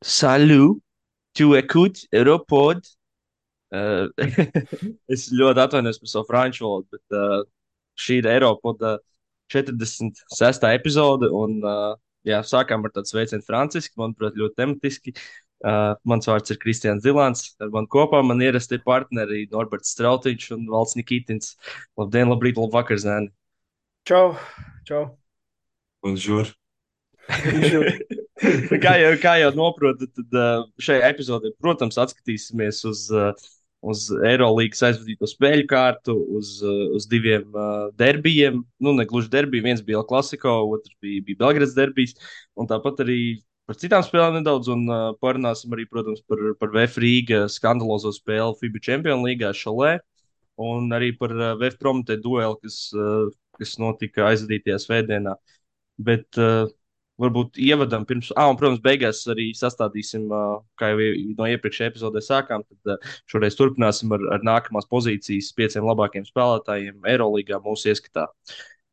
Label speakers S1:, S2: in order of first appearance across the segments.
S1: Salut, tu écoutes Europod. Uh, es ļoti atvainojos par savu franču valodu, bet šī ir Eiropoda 46. epizode. Jā, sākām ar tādu sveicienu franciski, manuprāt, ļoti tematiski. Mans vārds ir Kristians Zilants. Ar mani kopā man ierasti partneri Norberts Strautiņš un Valds Nikitins. Labdien, labrīt, labvakar, zēni!
S2: Čau, čau.
S1: Bonjour.
S2: Bonjour.
S1: Kā jau noprotat, tad šajā epizodē, protams, atskatīsimies uz Eirolandes aizvadīto spēļu kārtu, uz diviem derbijiem. Nu, ne gluži derbiji, viens bija El Clasico, otrs bija Belgrads derbijs. Un tāpat arī par citām spēlēm nedaudz, un parunāsim arī, protams, par VF Rīga skandalozo spēli FIBA Champions League šalē, un arī par VF Prometē dueli, kas notika aizvadītajā svētdienā. Bet varbūt ievadam pirms, un, protams, beigās arī sastādīsim, kā jau no iepriekšējā epizodē sākām, tad šoreiz turpināsim ar nākamās pozīcijas pieciem labākajiem spēlētājiem Eirolandā mūsu ieskatā.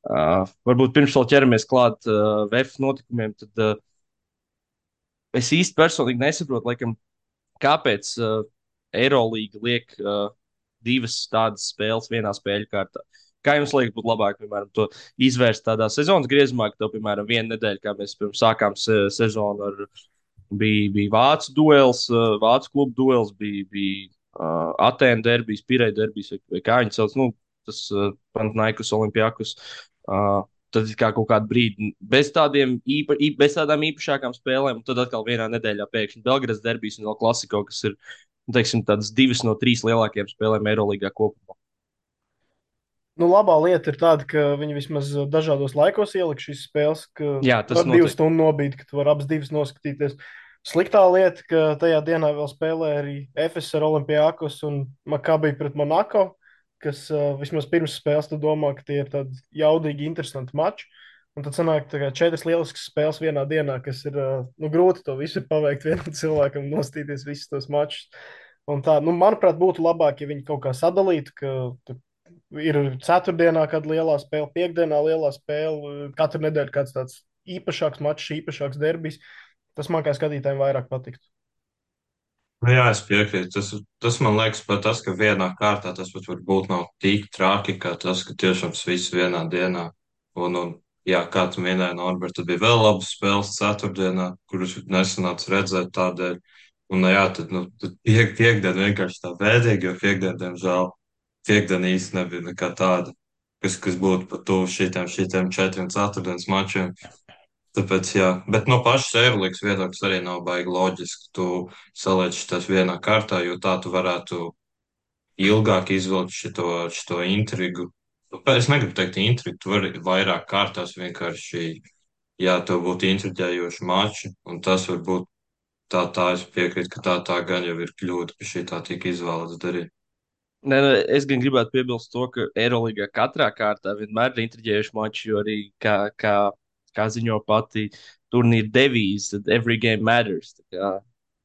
S1: Varbūt pirms vēl ķeramies klāt VF notikumiem, tad es īsti personīgi nesaprotu, laikam, kāpēc Eirolanda liek divas tādas spēles vienā spēļu kārtā. Kā jums liekas, būtu labāk, piemēram, to izvērst tādā sezonas griezumā, ka tev, piemēram, viena nedēļa, kā mēs pirms sākām sezonu, bija Vācu duels, Vācu klubu duels, bija Atēnu derbijas, Pireja derbijas, vai kā viņi sauc, nu, tas Panathinaikos Olimpijakus. Tad kā kaut kādu brīdi bez tādām īpašākām spēlēm, un tad atkal vienā nedēļā pēkšņi Belgrads derbijas un vēl Klasiko, kas ir, nu, teiksim, tādas divas no trīs lielākajām spēlēm Eirolandā kopumā.
S2: Nu, labā lieta ir tāda, ka viņi vismaz dažādos laikos ielika šīs spēles, ka
S1: Jā, tas
S2: var divu
S1: noteikti.
S2: stundu nobīt, ka tu vari abas divas noskatīties. Sliktā lieta, ka tajā dienā vēl spēlē arī FS ar Olimpijakos un Makabi pret Monako, kas vismaz pirms spēles tu domā, ka tie ir tādi jaudīgi, interesanti mači. Un tad sanāk tā kā četras lieliskas spēles vienā dienā, kas ir nu, grūti to visu paveikt vienam cilvēkam, nostīties visus tos mačus. Un tā, nu, manuprāt, būtu labāk, ja viņi kaut kā sadalītu, ka tu ir ceturtdienā, kad lielā spēle, piekdienā lielā spēle, katru nedēļu kāds tāds īpašāks mačs, īpašāks derbijs. Tas man kā skatītājiem vairāk patiktu.
S3: Nu, jā, es piekrītu. Tas man liekas, pat tas, ka vienā kārtā tas pat varbūt nav tik traki, kā tas, ka tiešām tas viss vienā dienā. Un jā, kā tu minēji, Norbert, tad bija vēl labas spēles ceturtdienā, kuras nesanāca redzēt tādēļ. Un, jā, tad piekdiena vienkārši tā bēdīgi, jo piekdiena, diemžēl, piekdiena īsti nebija nekā tāda, kas būtu pat tuvu šitiem četriem ceturtdienas mačiem. Tāpēc, jā, bet no pašas Eirolandes viedokļa arī nav baigi loģiski. Tu saliec tas vienā kārtā, jo tā tu varētu ilgāk izvilkt šito intrigu. Es negribu teikt intrigu, tu vari vairāk kārtās vienkārši, jā, tev būtu intriģējoši mači, un tas varbūt tā es piekrītu, ka tā gan jau ir kļūda, ka šī tā tika izvēlēts darīt.
S1: Nē, nē, es gan gribētu piebilst to, ka Eirolandā katrā kārtā vienmēr ir intriģējuši mači, jo arī, kā ziņo pati turnīra devīze, tad every game matters. Tā kā,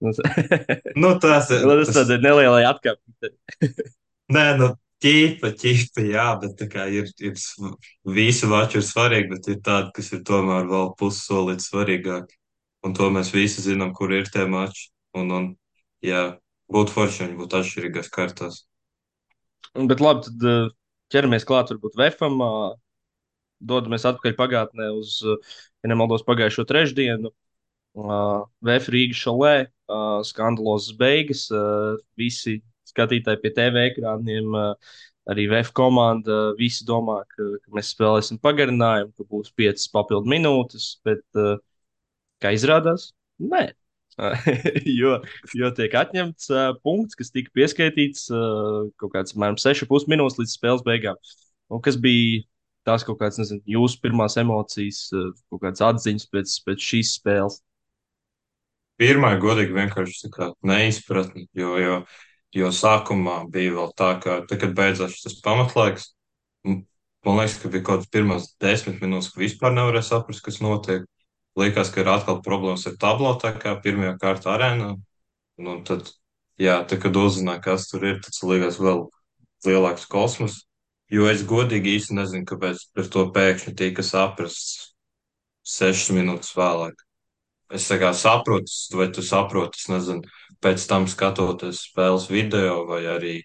S1: nu,
S3: Nu,
S1: tas tādai nelielai atkāpei.
S3: nē, nu, ķīpa, jā, bet tā kā visi mači ir svarīgi, bet ir tādi, kas ir tomēr vēl pussolīt svarīgāk. Un to mēs visi zinām, kur ir tie mači. Jā, būtu forši, ja viņi būtu atšķirīgās kārtās.
S1: Bet labi, tad ķeramies klāt varbūt Vefam. Dodamies atpakaļ pagātnē uz, ja nemaldos, pagājušo trešdienu. VF Rīgas šalē, skandalozas beigas. Visi skatītāji pie TV ekrāniem, arī VF komanda, visi domā, ka mēs spēlēsim pagarinājumu, ka būs 5 papildu minūtes, bet kā izrādās, nē. jo tiek atņemts punkts, kas tika pieskaitīts kaut kāds, apmēram, 6,5 minūtes līdz spēles beigām. Un kas bija tās kaut kādas, nezinu, jūsu pirmās emocijas, kaut kādas atziņas pēc šīs spēles?
S3: Pirmā godīgi vienkārši tā kā neizpratni, jo sākumā bija vēl tā, ka, tā, kad beidzās tas pamatlaiks, m- man liekas, ka bija kaut kāds pirmās 10 minūtes, ka vispār nevarēja saprast, kas notiek. Liekas, ka ir atkal problēmas ar tablo, tā kā pirmajā kārtā arēnā. Un tad, jā, tā, kad uzzināja, kas tur ir, tas liekas vēl lielāks kosmos. Jo es godīgi īsti nezinu, kāpēc par to pēkšņi tika saprasts 6 minūtes vēlāk. es tā kā saprotu, vai tu saproti, es nezinu, pēc tam skatoties spēles video, vai arī,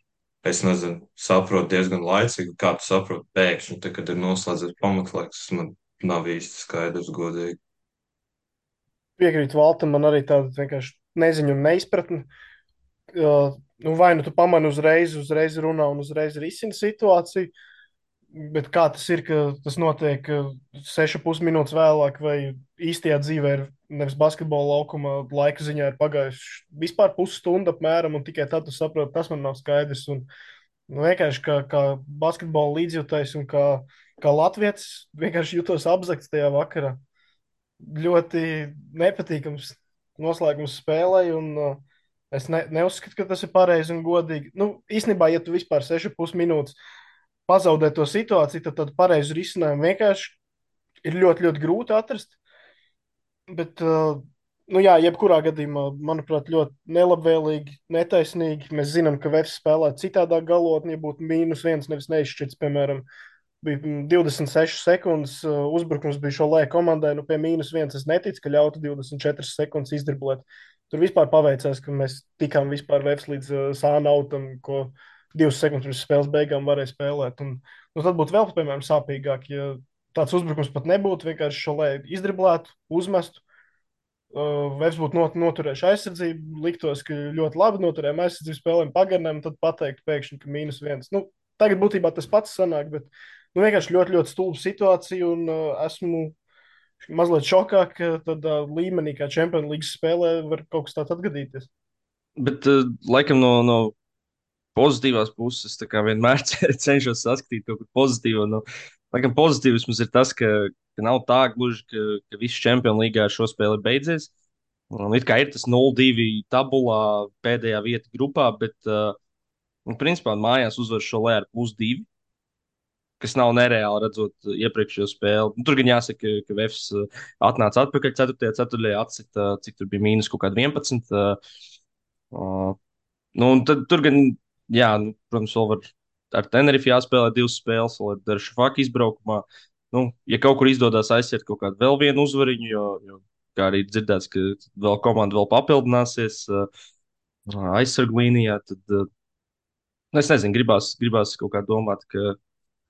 S3: es nezinu, saprotu diezgan laicīgi, kā tu saproti pēkšņi, tad, kad ir noslēdzies pamatlaiks, tas man nav īsti skaidrs, godīgi.
S2: Piekrītu Valtam, man arī tāda vienkārši neziņa un neizpratne. Nu, vai nu tu pamani uzreiz runā un uzreiz risina situāciju, bet kā tas ir, ka tas notiek 6,5 minūtes vēlāk, vai īstajā dzīvē ir nevis basketbola laukuma laika ziņā ir pagājuši vispār pusstunda apmēram, un tikai tad tu saproti, tas man nav skaidrs. Un, nu, vienkārši kā basketbola līdzjūtais un kā latviečs vienkārši jutos apzakts tajā vakarā. Ļoti nepatīkams noslēgums spēlei, un es neuzskatu, ka tas ir pareizi un godīgi. Nu, īstenībā, ja tu vispār 6,5 minūtes pazaudē to situāciju, tad tādu pareizu risinājumu vienkārši ir ļoti, ļoti grūti atrast. Bet, nu jā, jebkurā gadījumā, manuprāt, ļoti nelabvēlīgi, netaisnīgi. Mēs zinām, ka Vēfs spēlē citādāk galotni, ja būtu -1, nevis neizšķirts, piemēram, bija 26 sekundes. Uzbrukums bija šo lēku komandai. Nu, pie -1 es neticu, ka ļautu 24 sekundes izdriblēt. Tur vispār paveicās, ka mēs tikām vispār Vēfs līdz sānautam, ko 2 sekundes pirms spēles beigām varēja spēlēt. Un, nu, tad būtu vēl, piemēram, sāpīgāk, ja tāds uzbrukums pat nebūtu. Vienkārši šo lēku izdriblētu, uzmestu. Vērs būtu noturējuši aizsardzību, liktos, ka ļoti labi noturējām aizsardzību, spēlēm pagarinājumu, tad pateikt pēkšņi, ka -1. Nu, tagad būtībā tas pats sanāk, bet nu, vienkārši ļoti, ļoti stulba situācija, un esmu mazliet šokā, ka tādā līmenī, kā Champions League spēlē, var kaut kas tāds atgadīties.
S1: Bet, laikam, no pozitīvās puses, tā kā vienmēr cenšos saskatīt kaut ko pozitīvu. Nu, laikam, pozitīvs ir tas, ka nav tā gluži, ka viss Champions League ar šo spēli ir beidzies. Un it kā ir tas 0-2 tabulā, pēdējā vieta grupā, bet, principā, mājās uzvar šo lē ar +2, kas nav nereāli redzot iepriekšējo spēli. Nu, tur gan jāsaka, ka Vēfs atnāca atpakaļ 4. ceturtajā, atcita, cik tur bija mīnus kaut kāda 11. Nu, un tad tur gan, jā, nu, protams, vēl var ar Tenerife jāspēlē 2 spēles, vēl ir Daršafaka izbraukumā. Nu, ja kaut kur izdodas aiziet kaut kādu vēl vienu uzvariņu, jo kā arī dzirdēts, ka vēl komanda vēl papildināsies aizsargu līnijā, tad, nu, es nezinu, gribās kaut kā domāt, ka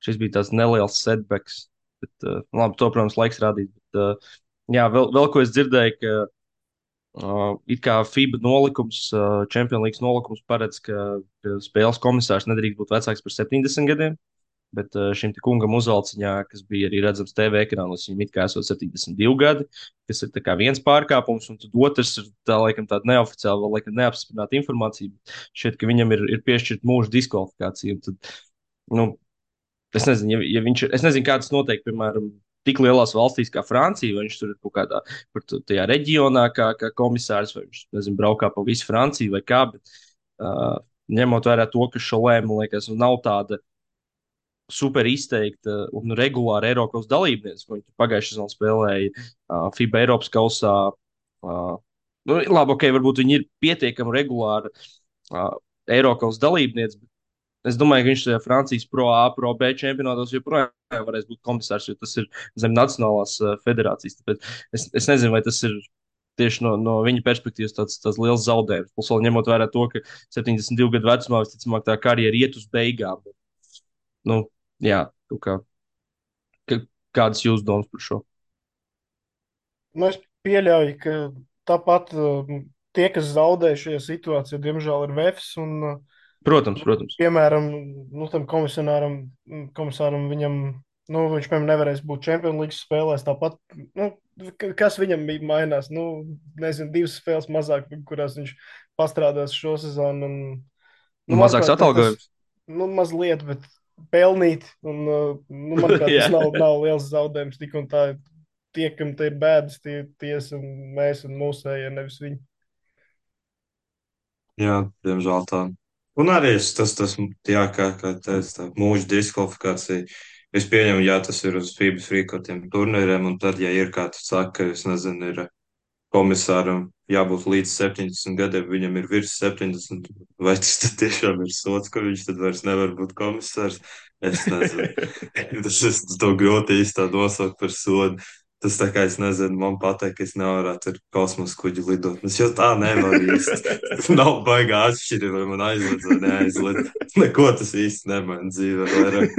S1: šis bija tāds neliels setbacks. Bet, labi, to, protams, laiks rādīt. Bet, jā, vēl ko es dzirdēju, ka it kā FIBA nolikums, Champions League nolikums paredz, ka spēles komisārs nedrīkst būt vecāks par 70 gadiem. Bet šim te kungam uzvalciņā, kas bija arī redzams TV ekrānos, viņam it kā esot 72 gadi, kas ir tā kā viens pārkāpums, un tad otrs ir tā, laikam, tāda neoficiāla, vēl laikam neapstiprināta informācija. Šķiet, ka viņam ir piešķirta mūža diskvalifikācija. Un tad, nu, es nezinu, ja viņš ir, es nezinu, kā tas notiek, piemēram, tik lielās valstīs kā Francija, vai viņš tur ir kaut kādā tajā reģionā, kā komisārs, vai viņš, nezinu, braukā pa visu Franciju vai kā, bet ņemot vērā to, ka Šolē, man liekas, nu, nav tāda super izteikta un regulāra Eiropas dalībniece, ko viņi pagājušajā sezonā spēlēja FIBA Eiropas kausā. Nu, labi, ok, varbūt viņi ir pietiekami regulāri Eiropas dalībniece, bet es domāju, ka viņš tajā Francijas Pro A, Pro B čempionātos joprojām varēs būt komisārs, jo tas ir zem Nacionālās federācijas. Tāpēc es nezinu, vai tas ir tieši no viņa perspektīvas tāds liels zaudējums. Plus, vēl ņemot vērā to, ka 72 gadu vecumā visticamāk tā karjera iet uz beigām. Nu, jā, kādas jūsu domas par šo?
S2: Nu, es pieļauju, ka tāpat tie, kas zaudēja šajā situācijā, diemžēl ir Vēfs. Un,
S1: Protams.
S2: piemēram, nu, tam komisāram viņam, nu, viņš, piemēram, nevarēs būt Champions League spēlēs. Tāpat, nu, kas viņam bija mainās? Nu, nezinu, 2 spēles mazāk, kurās viņš pastrādās šo sezonu. Un, nu,
S1: Mazāks atalgojums.
S2: Nu, mazliet, bet pelnīt. Un, nu, manuprāt, tas nav liels zaudējums. Tik un tā, tie, kam te ir bēdas, tie esam mēs un mūsējie, nevis viņi.
S3: Jā, diemžēl tā. Un arī jā, kā teicu, tā mūža diskvalifikācija. Es pieņemu, jā, tas ir uz FIBA frīkotiem turnīriem, un tad, ja ir kāds saka, es nezinu, ir komisāram jābūt līdz 70 gadiem, viņam ir virs 70, vai tas tad tiešām ir sots, ka viņš tad vairs nevar būt komisārs? Es nezinu. Tas ir to grūti īstā nosaukt par sodu. Tas tā kā es nezinu, man pateikt, ka es nevarētu ar kosmosa kuģi lidot. Es jau tā nevaru īsti. Nav baigā atšķirība, vai man aizliedz vai neaizliedz. Neko tas īsti nemaina dzīvē vairāk.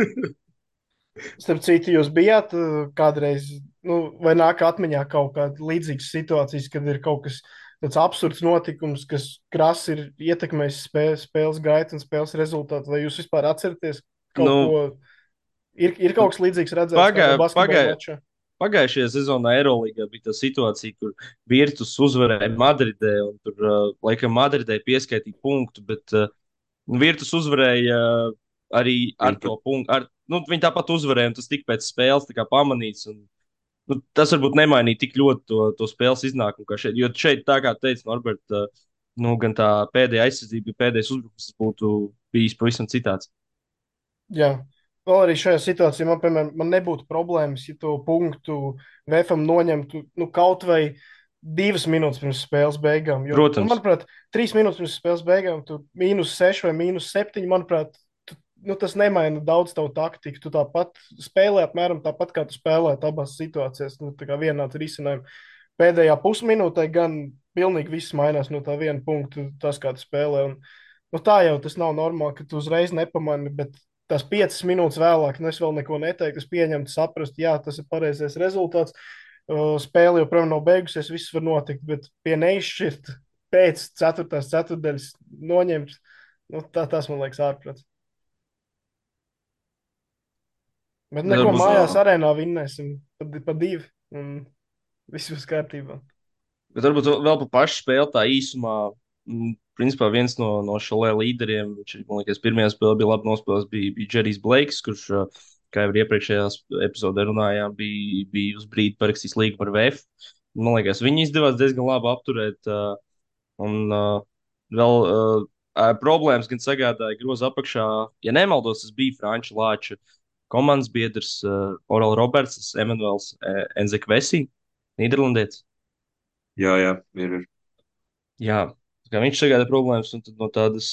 S2: Starp citu, jūs bijāt kādreiz, nu, vai nāk atmiņā kaut kāda līdzīga situācijas, kad ir kaut kas tāds absurds notikums, kas krasi ir ietekmējis spēles gaitu un spēles rezultātu, vai jūs vispār atceraties kaut ko?
S1: Nu,
S2: Ir kaut kas līdzīgs redzēts
S1: pagā,
S2: kādā basketbola
S1: pagā,
S2: mačā?
S1: pagājušajā sezonā Eirolandā bija tā situācija, kur Virtus uzvarēja Madridē, un tur, laikam, Madridē pieskaitīja punktu, bet Virtus uzvarēja arī ar
S3: Viņi
S1: to
S3: pat,
S1: punktu. Viņi tāpat uzvarēja, un tas tika pēc spēles tā kā pamanīts. Un, tas varbūt nemainīja tik ļoti to spēles iznākumu, kā šeit. Jo šeit, tā kā teica Norberts, gan tā pēdējā aizsardzība, pēdējais uzbrukums būtu bijis pavisam citāds.
S2: Jā. Vēl arī šajā situācijā man, piemēram, man nebūtu problēmas, ja to punktu VFam noņemtu nu, kaut vai 2 minūtes pirms spēles beigām. Jo, nu,
S1: Protams,
S2: manuprāt, 3 minūtes pirms spēles beigām, tur -6 vai -7, manuprāt, nu, tas nemaina daudz tavu taktiku. Tu tāpat spēlē apmēram tāpat, kā tu spēlēji abās situācijās. Nu, tā kā vienāds risinājums. Pēdējā pusminūtē gan pilnīgi viss mainās no tā viena punkta, tas, kā tu spēlē. Un, nu, tā jau tas nav normāli, ka tu uzreiz nepamani, bet tās 5 minūtes vēlāk, nu, es vēl neko neteiktu, es pieņemtu, saprastu, jā, tas ir pareizais rezultāts. Spēle joprojām nav beigusies, viss var notikt, bet pie neizšķirt pēc 4. ceturtdaļas noņemt, nu, tas man liekas ārprāts. Bet neko,
S1: varbūt,
S2: mājās arēnā vinnēsim pa 2, un viss būs kārtībā.
S1: vēl par pašu spēli tā īsumā. Principā viens no šāda līderiem, viņš, man liekas, pirmajā spēlē bija labi nospēlējis, bija Džerijs Blakes, kurš, kā jau iepriekšējā epizodē runājām, bija uz brīdi parakstījis līgumu ar VF. Man liekas, viņi izdevās diezgan labi apturēt. Un vēl problēmas gan sagādāja groza apakšā. Ja nemaldos, tas bija Franča Lāča komandas biedrs Oral Roberts, Emanuels Enzekvesi, Nīderlandietis.
S3: jā, jā, ir.
S1: Jā, kā viņš sagādā problēmas, un tad no tādas,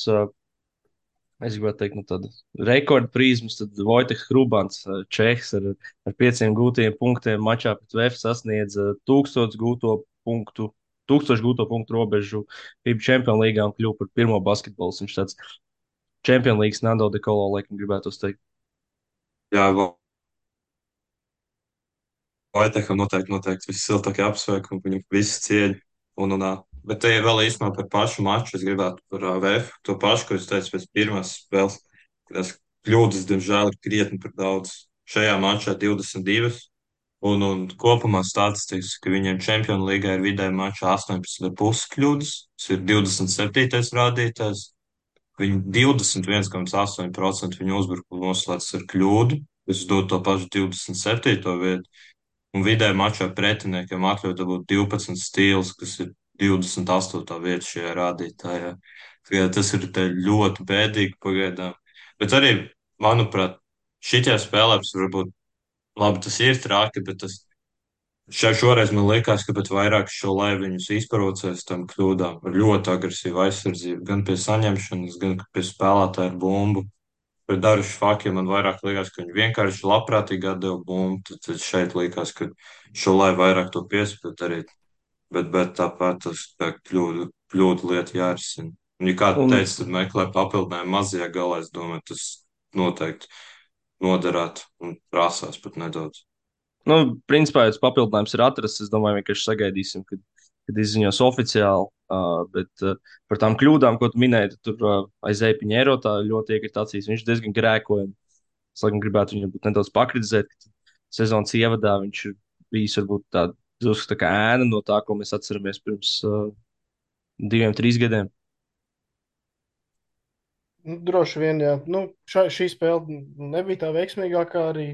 S1: es gribētu teikt, no tādas rekorda prizmas, tad Vojteks Hrubans, Čehs ar 5 gūtiem punktiem mačā pret VF sasniedz 1000 gūto punktu robežu FIBA Champions League un kļuva par pirmo basketbolu. Viņš tāds Champions League Nando de Colo, laikam, gribētu teikt.
S3: Jā, Vaitekam noteikti vissiltākie apsveikumi, viņu visu cieņu. Bet te vēl īstenībā par pašu maču. Es gribētu par VF to pašu, ko es teicu pēc pirmās spēles. Tas kļūdas, diemžēl, ir krietni par daudz. Šajā mačā 22. Un kopumā statistikas, ka viņiem Champions League ir vidēji mačā 18,5 kļūdas. Tas ir 27. rādītājs. Viņi 21,8% viņu uzbrukumu noslēdz ar kļūdu. Es dodu to pašu 27. vietu. Un vidēji mačā pretiniekiem atļauj dabūt 12 stīlus, kas ir 28. vieta šajā rādītājā. Tas ir ļoti bēdīgi pagaidām. Bet arī, manuprāt, šitie spēlēs varbūt, labi, tas ir traki, bet šoreiz man liekas, ka pat vairāk šo laivu viņus izprovocēs tam kļūdām ar ļoti agresīvu aizsardzību, gan pie saņemšanas, gan pie spēlētāja ar bumbu. Pret Darušu Fakiem man vairāk liekas, ka viņi vienkārši labprātīgi atdeva bumbu. Tad šeit liekas, ka šo lai vairāk to piespēt arī. Bet tāpat tas tā kļūdu lieta jārisina. Un, ja kāds
S1: Un,
S3: teica, tad meklē papildinājumu mazajā galā, es domāju, tas noteikti noderētu un prasās pat nedaudz.
S1: principā, ja tas papildinājums ir atrasts, es domāju, vienkārši sagaidīsim, kad izziņos oficiāli. Bet par tām kļūdām, ko tu minēji, tur aizēja Piņēro, tā ļoti iekrita acīs. Viņš diezgan grēkoja. Es laikam gribētu viņu nedaudz pakritizēt, ka sezonas ievadā viņš ir bijis varbūt drusku tā kā ēna no tā, ko mēs atceramies pirms 2, 3 gadiem.
S2: Nu, droši vien, jā. Nu, šī spēle nebija tā veiksmīgākā arī.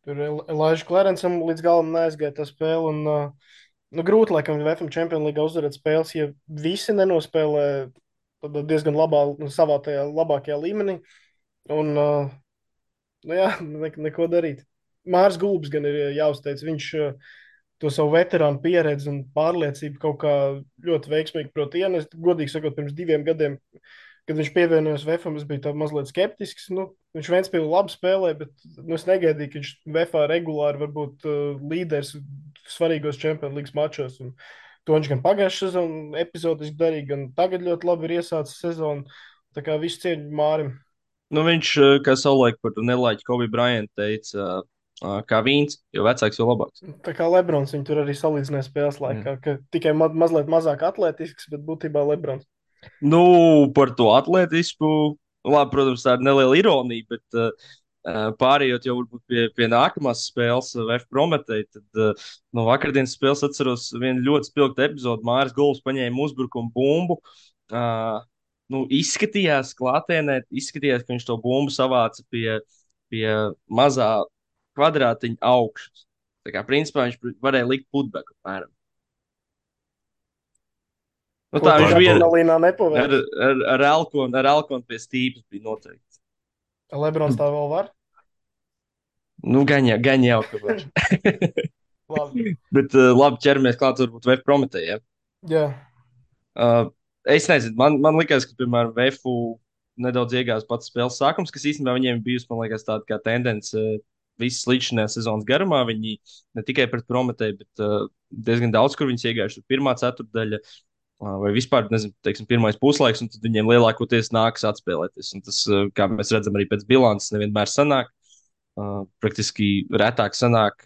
S2: Tur Elāža Klērencam līdz galam neaizgāja tā spēle. Un, nu, grūti, laikam, VFM Champions League uzvarēt spēles, ja visi nenospēlē diezgan savā tajā labākajā līmenī. Un, nu, jā, neko darīt. Mārs Gulbs gan ir jāuzteic. Viņš to savu veterānu pieredzi un pārliecību kaut kā ļoti veiksmīgi prot ienest. Godīgi sakot, pirms 2 gadiem kad viņš pievienojās VFam, es biju tā mazliet skeptisks. Nu, viņš Ventspīlī labi spēlē, bet nu, es negaidīju, ka viņš VFā regulāri var būt līderis svarīgos Champions League mačos. Un to viņš gan pagājušajā sezonā epizodiski darīja, gan tagad ļoti labi ir iesācis sezonu. Tā kā viss cieņa Mārim.
S1: Nu, viņš, kā savulaik par nelaiķi Kobe Bryant teica, kā vīns, jo vecāks, jo labāks.
S2: Tā kā Lebrons viņu tur arī salīdzināja spēles laikā, ka tikai mazliet mazāk atletisks, bet būtībā Lebrons.
S1: Nu, par to atletisku, labi, protams, tā ir neliela ironija, bet pārējot jau varbūt pie nākamās spēles, VF Prometēji, tad no vakardienas spēles atceros vienu ļoti spilgtu epizodu. Māris Gulbs paņēma uzbrukumu bumbu. Nu, izskatījās klātienē, izskatījās, ka viņš to bumbu savāca pie mazā kvadrātiņa augšas. Tā kā principā viņš varēja likt putbeku apmēram. Nu,
S2: Ko
S1: tā
S2: tu
S1: viņš bija
S2: adrenalīnā nepaveic?
S1: ar elkonu pie stīpas bija noteikti.
S2: Lebrons tā vēl var?
S1: Nu, gan jau, ka var.
S2: Labi.
S1: Bet labi ķeramies klāt varbūt VF Prometējiem.
S2: Jā.
S1: Es nezinu, man liekas, ka, piemēram, VFU nedaudz iegāzās pats spēles sākums, kas īstenībā viņiem bijusi, man liekas, tāda kā tendence visas līdzinājās sezonas garumā. Viņi ne tikai pret Prometēju, bet diezgan daudz, kur viņas iegājuši pirmā ceturtdaļa. Vai vispār, nezinu, teiksim, pirmais puslaiks, un tad viņiem lielākoties nākas atspēlēties. Un tas, kā mēs redzam, arī pēc bilances nevienmēr sanāk. Praktiski retāk sanāk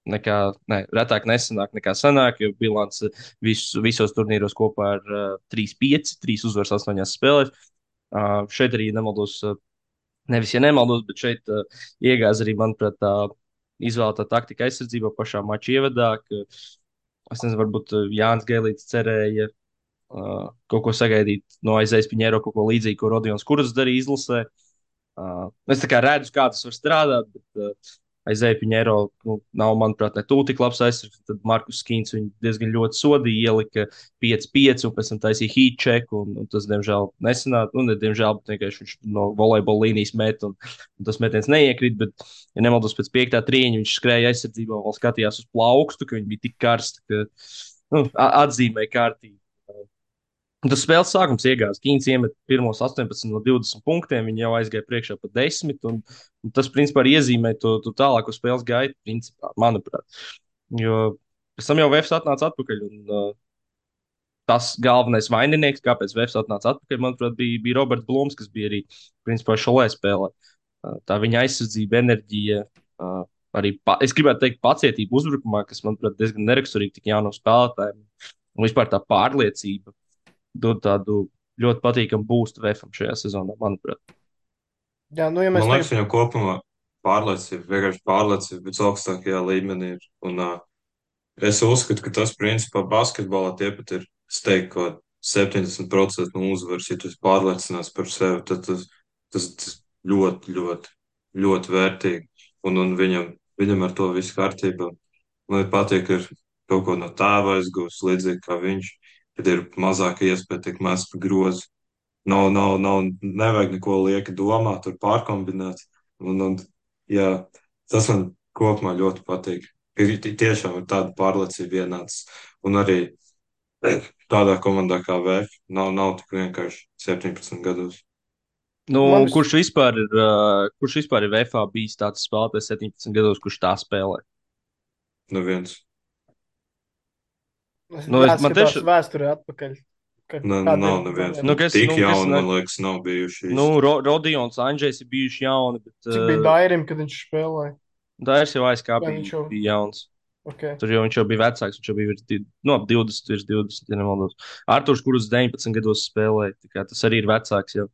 S1: retāk nesanāk nekā sanāk, jo bilance visos turnīros kopā ir 3-5, 3 uzvaras 8 spēlēs. Šeit arī nemaldos, nevis, ja nemaldos, bet šeit iegāz arī, manuprāt, tā izvēlētā taktika aizsardzībā pašā mača ievadā. Es nezinu, varbūt Jānis Gēlīts cerēja kaut ko sagaidīt no Aizējas Piņēro, kaut ko līdzīgu, ko Rodions Kurts darīja izlasē. Es tā kā redzu, kā tas var strādāt, bet Aizēja Piņēro nav, manuprāt, ne tūlīt tik labs aizsargs. Tad Markus Skīns viņu diezgan ļoti sodīja, ielika 5-5 un pēc tam taisīja heat check, un tas, diemžēl, nesanāca. Nu, ne diemžēl, bet vienkārši viņš no volejbola līnijas met, un tas metiens neiekrīt. Bet, ja nemaldos, pēc 5. trieņa viņš skrēja aizsardzībā un vēl skatījās uz plaukstu, ka viņi bija tik karsti, ka atzīmēja kārtīgi. Tas spēles sākums iegāzās. Kīns iemet pirmos 18 no 20 punktiem. Viņi jau aizgāja priekšā pa 10. Un tas, principā, arī iezīmē to tālāko spēles gaitu, principā, manuprāt. Jo pēc tam jau Vēfs atnāca atpakaļ. Un, tas galvenais vaininieks, kāpēc Vēfs atnāca atpakaļ, manuprāt, bija Roberts Blūms, kas bija arī, principā, šolē spēlē. Tā viņa aizsardzība, enerģija, arī, es gribētu teikt, pacietība uzbrukumā, kas, manuprāt, diezgan neraksturīgi tik jaunam spēlētājiem. Un vispār tā pārliecība dod tādu ļoti patīkamu būstu VFam šajā sezonā, manuprāt.
S2: Jā, nu, ja
S3: Man
S2: mēs
S3: liekas, viņam kopumā vienkārši pārliecība visaugstākajā līmenī ir. Un es uzskatu, ka tas, principā, basketbolā tie pat ir, es teiktu, kaut 70% no uzvaras, ja tu esi pārliecināts par sevi, tad tas ļoti, ļoti, ļoti vērtīgi. Un viņam ar to viss kārtībā. Man patīk, ka ir kaut ko no tēva aizgūst, līdzīgi kā viņš, kad ir mazāka iespēja tikt mest pa grozu. Nevajag neko lieki domāt, tur pārkombinēt. Jā, tas man kopumā ļoti patīk. Tiešām ir tāda pārliecība ienācis. Un arī tādā komandā kā VF nav tik vienkārši 17 gados.
S1: Nu,
S2: Man
S1: kurš vispār ir VFā bijis tāds spēlētājs 17 gados, kurš tā spēlē?
S3: Neviens.
S1: Nu, man
S2: jāskatās
S1: tieši,
S2: vēsturē atpakaļ.
S3: Nav neviens.
S1: Nu, kas-
S3: Tik
S1: nu, kas
S3: jauni,
S1: ne-
S3: man liekas, nav bijuši.
S1: nu, Rodions, Andrzejs ir bijuši jauni, bet
S2: Cik bija Dairim, kad viņš spēlēja?
S1: Dairis jau aizkāpa,
S2: Vai viņš jau-
S1: bija jauns.
S2: Okay.
S1: Tur jau viņš jau bija vecāks, viņš jau bija ap 20, virs 20, ja nemaldos. Arturs, kurus 19 gados spēlēja, tā kā tas arī ir vecāks jau.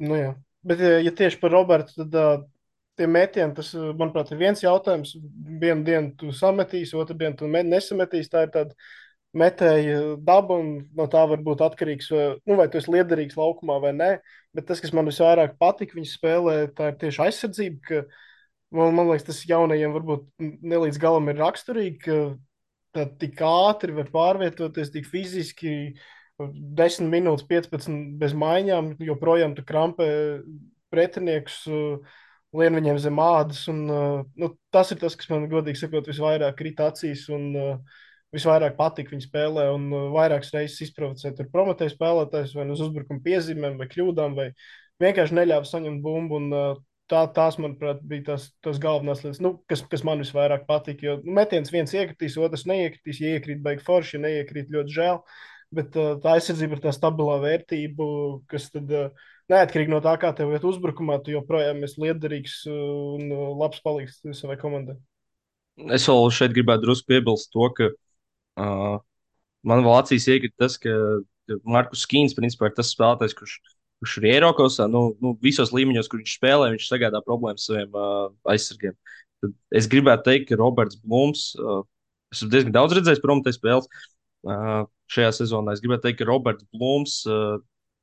S2: Nu, jā. Bet, ja tieši par Robertu, tad tie metieni, tas, manuprāt, ir viens jautājums. Vienu dienu tu sametīsi, otru dienu tu nesametīsi. Tā ir tāda metēja daba, un no tā var būt atkarīgs, vai tu esi liederīgs laukumā vai nē. Bet tas, kas man visvairāk patika viņa spēlē, tā ir tieši aizsardzība. Ka, man liekas, tas jaunajiem varbūt ne līdz galam ir raksturīgi, ka tā tik ātri var pārvietoties, tik fiziski 10 minūtes, 15 bez maiņām, joprojām tu krampē pretinieks, lien viņiem zem ādas. Un, tas ir tas, kas man, godīgi sakot, visvairāk krīt acīs. Un, visvairāk patika viņa spēlē, un vairākas reizes izprovocēja tur prometēju spēlētājs vai nu uz uzbrukuma piezīmēm, vai kļūdām, vai vienkārši neļāva saņemt bumbu. Un, tās, manuprāt, bija tās galvenās lietas, nu, kas man visvairāk patika. Jo nu, metiens viens iekritīs, otrs neiekritīs. Ja iekrīt, baigi forši, ja neiekrīt, ļoti žēl. Bet tā aizsardzība ir tā stabilā vērtība, kas tad neatkarīgi no tā, kā tev iet uzbrukumā, tu joprojām esi liederīgs un labs palīgs savai komandai.
S1: Es vēl šeit gribētu drusku piebilst to, ka uh, man vēl acīs iekrita tas, ka Markus Skīns principā ir tas spēlētājs, kurš ir Eiropasā, nu, visos līmeņos, kur viņš spēlē, viņš sagādā problēmas saviem aizsargiem. Tad es gribētu teikt, ka Roberts Blūms, esmu diezgan daudz redzējis prometēju spēles šajā sezonā. Es gribētu teikt, ka Roberts Blūms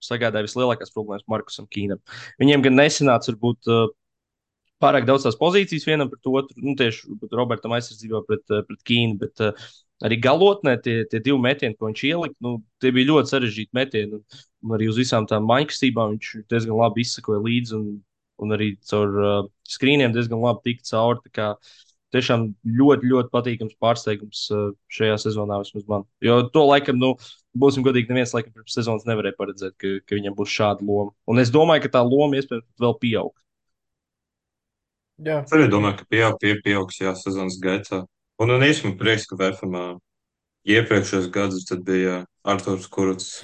S1: sagādāja vislielākās problēmas Markusam Kīnam. Viņiem gan nesanāca varbūt pārāk daudz tās pozīcijas vienam pret otru, nu, tieši Robertam aizsardzībā pret Kīnu, bet arī galotnē tie divi metieni, ko viņš ielika, nu, tie bija ļoti sarežģīti metieni. Un arī uz visām tām maiņkastībām viņš diezgan labi izsakoja līdzi un arī caur skrīniem diezgan labi tika cauri. Tā kā tiešām ļoti, ļoti patīkams pārsteigums šajā sezonā vismaz man. Jo to laikam, nu, būsim godīgi, neviens laikam pirms sezonas nevarēja paredzēt, ka viņam būs šāda loma. Un es domāju, ka tā loma iespējams vēl pieaugs.
S2: Jā,
S3: Es arī domāju, ka pieaugs jā, sezonas gaitā. Un īstenībā prieks, ka VFMā iepriekšējos gadus tad bija Arturs Kurts,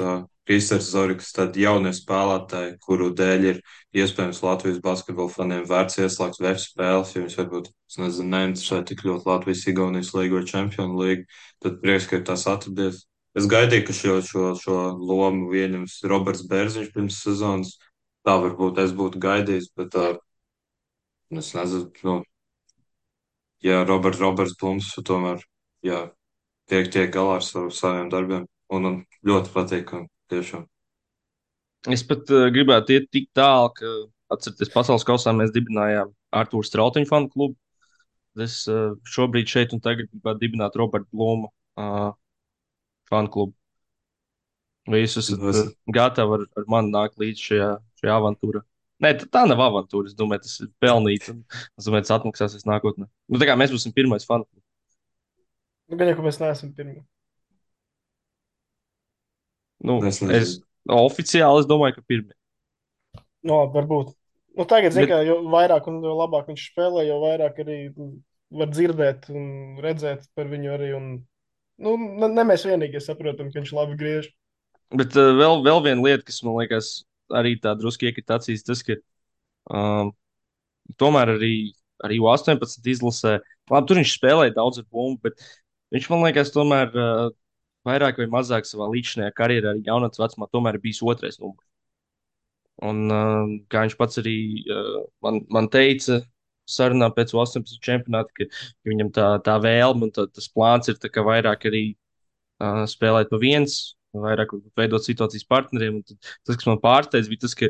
S3: Kristers Zoriks, tad jaunie spēlētāji, kuru dēļ ir iespējams Latvijas basketbola faniem vērts ieslēgt VF spēles, jo viņus varbūt, es nezinu, neinteresē tik ļoti Latvijas Igaunijas līgu vai Čempionu līgu, tad prieks, ka ir tās atradies. Es gaidīju, ka šo lomu ieņems Roberts Bērziņš pirms sezonas. Tā varbūt es būtu gaidījis, bet es nezinu, nu, ja Roberts Blums tomēr, jā, tiek galā ar saviem darbiem. Un ļoti patīkami, tiešām.
S1: Es pat gribētu iet tik tālu, ka, atcerieties, pasaules kausā mēs dibinājām Arthūru Strautiņu fanu klubu. Es šobrīd šeit un tagad gribētu dibināt Roberta Blūma fanu klubu. Vai jūs esat
S3: Es,
S1: gatavi ar mani nākt līdz šajā avantūrā? Nē, tā nav avantūra. Es domāju, tas ir pelnīts. Es domāju, tas atmaksāsies nākotnē. Nu, tā kā mēs būsim pirmais fanu klubs.
S2: nu, gan jau, ka mēs neesam pirmie.
S1: Nu,
S3: es nezinu.
S1: oficiāli es domāju, ka pirmie.
S2: No, varbūt. Nu, tagad, zin,
S1: Bet,
S2: kā, jo vairāk un jo labāk viņš spēlē, jo vairāk arī var dzirdēt un redzēt par viņu arī. Un, nu, ne mēs vienīgie saprotam, ka viņš labi griež.
S1: bet vēl viena lieta, kas man liekas arī tā drusku iekrita acīs, tas, ka um, tomēr arī U18 izlasē, labi, tur viņš spēlēja daudz ar bumbu, bet viņš man liekas, tomēr vairāk vai mazāk savā līdzinājā karjerā, arī jaunatnes vecumā, tomēr ir bijis otrais numurs. Un kā viņš pats arī man teica, sarunā pēc U18 čempionāta, ka viņam tā vēlme un tas plāns ir tā, vairāk arī spēlēt pa viens, vairāk veidot situācijas partneriem. Un tas, kas man pārsteidz, bija tas, ka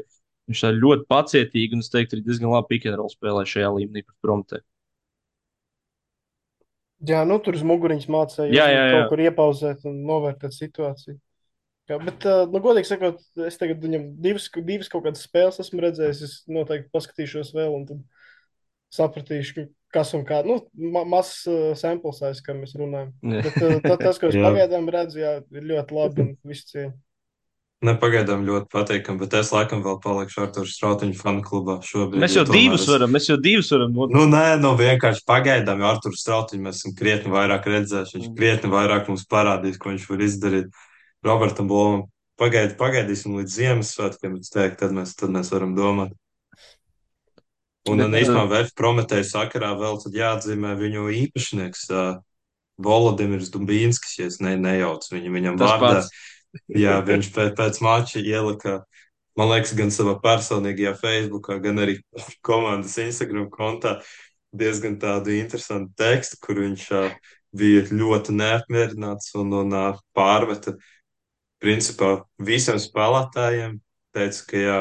S1: viņš tā ļoti pacietīgi un es teiktu, arī diezgan labi pikantrola spēlē šajā līmenī pret Prometēju.
S2: Jā, nu, tur uz muguriņas mācīja
S1: Jā, jā, jā.
S2: kaut kur iepauzēt un novērtēt situāciju. Jā, bet, nu, godīgi sakot, es tagad viņam divas kaut kādas spēles esmu redzējis. Es noteikti paskatīšos vēl, un tad sapratīšu, kas un kā. Nu, mazs sample size, kā mēs runājam.
S1: Jā.
S2: Bet tas, ko es
S3: Jā.
S2: pagaidām redzu, jā, ir ļoti labi un visu cieņu.
S3: Nepagaidām ļoti patīkami, bet es laikam vēl palikšu Arturs Strautiņu fanu klubā šobrīd.
S1: Mēs jau
S3: jo tomēr
S1: mēs jau divus varam
S3: Nu, nē, vienkārši pagaidām, jo Arturs Strautiņu mēs esam krietni vairāk redzējuši. Viņš krietni vairāk mums parādīs, ko viņš var izdarīt. Robertam Blomam pagaidīsim līdz Ziemassvētkiem, bet teikt, tad mēs varam domāt. Un
S1: Bet,
S3: īstenībā VF Prometēju sakarā vēl tad jāatzīmē viņu īpašnieks Volodimirs Dumbīnskis, ja es nejaucu viņam
S1: tas
S3: vārdā.
S1: pats.
S3: Jā, viņš pēc mača ielika, man liekas, gan savā personīgajā Facebookā, gan arī komandas Instagram kontā diezgan tādu interesantu tekstu, kur viņš bija ļoti neapmierināts un pārmeta principā visiem spēlētājiem. Teica, ka jā,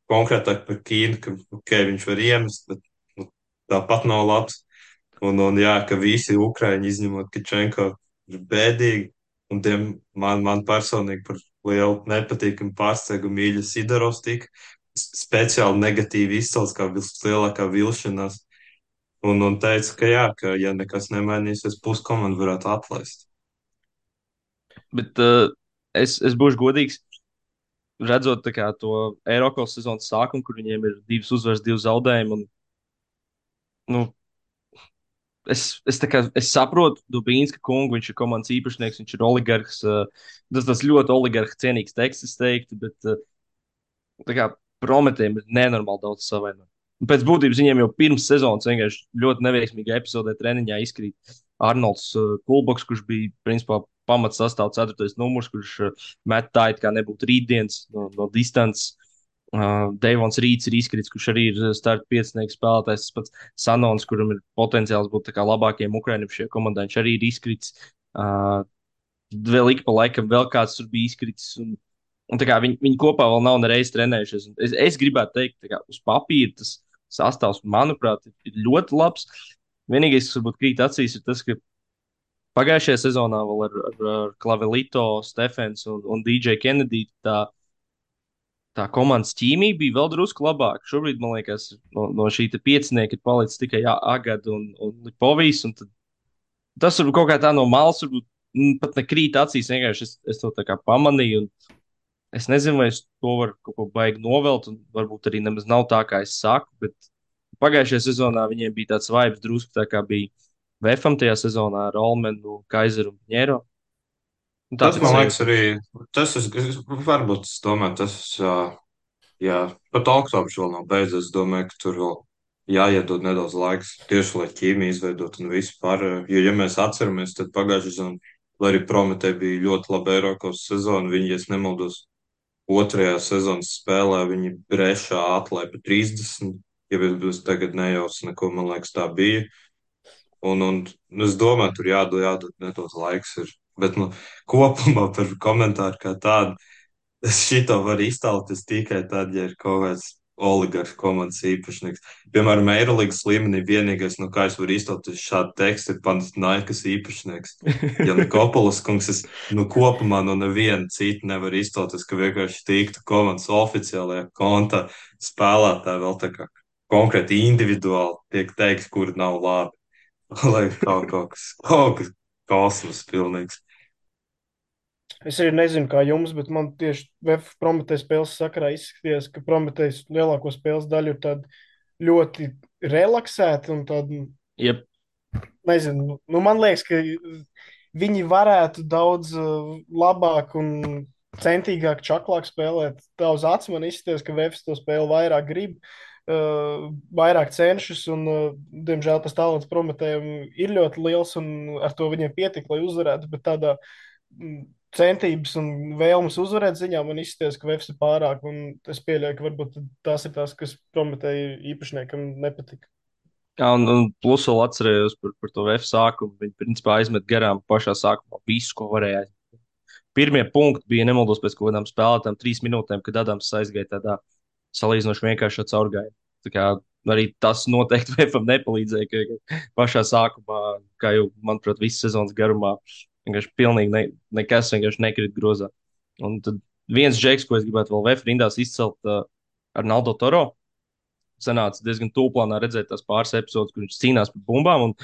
S3: konkrētāk par Kīnu, ka okay, viņš var iemest, bet nu, tāpat nav labs. Un jā, ka visi Ukraiņi izņemot Kačenko ir bēdīgi. Un man personīgi par lielu nepatīkamu pārsteigumu mīļa Sidorovs tika speciāli negatīvi izcelts kā vislielākā vilšanās. Un teica, ka jā, ka ja nekas nemainīsies, puskomanda varētu atlaist.
S1: Bet es būšu godīgs, redzot tā kā, to Eiropas sezonas sākumu, kur viņiem ir 2 uzvaras, 2 zaudējumi. Un, nu, es saprotu Dubīnska kungu, viņš ir komandas īpašnieks, viņš ir oligarhs. Tas ļoti oligarha cienīgs teksts, es teiktu, bet tā kā Prometējiem ir nenormāli daudz savainojumu. Pēc būtības viņiem jau pirms sezonas vienkārši ļoti neveiksmīgā epizodē treniņā izkrīt Arnolds Kulboks, kurš bija principā pamats sastāvs 4. numurs, kurš met tā, it kā nebūtu rītdienas no distances. Deivons Rīts ir izkrits, kurš arī ir starta piecinieks spēlētājs. Tas pats Sanons, kuram ir potenciāls būt tā kā labākajiem Ukraiņiem šajā komandā, viņš arī ir izkrits. Uh, Vēl ik pa laikam vēl kāds tur bija izkritis. Un tā kā viņi kopā vēl nav nereiz trenējušies. Un es gribētu teikt, ka uz papīra tas sastāvs, manuprāt, ir ļoti labs. Vienīgais, kas varbūt krīt acīs, ir tas, ka pagājušajā sezonā vēl ar Klavelito, Stefens un DJ Kennedy tā komandas ķīmija bija vēl drusku labāka. Šobrīd, man liekas, no šī piecinieka ir palicis tikai Agada un Lipovijs. Un tas varbūt kaut kā tā no malas, varbūt pat nekrīt acīs. Vienkārši es to tā kā pamanīju. Es nezinu, vai es to varu kaut ko baigi novelt, un varbūt arī nemaz nav tā, kā es saku. Bet pagājušajā sezonā viņiem bija tāds vibes drusku tā, kā bija Vēfam tajā sezonā ar Olmenu, Kaiseru un Ņēro. Un tā
S3: Tas
S1: pēc
S3: man liekas
S1: sajūta.
S3: arī, varbūt es domāju, jā, pat oktobrs vēl nav beidzies. Es domāju, ka tur vēl jāiedod nedaudz laiks tieši, lai ķīmiju izveidot un vispār. Jo, ja mēs atceramies, tad pagājušajā sezonā, lai arī Prometē bija ļoti laba Eiropas sezona, viņi, ja es nemaldos, otrajā sezonas spēlē viņi brešā atlaida pa 30, ja es tagad nejaucu neko, man liekas, tā bija. Un es domāju, tur jādod nedaudz laiks. Bet kopumā par komentāru kā tādu, es šito varu iztēloties tikai tad, ja ir kaut kāds oligarhu komandas īpašnieks. Piemēram, Eirolandes līmenī vienīgais, no kā es varu iztēloties šādu tekstu, ir Panathinaikos īpašnieks. Ja Nikopolis kungs, es kopumā no neviena cita nevar iztēloties, ka vienkārši tiktu komandas oficiālajā kontā spēlētāji vēl tā kā konkrēti individuāli tiek teikt, kur nav labi. Lai kaut kas kosmos pilnīgs.
S2: Es arī nezinu, kā jums, bet man tieši VF Prometējas spēles sakarā izskatījās, ka Prometējas lielāko spēles daļu ir tāda ļoti relaksēta un tāda,
S1: Jep.
S2: nezinu, nu man liekas, ka viņi varētu daudz labāk un centīgāk, čaklāk spēlēt. Tā uz acu man izskatījās, ka VF to spēli vairāk grib, vairāk cenšas, un, diemžēl, tas talants Prometējiem ir ļoti liels, un ar to viņiem pietika, lai uzvarētu, bet tādā centības un vēlmes uzvarēt ziņā man izskatās, ka Vēfs ir pārāk, un es pieļauju, ka varbūt tās ir tās, kas Prometēja īpašniekam nepatika.
S1: Jā, un plus vēl atcerējos par to F sākumu. Viņi principā aizmet garām pašā sākumā visu, ko varēja. Pirmie punkti bija nemaldos pēc kaut kādām spēlētām 3 minūtēm, kad Adams aizgāja tādā salīdzinoši vienkāršā caurgājumā. Tā kā arī tas noteikti Vēfam nepalīdzēja, ka pašā sākumā, kā jau, manuprāt, visas sezonas garumā, vienkārši pilnīgi nekas vienkārši nekrit grozā. Un tad viens džeks, ko es gribētu vēl Vēfa rindās izcelt, ar Naldo Toro. Sanāca diezgan tūplānā redzēt tās pāris epizodes, kur viņš cīnās par bumbām. Un,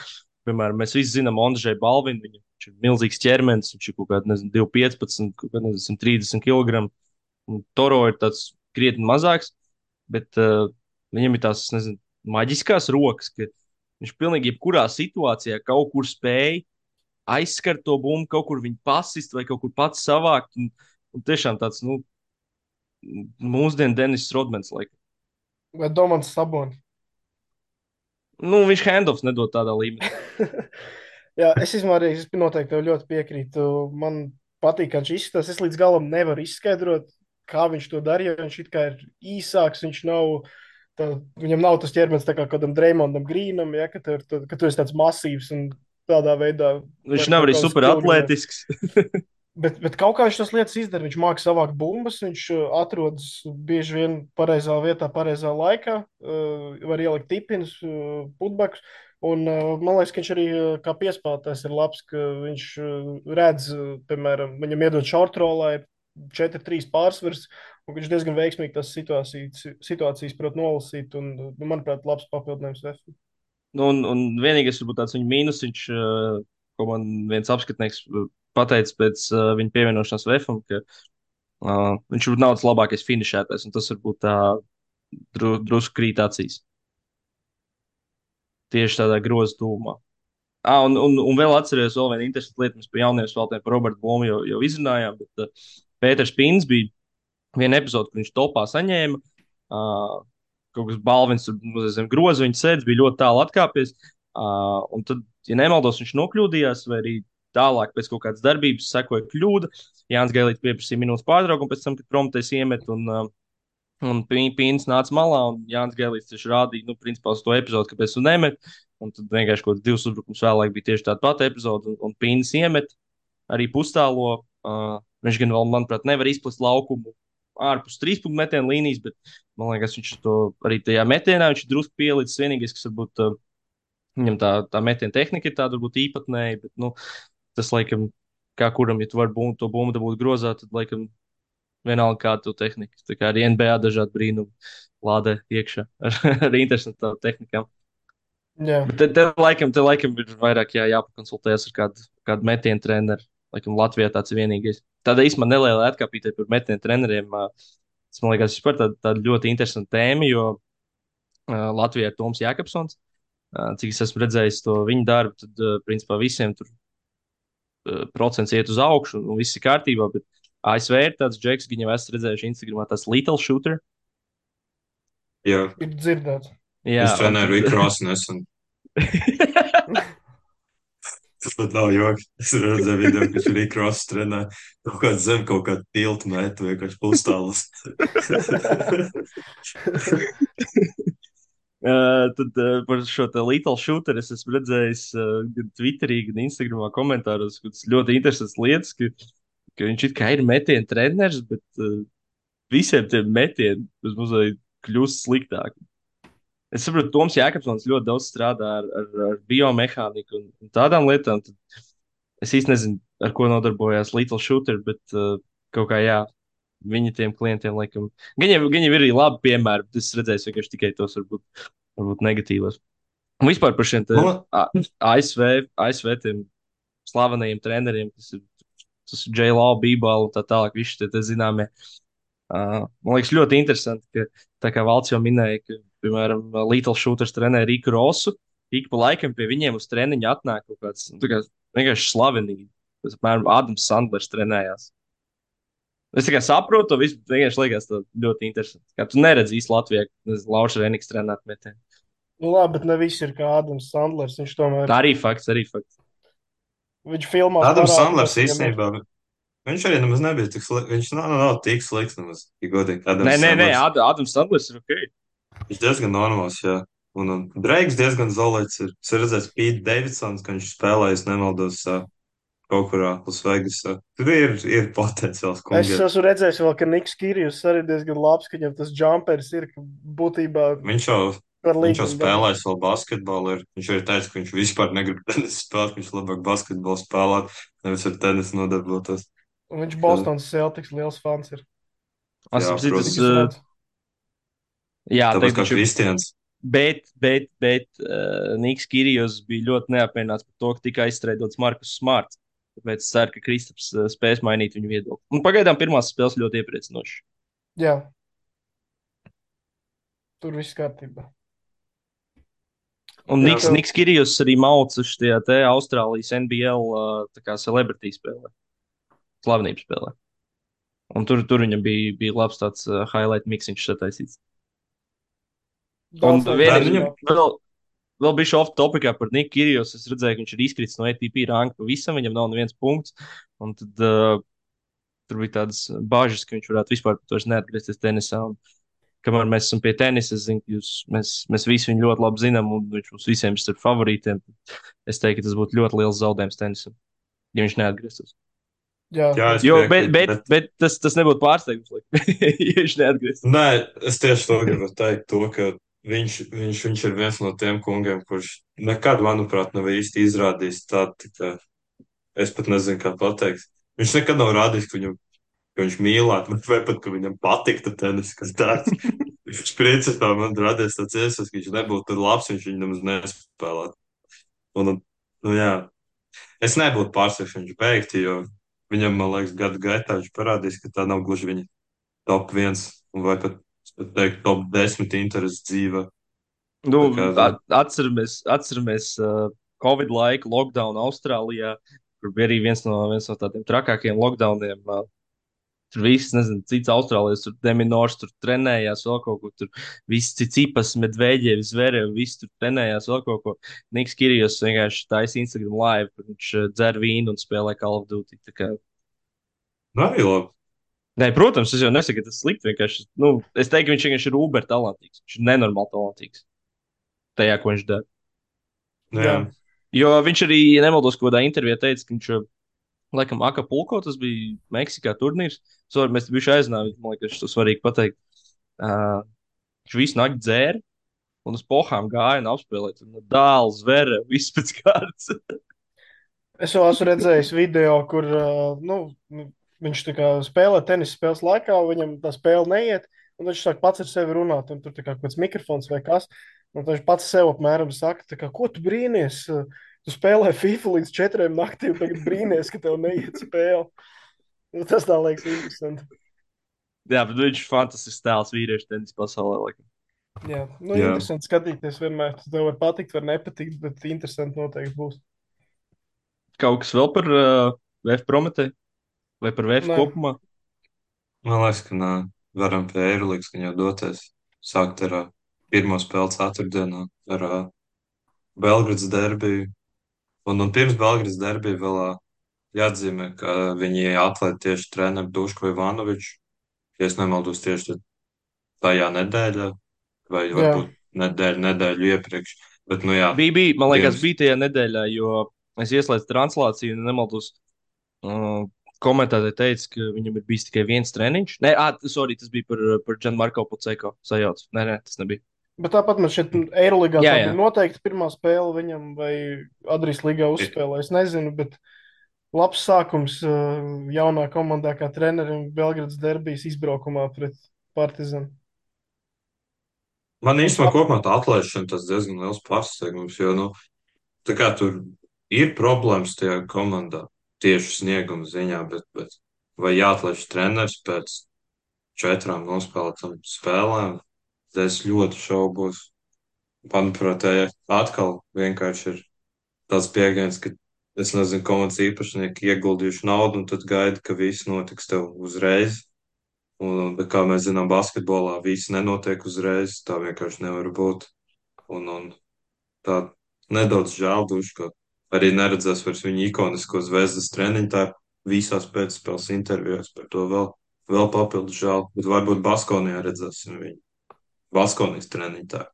S1: piemēram, mēs visi zinām Ondžeju Balvinu. Viņš ir milzīgs ķermenis, viņš ir kaut kāds, nezinu, 2,15, kaut kāds, nezinu, 30 kg. Un Toro ir tāds krietni mazāks, bet viņam ir tās, nezinu, maģiskās rokas, ka viņš pilnīgi jebkurā situācijā kaut kur spēj aizskart to bumbu, kaut kur viņu pasist vai kaut kur pats savākt. Un tiešām tāds, nu, mūsdienu Denis Rodmans, laikam.
S2: Vai Domants Sabonis?
S1: Nu, viņš handoffs nedod tādā līmenī.
S2: Jā, es arī noteikti tev ļoti piekrītu. Man patīk, kā viņš izskatās. Es līdz galam nevaru izskaidrot, kā viņš to darīja. Viņš it kā ir īsāks, viņam nav tas ķermenis tā kā kādam Dreimondam Grīnam, ja, ka tu esi tāds masīvs un tādā veidā.
S1: Viņš nav arī super atletisks.
S2: Bet kaut kā viņš tas lietas izdara. Viņš māca savākt bumbas, viņš atrodas bieži vien pareizā vietā, pareizā laikā, var ielikt tipinus, putbakus. Un man liekas, ka viņš arī kā piespēlētājs ir labs, ka viņš redz, piemēram, viņam iedod šortrolā, ir 4-3 pārsvars, un viņš diezgan veiksmīgi tās situācijas prot nolasīt, un, manuprāt, labs papildinājums Vēfam.
S1: Nu, un vienīgais, varbūt tāds viņa mīnus, ko man viens apskatnieks pateicis pēc viņa pievienošanās VFam, ka viņš ir naudas labākais finišētājs, un tas varbūt tā drusku krīt acīs. Tieši tādā groza tūmā. Un vēl atceros, vēl viena interesanta lieta, mēs par jauniem spēlētājiem, par Robertu Blomu jau izrunājām, bet Pēters Pīns bija viena epizode, kur viņš topā saņēma kaut kāds balvins, tur zem groza viņa sēdz, bija ļoti tālu atkāpies. Un tad, ja nemaldos, viņš nokļūdījās, vai arī tālāk pēc kaut kādas darbības sekoja kļūda. Jānis Gailīts pieprasīja minūtes pārtraukumu pēc tam, kad Prometējs iemet un Pīns nāca malā, un Jānis Gailīts tieši rādīja, nu, principā uz to epizodu, kāpēc tu nemet. Un tad vienkārši kaut kāds 2 uzbrukums vēlāk bija tieši tāda pati epizode, un Pīns iemet arī pustālo. Viņš gan vēl, manuprāt, nevar izplest laukumu ārpus 3 punktu metienu līnijas, bet man liekas, viņš to arī tajā metienā viņš ir drusku pielicis. Vienīgais, kas varbūt viņam tā metiena tehnika ir tāda varbūt īpatnēja, bet nu, tas laikam, kā kuram, ja tu vari to bumbu dabūt grozā, tad laikam vienalga kāda tu tehnika. Tā kā arī NBA dažādi brīnumi lādē iekšā ar interesantām tehnikām.
S2: Jā.
S1: Bet te laikam ir vairāk jāpakonsultējas ar kādu metienu treneru. Laikam Latvijā tāds ir vienīgais. Tāda īstenībā neliela atkāpīte par metienu treneriem. Tas man liekas vispār tāda ļoti interesanta tēma, jo Latvijā ir Toms Jākapsons. Cik es esmu redzējis to viņa darbu, tad principā visiem tur procents iet uz augšu un viss ir kārtībā. Bet ASV ir tāds džeks, viņu jau esmu redzējuši Instagramā, tas Little Shooter.
S3: Jā,
S2: Ir dzirdēts.
S1: Jā,
S3: es trenēju Riku Rosu nesen. Tas pat nav joks. Es redzēju video, ka viņš ir Riku Rosu trenē. Kaut kāds zem kaut kādu tiltu metu vienkārši pustālus.
S1: Tad par šo Little Shooter es esmu redzējis gan Twitterī, gan Instagramā komentāros, ka tas ļoti interesants lietas, ka viņš it kā ir metienu treneris, bet visiem tiem metieniem uz muzeja kļūst sliktāk. Es saprotu, Toms Jākapsons ļoti daudz strādā ar biomehāniku un tādām lietām. Tad es īsti nezinu, ar ko nodarbojās Little Shooter, bet kaut kā jā, viņa tiem klientiem laikam. Viņiem ir arī labi piemēri, bet es redzēju vienkārši tikai tos varbūt negatīvos. Un vispār par šiem ASV tiem slavenajiem treneriem, tas ir J.L.O. Bībala un tā tālāk, visi tie zināmie. Man liekas ļoti interesanti, ka tā kā Valds jau minēja, ka, piemēram, Little Shooters trenē Riku Rosu, ik pa laikam pie viņiem uz treniņu atnāk kaut kāds, nu, tā kā vienkārši slavenīgi. Tas, apmēram, Ādams Sandlers trenējās. Es tikai saprotu to visu, bet vienkārši liekas to ļoti interesanti. Kā tu neredzi īsti Latvijā, Lauša Reniks trenēt metienu.
S2: Nu, labi, bet ne viss ir kā Ādams Sandlers. Viņš tomēr,
S1: Arī fakts.
S2: viņš filmās
S3: Ādams
S2: parāda,
S3: Sandlers
S2: ka viņam ir-
S3: īstenībā, viņš arī nemaz nebija tik slikts. Viņš nav tik slikts nemaz, ja godīgi.
S1: Nē, Ādams Sandlers ir ok.
S3: Viņš diezgan normāls, jā. Un Dreigs diezgan zolēts ir. Es redzēju Pītu Davidsons, ka viņš spēlējas, nemaldos, kaut kurā Lasvegasā. Tur ir potenciāls
S2: Es
S3: kungiem.
S2: esmu redzējis vēl, ka Niks Kirijus arī diezgan labs, ka viņam tas jumpers ir, ka būtībā
S3: Viņš jau
S2: var
S3: Viņš jau
S2: līdzi.
S3: spēlējis vēl basketbolu. Viņš arī teica, ka viņš vispār negrib tenisu spēlēt. Viņš labāk basketbolu spēlēt, nevis ar tenisu nodarbotos.
S2: Un viņš Bostonas Celtics liels fans ir.
S1: Es
S3: Jā,
S1: saprotu,
S3: protams.
S2: Cik es redzu.
S1: jā,
S3: Tāpēc kā
S1: viņš ir.
S3: Kristians.
S1: Bet Niks Kirijos bija ļoti neapmierināts par to, ka tika aizstrēdots Markus Smarts. Tāpēc es ceru, ka Kristaps spēs mainīt viņu viedokli. Un pagaidām pirmās spēles ļoti iepriecinošas.
S2: Jā. Tur viss kārtībā.
S1: Un
S3: Jā.
S1: Niks Kirijos arī maucuši tajā te Austrālijas NBL tā kā celebrity spēlē. Slavenības spēlē. Un tur viņam bija labs tāds highlight miksiņš sataisīts. Un
S2: Daudz
S1: vēl bija off topikā par Niku Kirijos. Es redzēju, ka viņš ir izkritis no ATP ranka pavisam, viņam nav neviens punkts. Un tad tur bija tādas bažas, ka viņš varētu vispār vairs neatgriezties tenisā. Un, kamēr mēs esam pie tenisa, es zinu, ka mēs visi viņu ļoti labi zinām, un viņš mums visiem ir starp favorītiem. Es teiktu, ka tas būtu ļoti liels zaudējums tenisam, ja viņš neatgrieztos.
S2: Jā.
S3: Jā, es
S1: Jo,
S3: piekrītu,
S1: bet tas nebūtu pārsteigums, ja viņš neatgrieztos.
S3: Nē, es tieši to gribu teikt, ka viņš ir viens no tiem kungiem, kurš nekad, manuprāt, nav īsti izrādījis tādu, ka es pat nezinu, kā pateikt. Viņš nekad nav rādījis, ka viņš mīlētu, vai pat, ka viņam patiktu tenis, kas tāds. Viņš principā man radies tāds iespējas, ka viņš nebūtu labs, viņš viņu nemaz nespēlētu. Un, nu jā. Es nebūtu pārsteigts, ja viņš beigtu, jo viņam, man liekas, gadu gaitā viņš parādīs, ka tā nav gluži viņa top viens, vai pat, es pat teiktu, top 10 intereses dzīvē.
S1: Nu,
S3: Tā kā, nu,
S1: atceramies Covid laiku, lockdown Austrālijā, kur bija arī viens no tādiem trakākiem lockdowniem. Tur viss, nezinu, cits Austrālijas, tur Deminors, tur trenējās vēl kaut ko, tur viss cipas, medvēģievi, zverievi, viss tur trenējās vēl kaut ko. Niks Kirijos vienkārši taisa Instagram live, kur viņš dzer vīnu un spēlē Call of Duty. Tā kā...
S3: nu, arī labi.
S1: Nē, protams, es jau nesaku, ka tas ir slikti. Vienkārši, nu, es teiktu, ka viņš vienkārši ir uber talantīgs. Viņš ir nenormāli talantīgs tajā, ko viņš dara.
S3: Nu, jā.
S2: Jā.
S1: Jo viņš arī, ja nemaldos, kaut kādā intervijā teica, ka viņš, laikam, Akapulko, tas bija Meksikā turnīrs. Sorry, mēs bijuši aizināti, man liekas, tas svarīgi pateikt. Uh, viņš visu nakti dzēra un uz pohām gāja un apspēlēja. Tur no dāls, zvera, viss pēc kārtas.
S2: Es jau esmu redzējis video, kur nu, viņš tā kā spēlē tenisa spēles laikā, viņam tā spēle neiet, un viņš sāk pats ar sevi runāt, un tur tā kā kaut kāds mikrofons vai kas. Un viņš pats sev apmēram saka, tā kā, ko tu brīnies? Tu spēlē FIFA līdz 4 naktī, un tagad brīnies, ka tev neiet spēle. Nu, tas tā liekas interesanti.
S1: Jā, bet viņš ir fantastisks tēls vīriešu tenisa pasaulē. Laikam.
S2: Jā, nu,
S3: Jā.
S2: interesanti skatīties vienmēr. Tas tev var patikt, var nepatikt, bet interesanti noteikti būs.
S1: Kaut kas vēl par VF Prometēju vai par VF
S2: Nē,
S1: kopumā?
S3: Man liekas, ka nā, varam pie Eirolandes, ka jau doties. Sākt ar pirmo spēli ceturtdienā ar Belgradas derbiju. Un pirms Belgradas derbija vēl jāatzīmē, ka viņi atlaid tieši treneru Dušku Ivanoviču. Ja es nemaldos tieši tajā nedēļā, vai
S2: jā.
S3: varbūt nedēļu iepriekš. Bet, nu jā,
S1: Man liekas,
S3: dienas.
S1: bija tajā nedēļā, jo es ieslēdzu translāciju un nemaldos. Uh, Komentētāji teica, ka viņam ir bijis tikai viens treniņš. Nē, sorry, tas bija par Gianmarko Puceko sajaucu. Nē, tas nebija.
S2: Bet tāpat man šeit Eirolandā
S1: Jā,
S2: tā
S1: jā.
S2: bija noteikti pirmā spēle viņam, vai Adrijas līgā uzspēlē. Es nezinu, bet labs sākums jaunā komandā kā trenerim Belgradas derbijas izbraukumā pret Partizanu.
S3: Man
S2: Un
S3: īstenībā kopumā tā atlaišana tas diezgan liels pārsteigums, jo, nu, tā kā tur ir problēmas tajā komandā tieši snieguma ziņā, bet vai jāatlaiž treneris pēc 4 nospēlētām spēlēm, tad es ļoti šaubos. Manuprāt, atkal vienkārši ir tāds pieejams, ka es nezinu, komandas īpašnieki ieguldījuši naudu, un tad gaida, ka viss notiks tev uzreiz. Bet kā mēs zinām, basketbolā viss nenotiek uzreiz, tā vienkārši nevar būt. Un tā nedaudz žēl duši, ka arī neredzēs vairs viņa ikonisko zvezdas treniņu, tā visās pēcspēles intervijās par to vēl papildus žēl, bet varbūt Baskonijā redzēsim viņu. Baskonijas treniņu tā.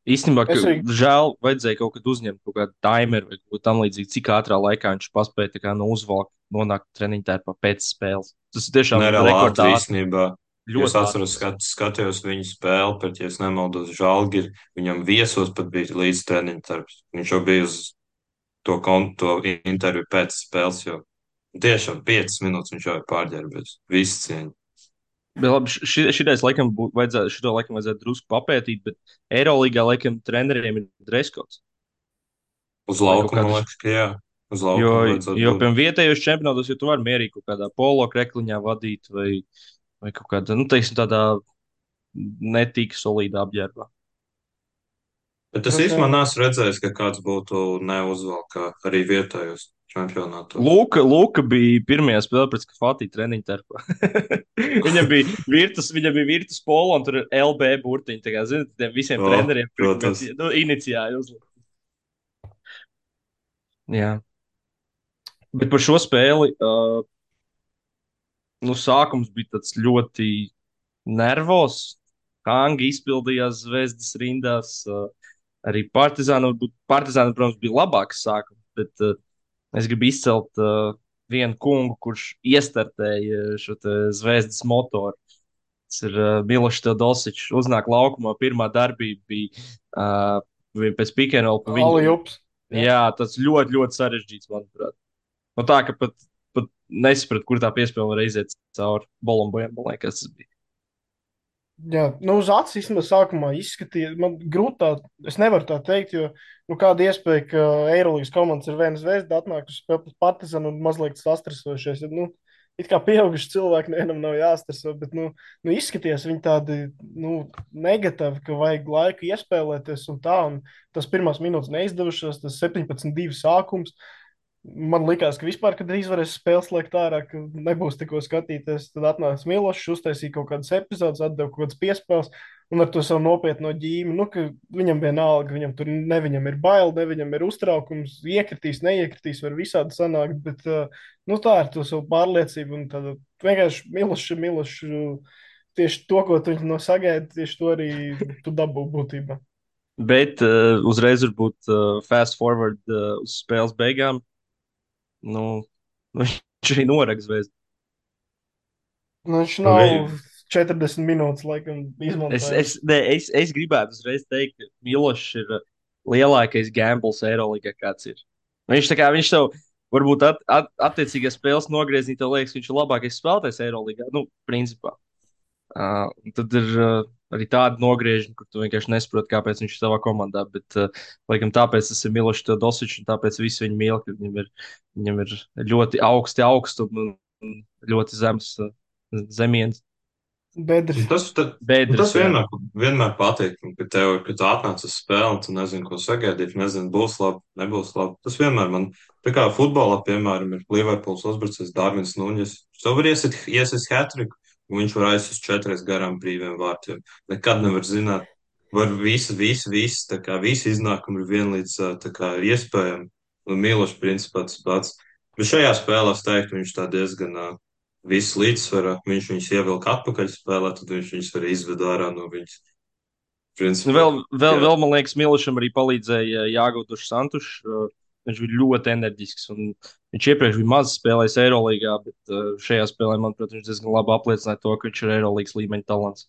S1: Īstenībā, ka
S2: Es arī,
S1: žēl, vajadzēja kaut kad uzņemt kaut kādu timeru vai kaut ko tamlīdzīgu, cik ātrā laikā viņš paspēja tā kā no uzvalkt, nonākt treniņu tērpā pēc spēles. Tas ir tiešām
S3: Nereāli
S1: rekordā
S3: ātri
S1: ātri.
S3: īstenībā. Jo es
S1: Ļoti
S3: atceros, skatījos viņu spēli, bet, ja es nemaldos, Žalgiri, viņam viesos pat bija līdz treniņu darbs. Viņš jau bija uz to interviju pēc spēles, jo tiešām 5 minūtes viņš jau ir pārģērbies. Viss cieņa.
S1: Bet labi, šitais laikam vajadzētu drusku papētīt, bet Eirolandā laikam treneriem ir dreskots.
S3: Uz
S1: Vai kaut
S3: laukuma, man
S1: kādas.
S3: liekas, ka jā. Uz
S1: Jo,
S3: laukuma vajadzētu
S1: jo
S3: būt.
S1: piemēram, vietējos čempionātos, ja tu vari mierīgi kaut kādā polo krekliņā vadīt vai kaut kādā, nu, teiksim, tādā netīk solīdā apģērbā.
S3: Bet es
S2: droši
S3: īstenībā
S2: vien,
S3: neesmu redzējis, ka kāds būtu neuzvalkā arī vietējos čempionātos.
S1: Luka bija pirmajā spēlē pret Skafati treniņu terpā. Viņam bija virtus polo un tur ir LB burtiņi. Tā kā, zināt, tiem visiem
S3: O,
S1: treneriem tur kaut
S3: protams.
S1: kāds, nu, inicijāli uzlikt. Jā. Bet par šo spēli, nu, sākums bija tāds ļoti nervos. Hangi izpildījās zvezdas rindās. Arī Partizāna, protams, bija labāks sākums, bet es gribu izcelt vienu kungu, kurš iestartēja šo te zvezdas motoru. Tas ir Milošs Teodosičs. Uznāk laukumā, pirmā darbība bija pēc pikenrola pa viņu.
S2: Aljups.
S1: Jā, tas ļoti, ļoti sarežģīts, manuprāt. No tā, ka pat nesapratu, kur tā piespēle var iziet cauri Bolombojam, man liekas, tas bija.
S2: Jā, nu, uz acis īstenībā sākumā izskatīja. Man grūti tā, es nevaru tā teikt, jo nu, kāda iespēja, ka Eirolandes komandas ir viena zvezda, atnāk uz spēli pret Partizanu un mazliet sastresojušies. Nu, it kā pieauguši cilvēki nevienam nav jāstreso, bet nu, izskatījās viņi tādi negatīvi, ka vajag laiku iespēlēties un tā. Un tas pirmās minūtes neizdevušās, tas 17-2 sākums. Man liekas, ka vispār, kad drīz varēs spēles slēgt ārā, ka nebūs tikko skatīties, tad atnāks Milošs, uztaisīja kaut kādas epizodes, atdeva kaut kādas piespēles, un ar to savu nopietno ģīmi, nu, ka viņam vienalga, viņam tur ne viņam ir bail, ne viņam ir uztraukums, iekritīs, neiekritīs, var visādi sanākt, bet, nu, tā ir to savu pārliecību, un tad vienkārši Milošs, tieši to, ko tu no sagaidi, tieši to arī tu dabū būtībā.
S1: Bet uzreiz varbūt fast forward uz spēles beigām. Nu, viņš arī noraga zvezdu.
S2: Nu, viņš
S3: Nu,
S2: nav 40 minūtes, laikam, izmantojis.
S1: Es gribētu uzreiz teikt, ka Milošs ir lielākais gambls Eirolandā, kāds ir. Viņš, tā kā, viņš tev varbūt attiecīgās spēles nogriezienī, tev liekas, ka viņš ir labākais spēlētājs Eirolandā. Nu, principā. Tad ir arī tāda nogriežņa, kur tu vienkārši nesaproti, kāpēc viņš ir savā komandā. Bet, laikam, tāpēc tas ir Milošs Teodosičs, un tāpēc visi viņu mīl, ka viņam ir ļoti augsti augstumi un ļoti zems zemiens.
S2: Bedres.
S3: Tas
S1: Bedres, jā.
S3: vienmēr patīk, ka tu atnāc uz spēli, un tu nezini, ko sagaidīt, nezini, būs labi, nebūs labi. Tas vienmēr man, tā kā futbolā, piemēram, ir Liverpools uzbrucējs Darvins Nuņģis. Tu vari iesist hat-triku, un viņš var aizsist 4 garām brīviem vārtiem. Nekad nevar zināt, var visi, tā kā visi iznākumi ir vienlīdz, tā kā ir iespējami. Un Milošs principā tas pats. Bet šajā spēlē es teiktu, viņš tā diezgan visu līdzsvarā. Viņš viņus ievilka atpakaļ spēlē, tad viņš viņus arī izved ārā no viņas.
S1: Nu,
S3: Principā, jā.
S1: vēl, man liekas, Milošam arī palīdzēja Jāgautušs Santušs. Viņš bija ļoti enerģisks. Viņš iepriekš bija maz spēlējis Eirolandā, bet šajā spēlē, manuprāt, viņš diezgan labi apliecināja to, ka viņš ir Eirolandas līmeņa talants.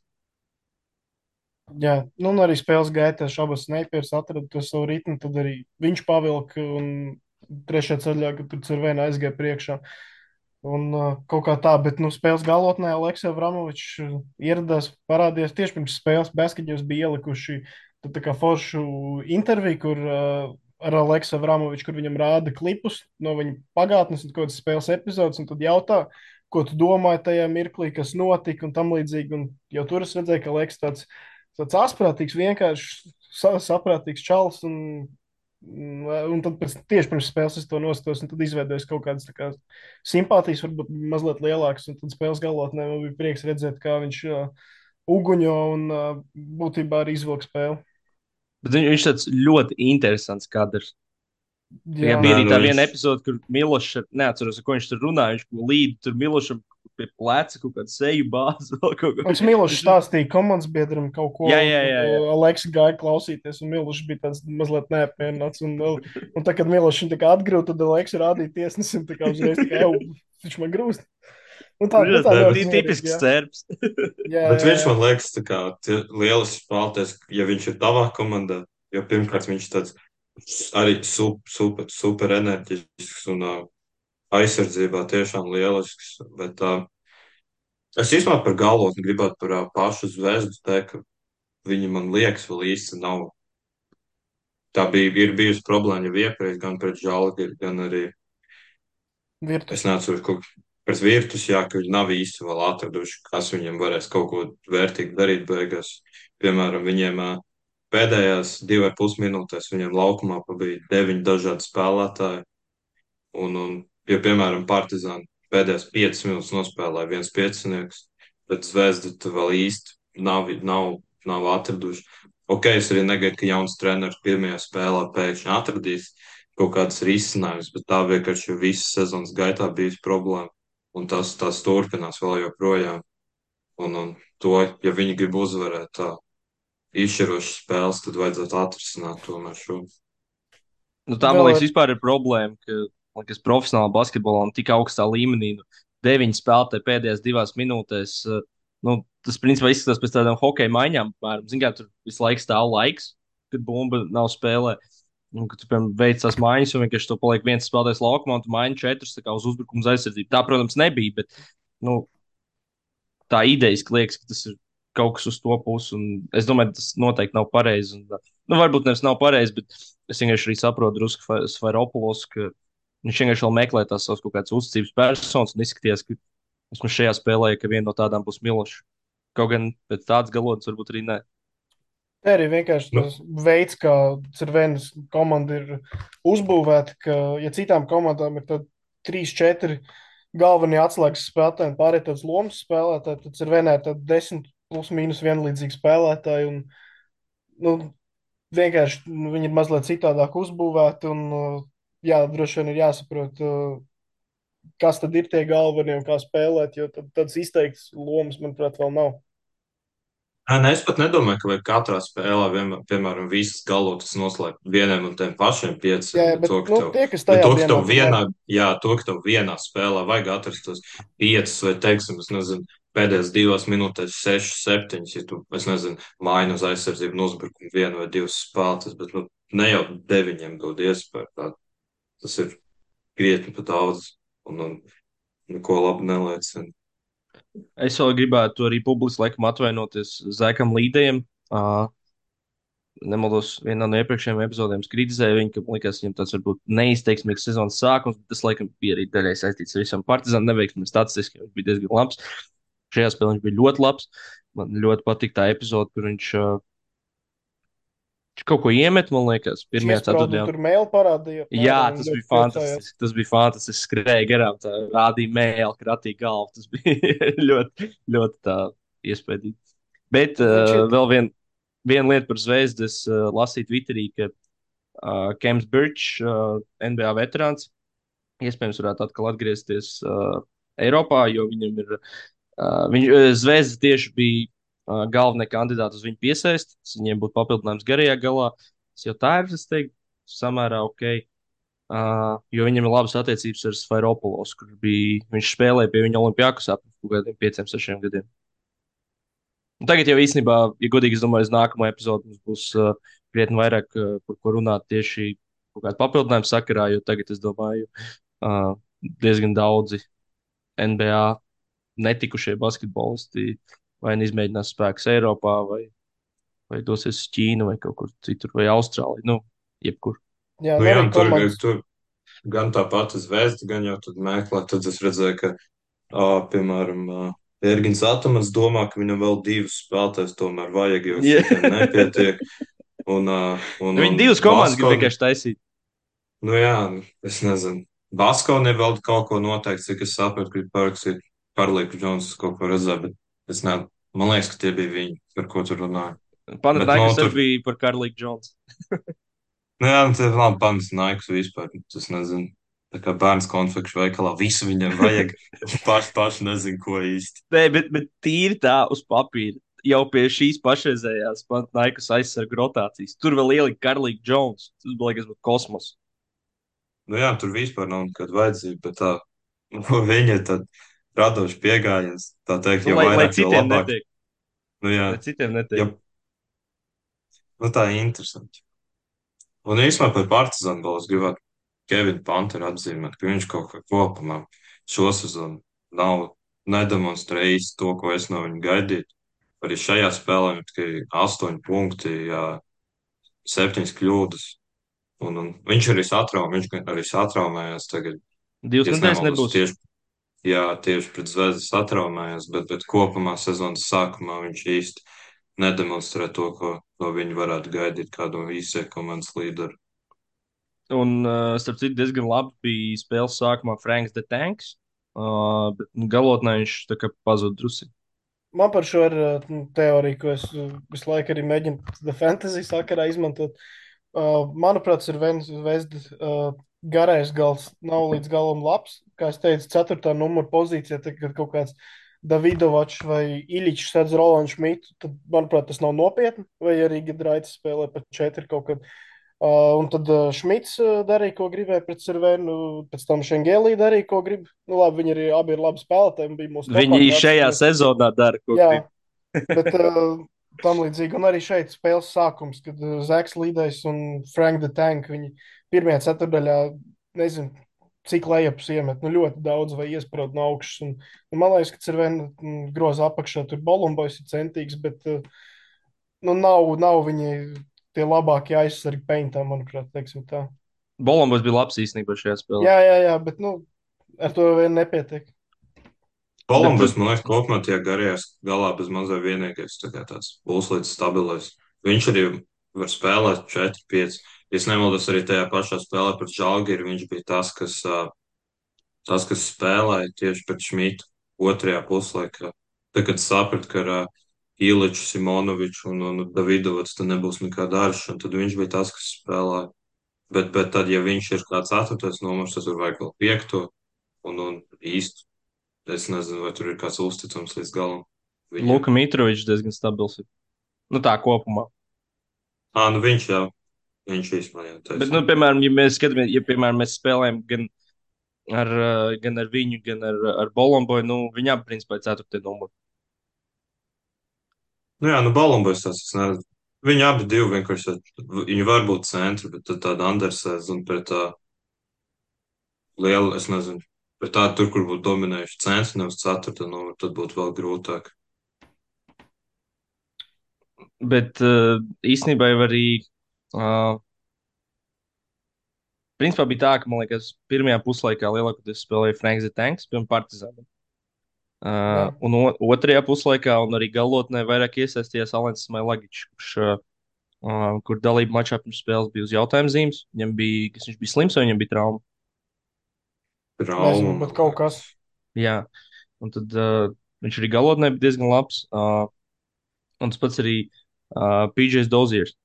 S2: Jā, nu, un arī spēles gaitā šabas Snipers atrada to savu ritmu, tad arī viņš pavilka un trešajā ceļā, kad tur Cervēna aizgāja priekšā. Un kaut kā tā, bet, nu, spēles galotnē Aleksija Vramovičs ieradās, parādījās tieši pirms spēles. Basketņos bija ielikuši tā kā foršu interviju, kur ar Aleksiju Vramoviču, kur viņam rāda klipus no viņa pagātnes un kādas spēles epizodes, un tad jautā, ko tu domāji tajā mirklī, kas notika un tam līdzīgi. Un jau tur es redzēju, ka Aleks tāds asprātīgs, vienkārši saprātīgs čalis. Un tad tieši pirms spēles es to nostos, un tad izveidojas kaut kādas kā, simpātijas, varbūt mazliet lielākas. Un tad spēles galotnē man bija prieks redzēt, kā viņš uguņo un būtībā arī izvilk spēli.
S1: Bet viņš tāds ļoti interesants kadrs.
S2: Jā,
S1: Bija arī
S3: Nē,
S1: tā
S3: nu
S1: viena
S3: viņš,
S1: epizode, kur Milošs, neatceros, ko viņš tur runāja. Viņš līdzi tur Milošam pie pleca kaut kādu seju bāzi. Vēl kaut ko.
S2: viņš Milošs stāstīja komandas biedram kaut ko,
S1: Jā,
S2: un
S1: jā,
S2: tad
S1: jā, jā.
S2: Aleks gāja klausīties, un Milošs bija tāds mazliet neapmierināts. Un tā, kad Milošs viņu tā kā atgrūta, tad Aleks rādīja tiesnesim, tā kā uzreiz tā kā, viņš man grūst. Un tā, nu, tā
S3: nē,
S2: ļoti mierīgi,
S1: Tipisks
S2: jā.
S1: cērps.
S2: Jā,
S3: bet
S2: jā,
S3: viņš
S2: jā.
S3: man liekas, tā kā lielisks spēlētājs, ja viņš ir tavā komandā, jo pirmkārt viņš tāds arī super enerģisks un aizsardzībā tiešām lielisks. Bet es īstenībā par galotni gribētu par pašu zvezdu teikt, ka viņi man liekas vēl īsti nav. Tā ir bijusi problēma jau iepriekš, gan pret Žalgiri, gan arī es
S2: Virtus.
S3: neatceros, kaut pret Virtus, jā, ka viņi nav īsti vēl atraduši, kas viņiem varēs kaut ko vērtīgi darīt beigās. Piemēram, viņiem pēdējās 2,5 minūtēs viņiem laukumā bija 9 dažādi spēlētāji. Ja, piemēram, Partizāni pēdējās 5 minūtes nospēlēja viens piecinieks, bet Zvezda tu vēl īsti nav atraduši. Ok, es arī negaidu, ka jauns treneris pirmajā spēlē pēkšņi atradīs kaut kādas risinājumus, bet tā vienkārši visas sezonas gaitā bijusi problēma. Un tas turpinās vēl joprojām. Un to, ja viņi grib uzvarēt tā izšķirošas spēles, tad vajadzētu atrisināt tomēr šo.
S1: Nu, tā, man
S2: Vēl
S1: liekas,
S2: ir,
S1: vispār ir problēma, ka, man liekas, profesionālā basketbolā un tik augstā līmenī, 9 spēlētāji pēdējās 2 minūtēs. Nu, tas, principā, izskatās pēc tādām hokeja maiņām. Ziniet, kā tur visu laiku stāv laiks, kad bumba nav spēlē. Un, kad tu, piemēram, veic tās maiņas, un vienkārši to paliek viens spēlētājs laukumā, un tu maini 4 tā kā uz uzbrukuma aizsardzību. Tā, protams, nebija, bet nu, tā idejas liekas, ka tas ir kaut kas uz to pusi. Un es domāju, tas noteikti nav pareizi. Un, nu, varbūt nevis nav pareizi, bet es vienkārši arī saprotu drusku Sfairopulos, ka viņš vienkārši vēl meklē tās savas kaut kādas uzticības personas un izskatījās, ka vismaz šajā spēlē, ka viena no tādām būs Miloša. Kaut gan pēc tādas galotnes varbūt arī nē.
S2: Te arī vienkārši
S3: Nu,
S2: tas veids, kā Cervēnas komanda ir uzbūvēta, ka, ja citām komandām ir tad 3, 4 galvenie atslēgas spēlētāji un pārējie tāds lomas spēlētāji, tad Cervēnā ir tad 10 plus mīnus vienlīdzīgi spēlētāji. Un, nu, vienkārši viņi ir mazliet citādāk uzbūvēti. Un, jā, droši vien ir jāsaprot, kas tad ir tie galvenie un kā spēlēt, jo tādas izteiktas lomas, manuprāt, vēl nav.
S3: nē, es pat nedomāju, ka vajag katrā spēlē, piemēram, visas galotas noslēgt vieniem un tiem pašiem
S2: Jā,
S3: pieciem,
S2: jā,
S3: bet
S2: bet
S3: to,
S2: nu, tie, kas tajā dienā tur labi.
S3: to, ka tev vienā spēlē vajag atrast tos piecus vai, teiksim, es nezinu, pēdējās 2 minūtēs 6, 7, ja tu, es nezinu, maini uz aizsardzību un uzbrukumu 1 vai 2 spēlētas, bet, nu, ne jau 9 dod iespēju. Tas ir krietni pa daudz un neko labu neliecina.
S1: Es vēl gribētu arī publiski laikam atvainoties Zekam Līdējam. Nemaldos, vienā no iepriekšējām epizodēm es kritizēju viņu, ka man liekas, viņam tas varbūt neizteiksmīgs sezonas sākums, bet tas laikam bija arī daļai saistīts ar visam partizānu neveiksmi. Statistiski viņš bija diezgan labs. Šajā spēlē viņš bija ļoti labs. Man ļoti patīk tā epizode, kur viņš kaut ko iemet, man liekas, pirmajā
S2: Iesprādu
S1: ceturtajā.
S2: tur mēlu parādīja
S1: Jā,
S2: apmēram un
S1: tas
S2: ļoti
S1: bija
S2: priecājās.
S1: fantastiski. Tas bija fantastiski. Skrēja garām, tā rādīja mēlu, kratīja galvu. Tas bija ļoti, ļoti tā iespaidīgi. Bet
S2: Viņš ir,
S1: viena lieta par zvezdu. Es lasīju Twitterī, ka Kems Birčs, NBA veterāns, iespējams varētu atkal atgriezties Eiropā, jo viņam ir. Zvezda tieši bija galvenie kandidāti uz viņu piesaisti. Viņiem būtu papildinājums garajā galā. Tas jau tā ir, es teiktu, samērā ok. Jo viņam ir labas attiecības ar Sfairopulos, kur bija, viņš spēlēja pie viņa Olimpijākos ap kaut kādiem 5, 6 gadiem. Un tagad jau īstenībā, ja godīgi, es domāju, uz nākamo epizodu mums būs krietni vairāk par ko runāt tieši kaut kādu papildinājumu sakarā, jo tagad, es domāju, diezgan daudzi NBA netikušie basketbolisti vai nu izmēģinās spēkus Eiropā, vai dosies uz Ķīnu, vai kaut kur citur, vai Austrāliju, nu, jebkur.
S2: jā,
S3: Nu,
S2: nu
S3: jā,
S2: arī komandas.
S3: tur gan tā pati zvezda, gan jau tad meklē, tad es redzēju, ka, piemēram, Ergins Atamans domā, ka viņam vēl 2 spēlētājus tomēr vajag, jo
S1: Yeah.
S3: šitiem nepietiek. Un
S1: Viņi divas komandas grib
S3: Baskoni,
S1: vienkārši taisīt.
S3: nu jā, es nezinu. Baskoni vēl kaut ko noteikti, cik es sapratu, grib parakstīt Karlīku Džonsu kaut ko redzēt, bet es ne, man liekas, ka tie bija viņi, par ko tur runāja. Bet,
S1: Panatnaikas arī
S3: tur,
S1: bija par Karlīku Džonsu.
S3: nu jā, nu, tie labi panas Naikus vispār, tas nezinu. Tā kā bērns konfekšu veikalā, visu viņam vajag, paši nezinu, ko īsti.
S1: Nē, bet tīri tā uz papīra. Jau pie šīs pašreizējās Panatnaikas aizsargu rotācijas. Tur vēl ielika Karlīku Džonsu. Tas bija liekas, kosmos.
S3: Nu jā, tur vispār nav nekāda vajadzība, bet tā, nu, viņa ir tad radoši piegājies, tā teikt,
S1: Nu,
S3: jo
S1: lai
S3: vairāk, jo
S1: citiem
S3: labāk.
S1: netiek.
S3: Nu jā,
S1: Lai citiem
S3: ja,
S1: netiek.
S3: nu tā ir interesanti. Un īstenībā par Partizānu vēl es gribētu Kevinu Panteru atzīmēt, ka viņš kaut kā kopumā šo sezonu nav nedemonstrējis to, ko es no viņa gaidīju. Arī šajā spēlē viņam tikai 8 punkti, jā, 7 kļūdas. Un viņš arī satraumējās tagad.
S1: Divas
S3: Ja es
S1: nedēļas
S3: nemaldos,
S1: nebūs.
S3: tieši pret Zvezdu satraumējās, bet kopumā sezonas sākumā viņš īsti nedemonstrē to, ko no viņa varētu gaidīt kādu īsē komandas līderu.
S1: Un, starp citu, diezgan labi bija spēles sākumā Franks de Tanks. Bet galotnē viņš tā kā pazuda drusi.
S2: Man par šo ir teorija, ko es visu laiku arī mēģinu The Fantasy sakarā izmantot. Manuprāt, ir Zvezda garais gals nav līdz galam labs. Kā es teicu, 4. numura pozīcijā, tad, kad kaut kāds Davidovačs vai Iličs sēdz Rolandu Šmitu, tad, manuprāt, tas nav nopietni. Vai arī Gidraitis spēlē pat 4 kaut kad. Un tad Šmits darīja, ko gribēja pret Cervenu, pēc tam Šengēlī darīja, ko grib. Nu, labi, viņi arī abi ir labi spēlētāji. Bija mūsu
S1: Viņi
S2: topā, kā
S1: šajā
S2: atceramies.
S1: sezonā dara, ko
S2: Jā,
S1: grib.
S2: bet tam līdzīgi. Un arī šeit spēles sākums, kad Zeks Līdais un Frank the Tank, viņi pirmajā ceturdaļā, nezinu, cik lejupus iemet. Nu, ļoti daudz vai iesprūst no augšas. Un man liekas, ka Cervena groza apakšā tur Bolumbojs ir centīgs, bet nu, nav viņi tie labākie aizsargi peintā, manuprāt, teiksim tā.
S1: Bolombos bija labs īstenībā šajā spēlē.
S2: Jā, bet nu, ar to vien nepietiek.
S1: Bet
S3: Kolumbus, man liekas, kopumā tie garajās galā bez mazā vienīgais, tā kā tāds puslīdz stabilais. Viņš arī var spēlēt 4-5. Es nemaldos arī tajā pašā spēlē pret Žalgiru, viņš bija tas, kas spēlēja tieši pret Šmitu otrajā puslaikā. Tad, kad saprata, ka ar Iliču, Simonoviču un Davidovac tad nebūs nekāda āršana, tad viņš bija tas, kas spēlēja. Bet tad, ja viņš ir kā ceturtais numurs, tad tur vajag vēl piekto un īstu. Es nezinu, vai tur ir kāds uzticams līdz galam viņam.
S1: Luka Mitrovičs diezgan stabils. Nu tā kopumā.
S3: Nu viņš īstenībā jau
S1: Bet, nu,
S3: taisnība.
S1: piemēram, ja mēs skatāmies, ja, piemēram, mēs spēlējam gan ar viņu, gan ar Bolomboju, nu, viņi abi principā ir ceturtie numuri.
S3: Nu, Balombojs tas es nezinu. Viņi abi divi vienkārši, viņi var būt centri, bet tad tāda Andersēs un pret tā lielu, es nezinu, pret tādu tur, kur būtu dominējuši centri, nevis ceturta numuru, tad būtu vēl grūtāk.
S1: Bet īstenībā jau arī, uh, principā bija tā, ka, man liekas, pirmajā puslaikā lielākoties spēlēja Franks the Tanks pirms Partizāna.
S2: Jā,
S1: Un otrajā puslaikā, un arī galotnē, vairāk iesaistījās Alans Smailagičs, kur dalība mačā pirms spēles bija uz jautājuma zīmes. Viņam bija, kas viņš bija slims, vai viņam bija trauma?
S3: Trauma,
S2: nezinu,
S3: man
S2: bet kaut kas.
S3: liekas.
S1: Jā, un tad viņš arī galotnē bija diezgan labs. Un tas pats arī PJs Doziers.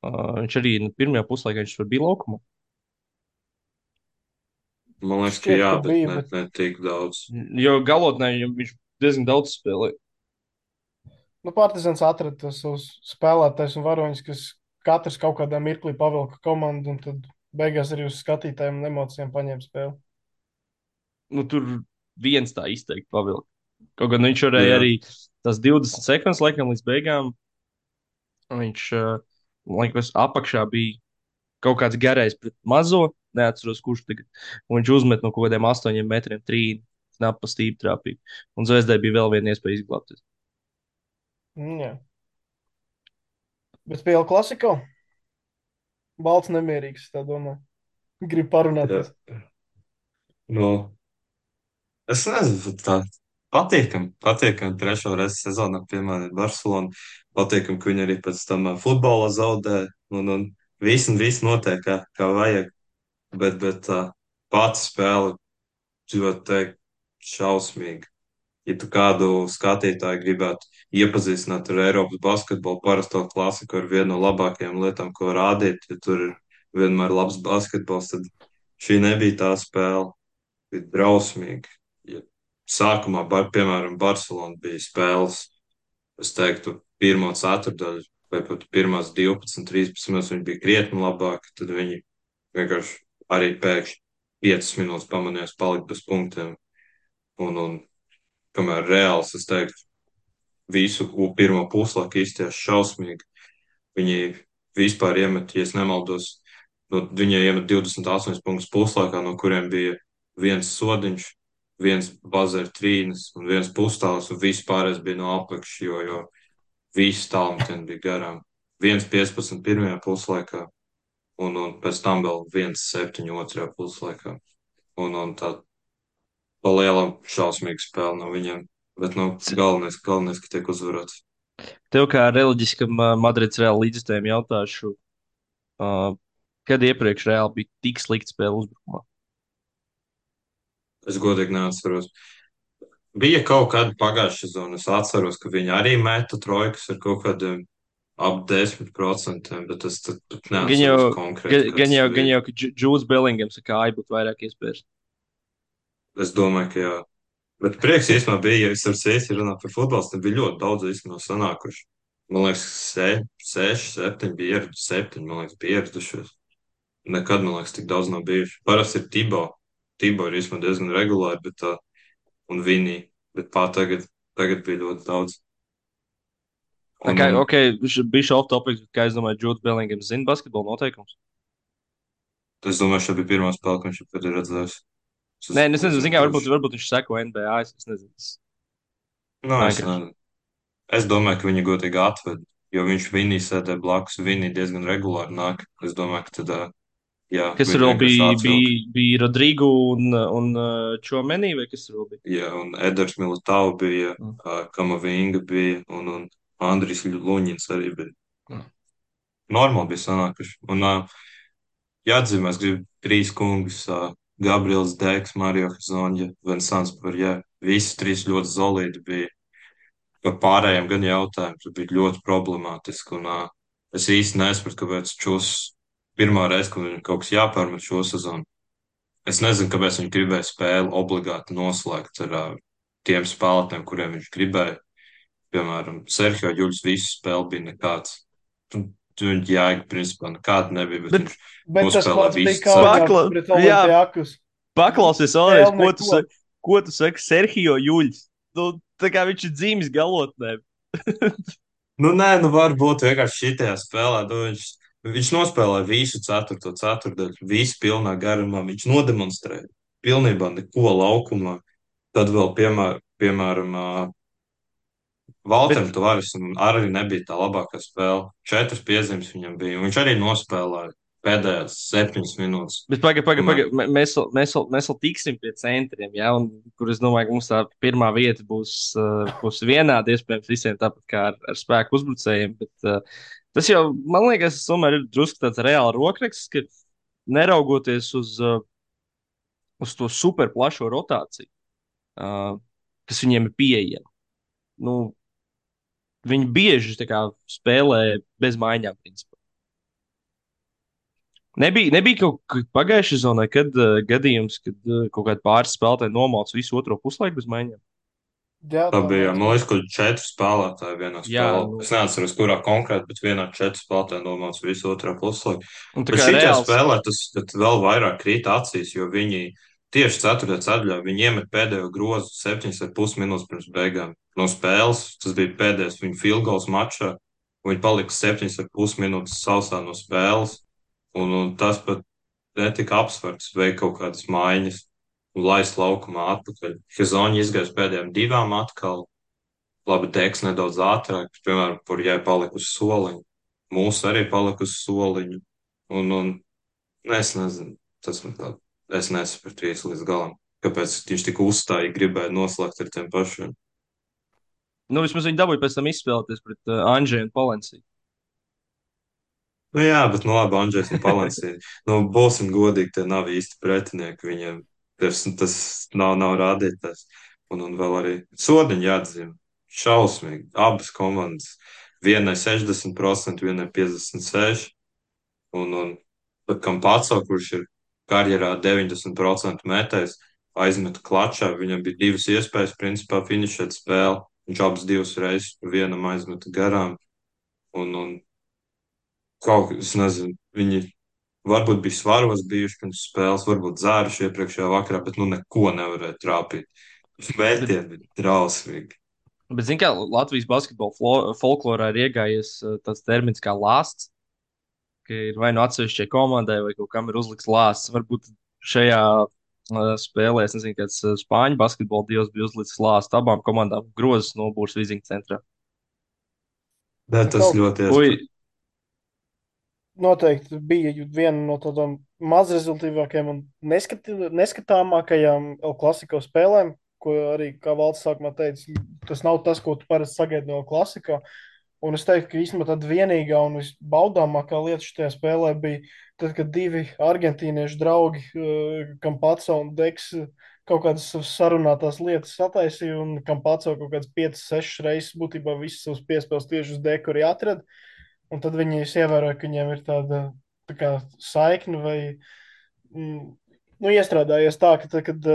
S1: Viņš arī nu, pirmajā puslaikā viņš tur bija laukumā.
S3: Man liekas, ka
S2: Šķiet,
S3: jā,
S2: ka
S3: bet
S2: bija,
S3: ne,
S2: bet
S3: ne tik daudz.
S1: Jo galotnē viņš diezgan daudz spēlēja.
S2: nu, Partizans atrada tos savus spēlētājus un varoņus, kas katrs kaut kādā mirklī pavilka komandu, un tad beigās arī uz skatītājiem un emocijām paņēma spēli.
S1: Nu, tur viens tā izteikti pavilka. Kaut gan viņš varēja
S3: Jā.
S1: arī tās 20 sekundes laikam līdz beigām. Viņš, man liekas, apakšā bija kaut kāds garais pret mazo. Neatceros, kurš tagad. Un viņš uzmet no kaut kādiem 8 metriem trīni. Knapi pa stīpu trāpīja. Un Zvezdai bija vēl viena iespēja izglābties.
S2: Jā. Bet spēle klasiko. Balts nemierīgs, tā domā. Grib
S3: Jā.
S2: parunāties.
S3: Nu, es nezinu, tā patīkam trešo reizi sezonā, piemēram, Barcelona. Patīkam, ka viņi arī pēc tam futbola zaudē, un viss notiek kā vajag. Bet pats spēle, ļoti teikt, šausmīgi. Ja tu kādu skatītāju gribētu iepazīstināt ar Eiropas basketbolu, parasto klasiku, ar vienu no labākajām lietām, ko rādīt, ja tur ir vienmēr labs basketbols, tad šī nebija tā spēle. Bija drausmīgi. Ja sākumā, piemēram, Barcelona bija spēles, es teiktu, pirmo ceturdaļu vai pat pirmās 12, 13 minūtes viņi bija krietni labāki, tad viņi vienkārši arī pēkšņi 5 minūtes pamanījās palikt bez punktiem. Un kamēr reāls, es teiktu, visu pirmo puslaiku izties šausmīgi. Viņi vispār iemet, ja es nemaldos, viņi iemet 28 punktus puslaikā, no kuriem bija viens sodiņš, viens bazēra trīnis un viens pustāls, un viss pārējais bija no apakšas, jo visi tālmetieni bija garām. 1,15 pirmajā puslaikā, un pēc tam vēl 1,7 otrajā puslaikā. Un tā pa lielam šausmīga spēle no viņiem. Bet, galvenais, ka tiek uzvarēts.
S1: Tev kā reliģiskam Madrids Reāla līdzstājam jautāšu, uh, kad iepriekš Reāla bija tik slikta spēle uzbrukumā?
S3: Es godīgi neatceros. Bija kaut kāda pagājušā sezona. Es atceros, ka viņi arī meta trojkas ar kaut kādiem ap 10%, bet es pat
S1: Gan jau,
S3: neatceros konkrēti, kad
S1: gan
S3: tas
S1: jau, gan
S3: bija.
S1: jau ka Džūds Bellingams kā ai būtu vairāk iespējas.
S3: Es domāju, ka jā. Bet prieks īstenībā bija, ja es ar Sēsi runāju par futbolu, tad bija ļoti daudz īstenībā sanākuši. Man liekas, 6, 7 bija ieradušies, 7, man liekas, bija ieradušies. Nekad, man liekas, tik daudz nav bijuši. Parasti ir Tibo. Tibo ir īstenībā diezgan regulāri, un Vinī, bet tagad bija ļoti daudz. Un,
S1: Kā,
S3: un,
S1: ok, viņš bija off topic, bet kā es domāju, Džūds Bellingams zina basketbola noteikums.
S3: Es domāju, šī bija pirmā spēle, ko viņš ir redzējis.
S1: Nē, es nezinu, zinu, kā,
S3: Kurš?
S1: varbūt viņš seko NBA. Es nezinu.
S3: Nu, es
S1: Vienkārši.
S3: nezinu. Es domāju, ka viņi godīgi atved, jo viņš Vinī sēdē blakus. Vinī diezgan regulāri nāk. Es domāju, ka tad, jā,
S1: Kas tur
S3: viņi
S1: vēl
S3: vienkārši
S1: bija?
S3: atvilka.
S1: Bija Rodrigo un Čomenī, vai kas tur vēl bija?
S3: Jā, un Eders Militao bija,
S1: Mm.
S3: Kamavinga bija, un Andris Luņins arī bija.
S1: Mm.
S3: Normāli bija sanākuši. Un jāatzīmē, es gribu trīs kungus. Gabriels Dēks, Mario Hezonja, Vinsants Parjē. Visi trīs ļoti solidi bija. Par pārējiem gan jautājums bija ļoti problemātiski. Un, es īsti nesapratu, kāpēc šos pirmā reize, kad viņam kaut kas jāpārmet šo sezonu. Es nezinu, kāpēc viņš gribēja spēli obligāti noslēgt ar tiem spēlētājiem, kuriem viņš gribēja. Piemēram, Sergio Juļs visu spēli bija nekāds. Viņa jēga principā nekāda nebija, bet
S1: Bet,
S3: viņš
S2: Bet tas
S3: nospēlēja
S2: pats bija
S3: visu
S2: kā
S3: ceturto.
S2: viņam pret Olimpijakus.
S1: Paklausies
S2: Vēl
S1: vēlreiz,
S2: neko.
S1: ko tu saki Sergio Juļs? Nu, tā kā viņš ir dzīves galotnē.
S3: Nu, nē, nu varbūt vienkārši šitajā spēlē. Nu, viņš nospēlēja visu ceturto ceturdaļu, visu pilnā garumā. Viņš nodemonstrēja pilnībā neko laukumā. Tad vēl, piemēram, Valteram
S1: Bet,
S3: Tavaresam arī nebija tā labākā spēle. 4 piezīmes viņam bija. Un viņš arī nospēlēja pēdējās 7 minūtes.
S1: bet pagaidi.
S3: Kamēr...
S1: Mēs vēl tiksim pie centriem, ja, un kur es domāju, ka mums tā pirmā vieta būs vienāda, iespējams, visiem tāpat kā ar spēku uzbrucējiem. Bet tas jau, man liekas, tomēr ir drusku tāds reāli rokraksts, ka neraugoties uz to super plašo rotāciju, uh, kas viņiem ir pieejama. Nu, viņi bieži tā kā, spēlē bez maiņām. Principā. Nebija kaut kā pagājušā sezonā, kad gadījums, kad kaut kāda pāris spēlētāji nomāca visu otro puslaiku bez maiņām.
S2: Jā,
S3: Tā
S2: tā
S3: bija, man liekas,
S2: bija.
S3: ka 4 spēlētāji vienā
S1: Jā,
S3: spēlē.
S1: nu,
S3: Es neatceros, kurā konkrēti, bet vienā 4 spēlētāji nomāca visu otrā puslaiku.
S1: un tā
S3: Bet
S1: kā
S3: šī
S1: reāls.
S3: spēlē tas vēl vairāk krīt acīs, jo viņi tieši 4. ceturtajā viņi iemet pēdējo grozu 7,5 minūtes pirms beigām no spēles. Tas bija pēdējais viņu field goals mačā. Viņi palika 7,5 minūtes sausā no spēles. Un tas pat netika apsverts, veikt kaut kādas maiņas un laist laukumā atpakaļ. Hezoņa izgāja pēdējām 2 atkal. Labi, Deks nedaudz ātrāk, piemēram, kur jai palika uz soliņa. Mūsu arī palika uz soliņa. Un es nezinu, tas man tā, es nesapratu īsti līdz galam. Kāpēc viņš tik uzstājīgi gribēja noslēgt ar tiem pašiem?
S1: Nu, vismaz viņi dabūja pēc tam izspēlēties pret Anžēju un Palenciju.
S3: Nu jā, bet nu labi, Andrzejs un Palansī. Nu, būsim godīgi, tie nav īsti pretinieki. Viņiem tas nav rādītājs. Un vēl arī sodiņi jāatzīmē. Šausmīgi. Abas komandas. Vienai 60%, vienai 56%. Un pat Kampaco, kurš ir karjerā 90% metējs, aizmeta klačā. Viņam bija 2 iespējas, principā, finišēt spēli. Viņš abas 2 reizes vienam aizmeta garām. Un kaut kā, es nezinu, viņi varbūt bija svaros bijuši pirms spēles, varbūt dzēruši iepriekšējā vakarā, bet nu neko nevarēja trāpīt.
S1: Bet,
S3: Mētieni bija drausmīgi.
S1: bet zini, kā Latvijas basketbola folklorā ir iegājies tāds termins kā lāsts, ka ir vai nu atsevišķai komandai, vai kaut kam ir uzlikts lāsts. Varbūt šajā spēlē, es nezinu, kāds spāņu basketbola dievs bija uzlicis lāstu abām komandām grozas nobūrs Viziņu centrā.
S3: Bet tas
S2: Kaut
S3: ļoti
S1: Ui,
S3: iespējams.
S2: noteikti bija viena no tādām mazrezultīvākajām un neskatāmākajām El Clasico spēlēm, ko arī, kā Valds sākumā teica, tas nav tas, ko tu parasti sagaidi no El Clasico. Un es teiktu, ka īstenībā tāda vienīgā un visbaudāmākā lieta šajā spēlē bija tad, kad 2 argentīniešu draugi, Kampaco un Deks, kaut kādas savas sarunātās lietas sataisīja, un Kampaco kaut kādas 5-6 reizes būtībā visas savas piespēles tieši uz Deku arī atrada. Un tad viņi ievēroja, ka viņiem ir tāda tā kā saikne vai nu, iestrādājies tā, ka tad, kad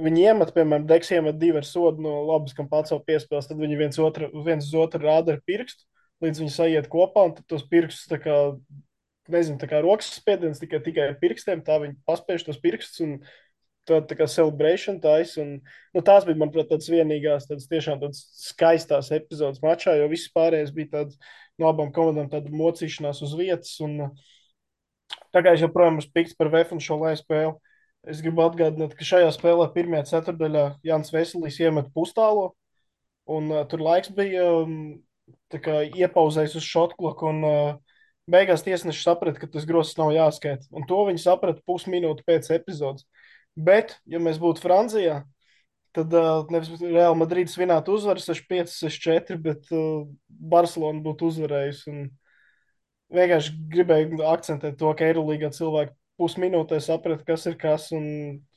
S2: viņi iemet, piemēram, Deks iemet 2 ar sodu no labas Kampaco piespēles, tad viņi viens uz otru rāda ar pirkstu, līdz viņi sajiet kopā, un tad tos pirkstus tā kā, nezinu, tā kā rokas spiediens tikai ar pirkstiem, tā viņi paspēj tos pirkstus un tā kā celebration taisa. Un, nu, tās bija, manuprāt, tādas vienīgās, tādas tiešām tādas skaistās epizodes mačā, jo viss pārējais bija tāds no abām komandām tāda mocīšanās uz vietas. Un Tā kā es joprojām esmu pikts par VF un šo lai spēli, es gribu atgādināt, ka šajā spēlē pirmajā ceturdaļā Jānis Veselīs iemet pustālo, un tur laiks bija tā kā iepauzējis uz šotkloku, un beigās tiesneši saprata, ka tas grozs nav jāskaita. Un to viņi saprata pusminūti pēc epizodes. Bet, ja mēs būtu Francijā, tad nevis Real Madrid svinētu uzvaru 6-5, 6-4, bet Barcelona būtu uzvarējusi. Un vienkārši gribēju akcentēt to, ka Eirolīgā cilvēki pusminūtē saprata, kas ir kas, un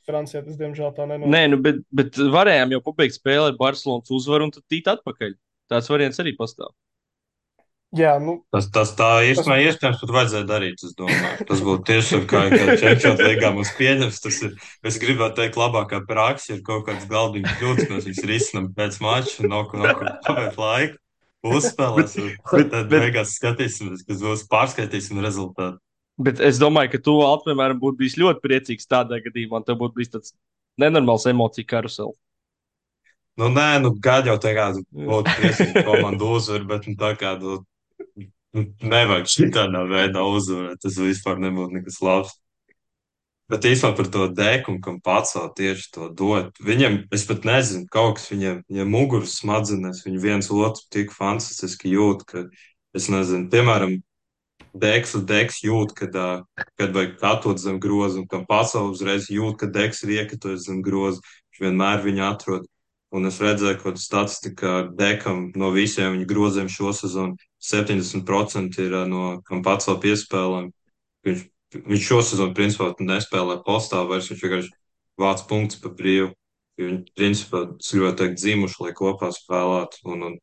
S2: Francijā tas diemžēl tā
S1: Nē,
S2: nenotika.
S1: nu, bet varējām jau pabeigt spēli ar Barcelonas uzvaru un tad tīt atpakaļ. Tāds variants arī pastāv.
S2: Jā, nu,
S3: Tas tā
S2: tas,
S3: īstenībā iespējams pat vajadzēja darīt, es domāju. Tas būtu tiešām kā Čempions līgā mums pieņems. Tas ir, es gribētu teikt, labākā praksa ir kaut kāds galdiņu kļūdas, mēs viņus risinām pēc mača, no kur pavēt laiku,
S1: Bet,
S3: uzspēlēs, un
S1: bet,
S3: tad
S1: bet,
S3: beigās skatīsimies, kas būs, pārskaitīsim rezultātu.
S1: bet es domāju, ka tu, Alt, piemēram, būtu bijis ļoti priecīgs tādā gadījumā, un tev būtu bijis tāds nenormāls emociju karusels.
S3: Nu, nē, nu, gādi jau tā kā būtu priecīgi komandu uzvar, bet nu, tā kā nevajag šitādā veidā uzvarēt, tas vispār nebūtu nekas labs. Bet īstenībā par to dēku un kam pacelt tieši to dot. Viņam, es pat nezinu, kaut kas viņam muguras smadzenēs, viņi viens otru tik fantastiski jūt, ka, es nezinu, piemēram, deks jūt, kad vajag katot zem groza, un kam pacelt uzreiz jūt, ka deks ir iekatojis zem groza. Viņš vienmēr viņu atrod. Un es redzēju, ka statistika dekam no visiem viņa groziem šo sezonu 70% ir no kam pacelt piespēlēm. Viņš, viņš šo sezonu principā nespēlē postā, vairs viņš vienkārši vāc punktus pa brīvu. Viņi, principā, es gribētu teikt, dzimuši, lai kopā spēlētu. Un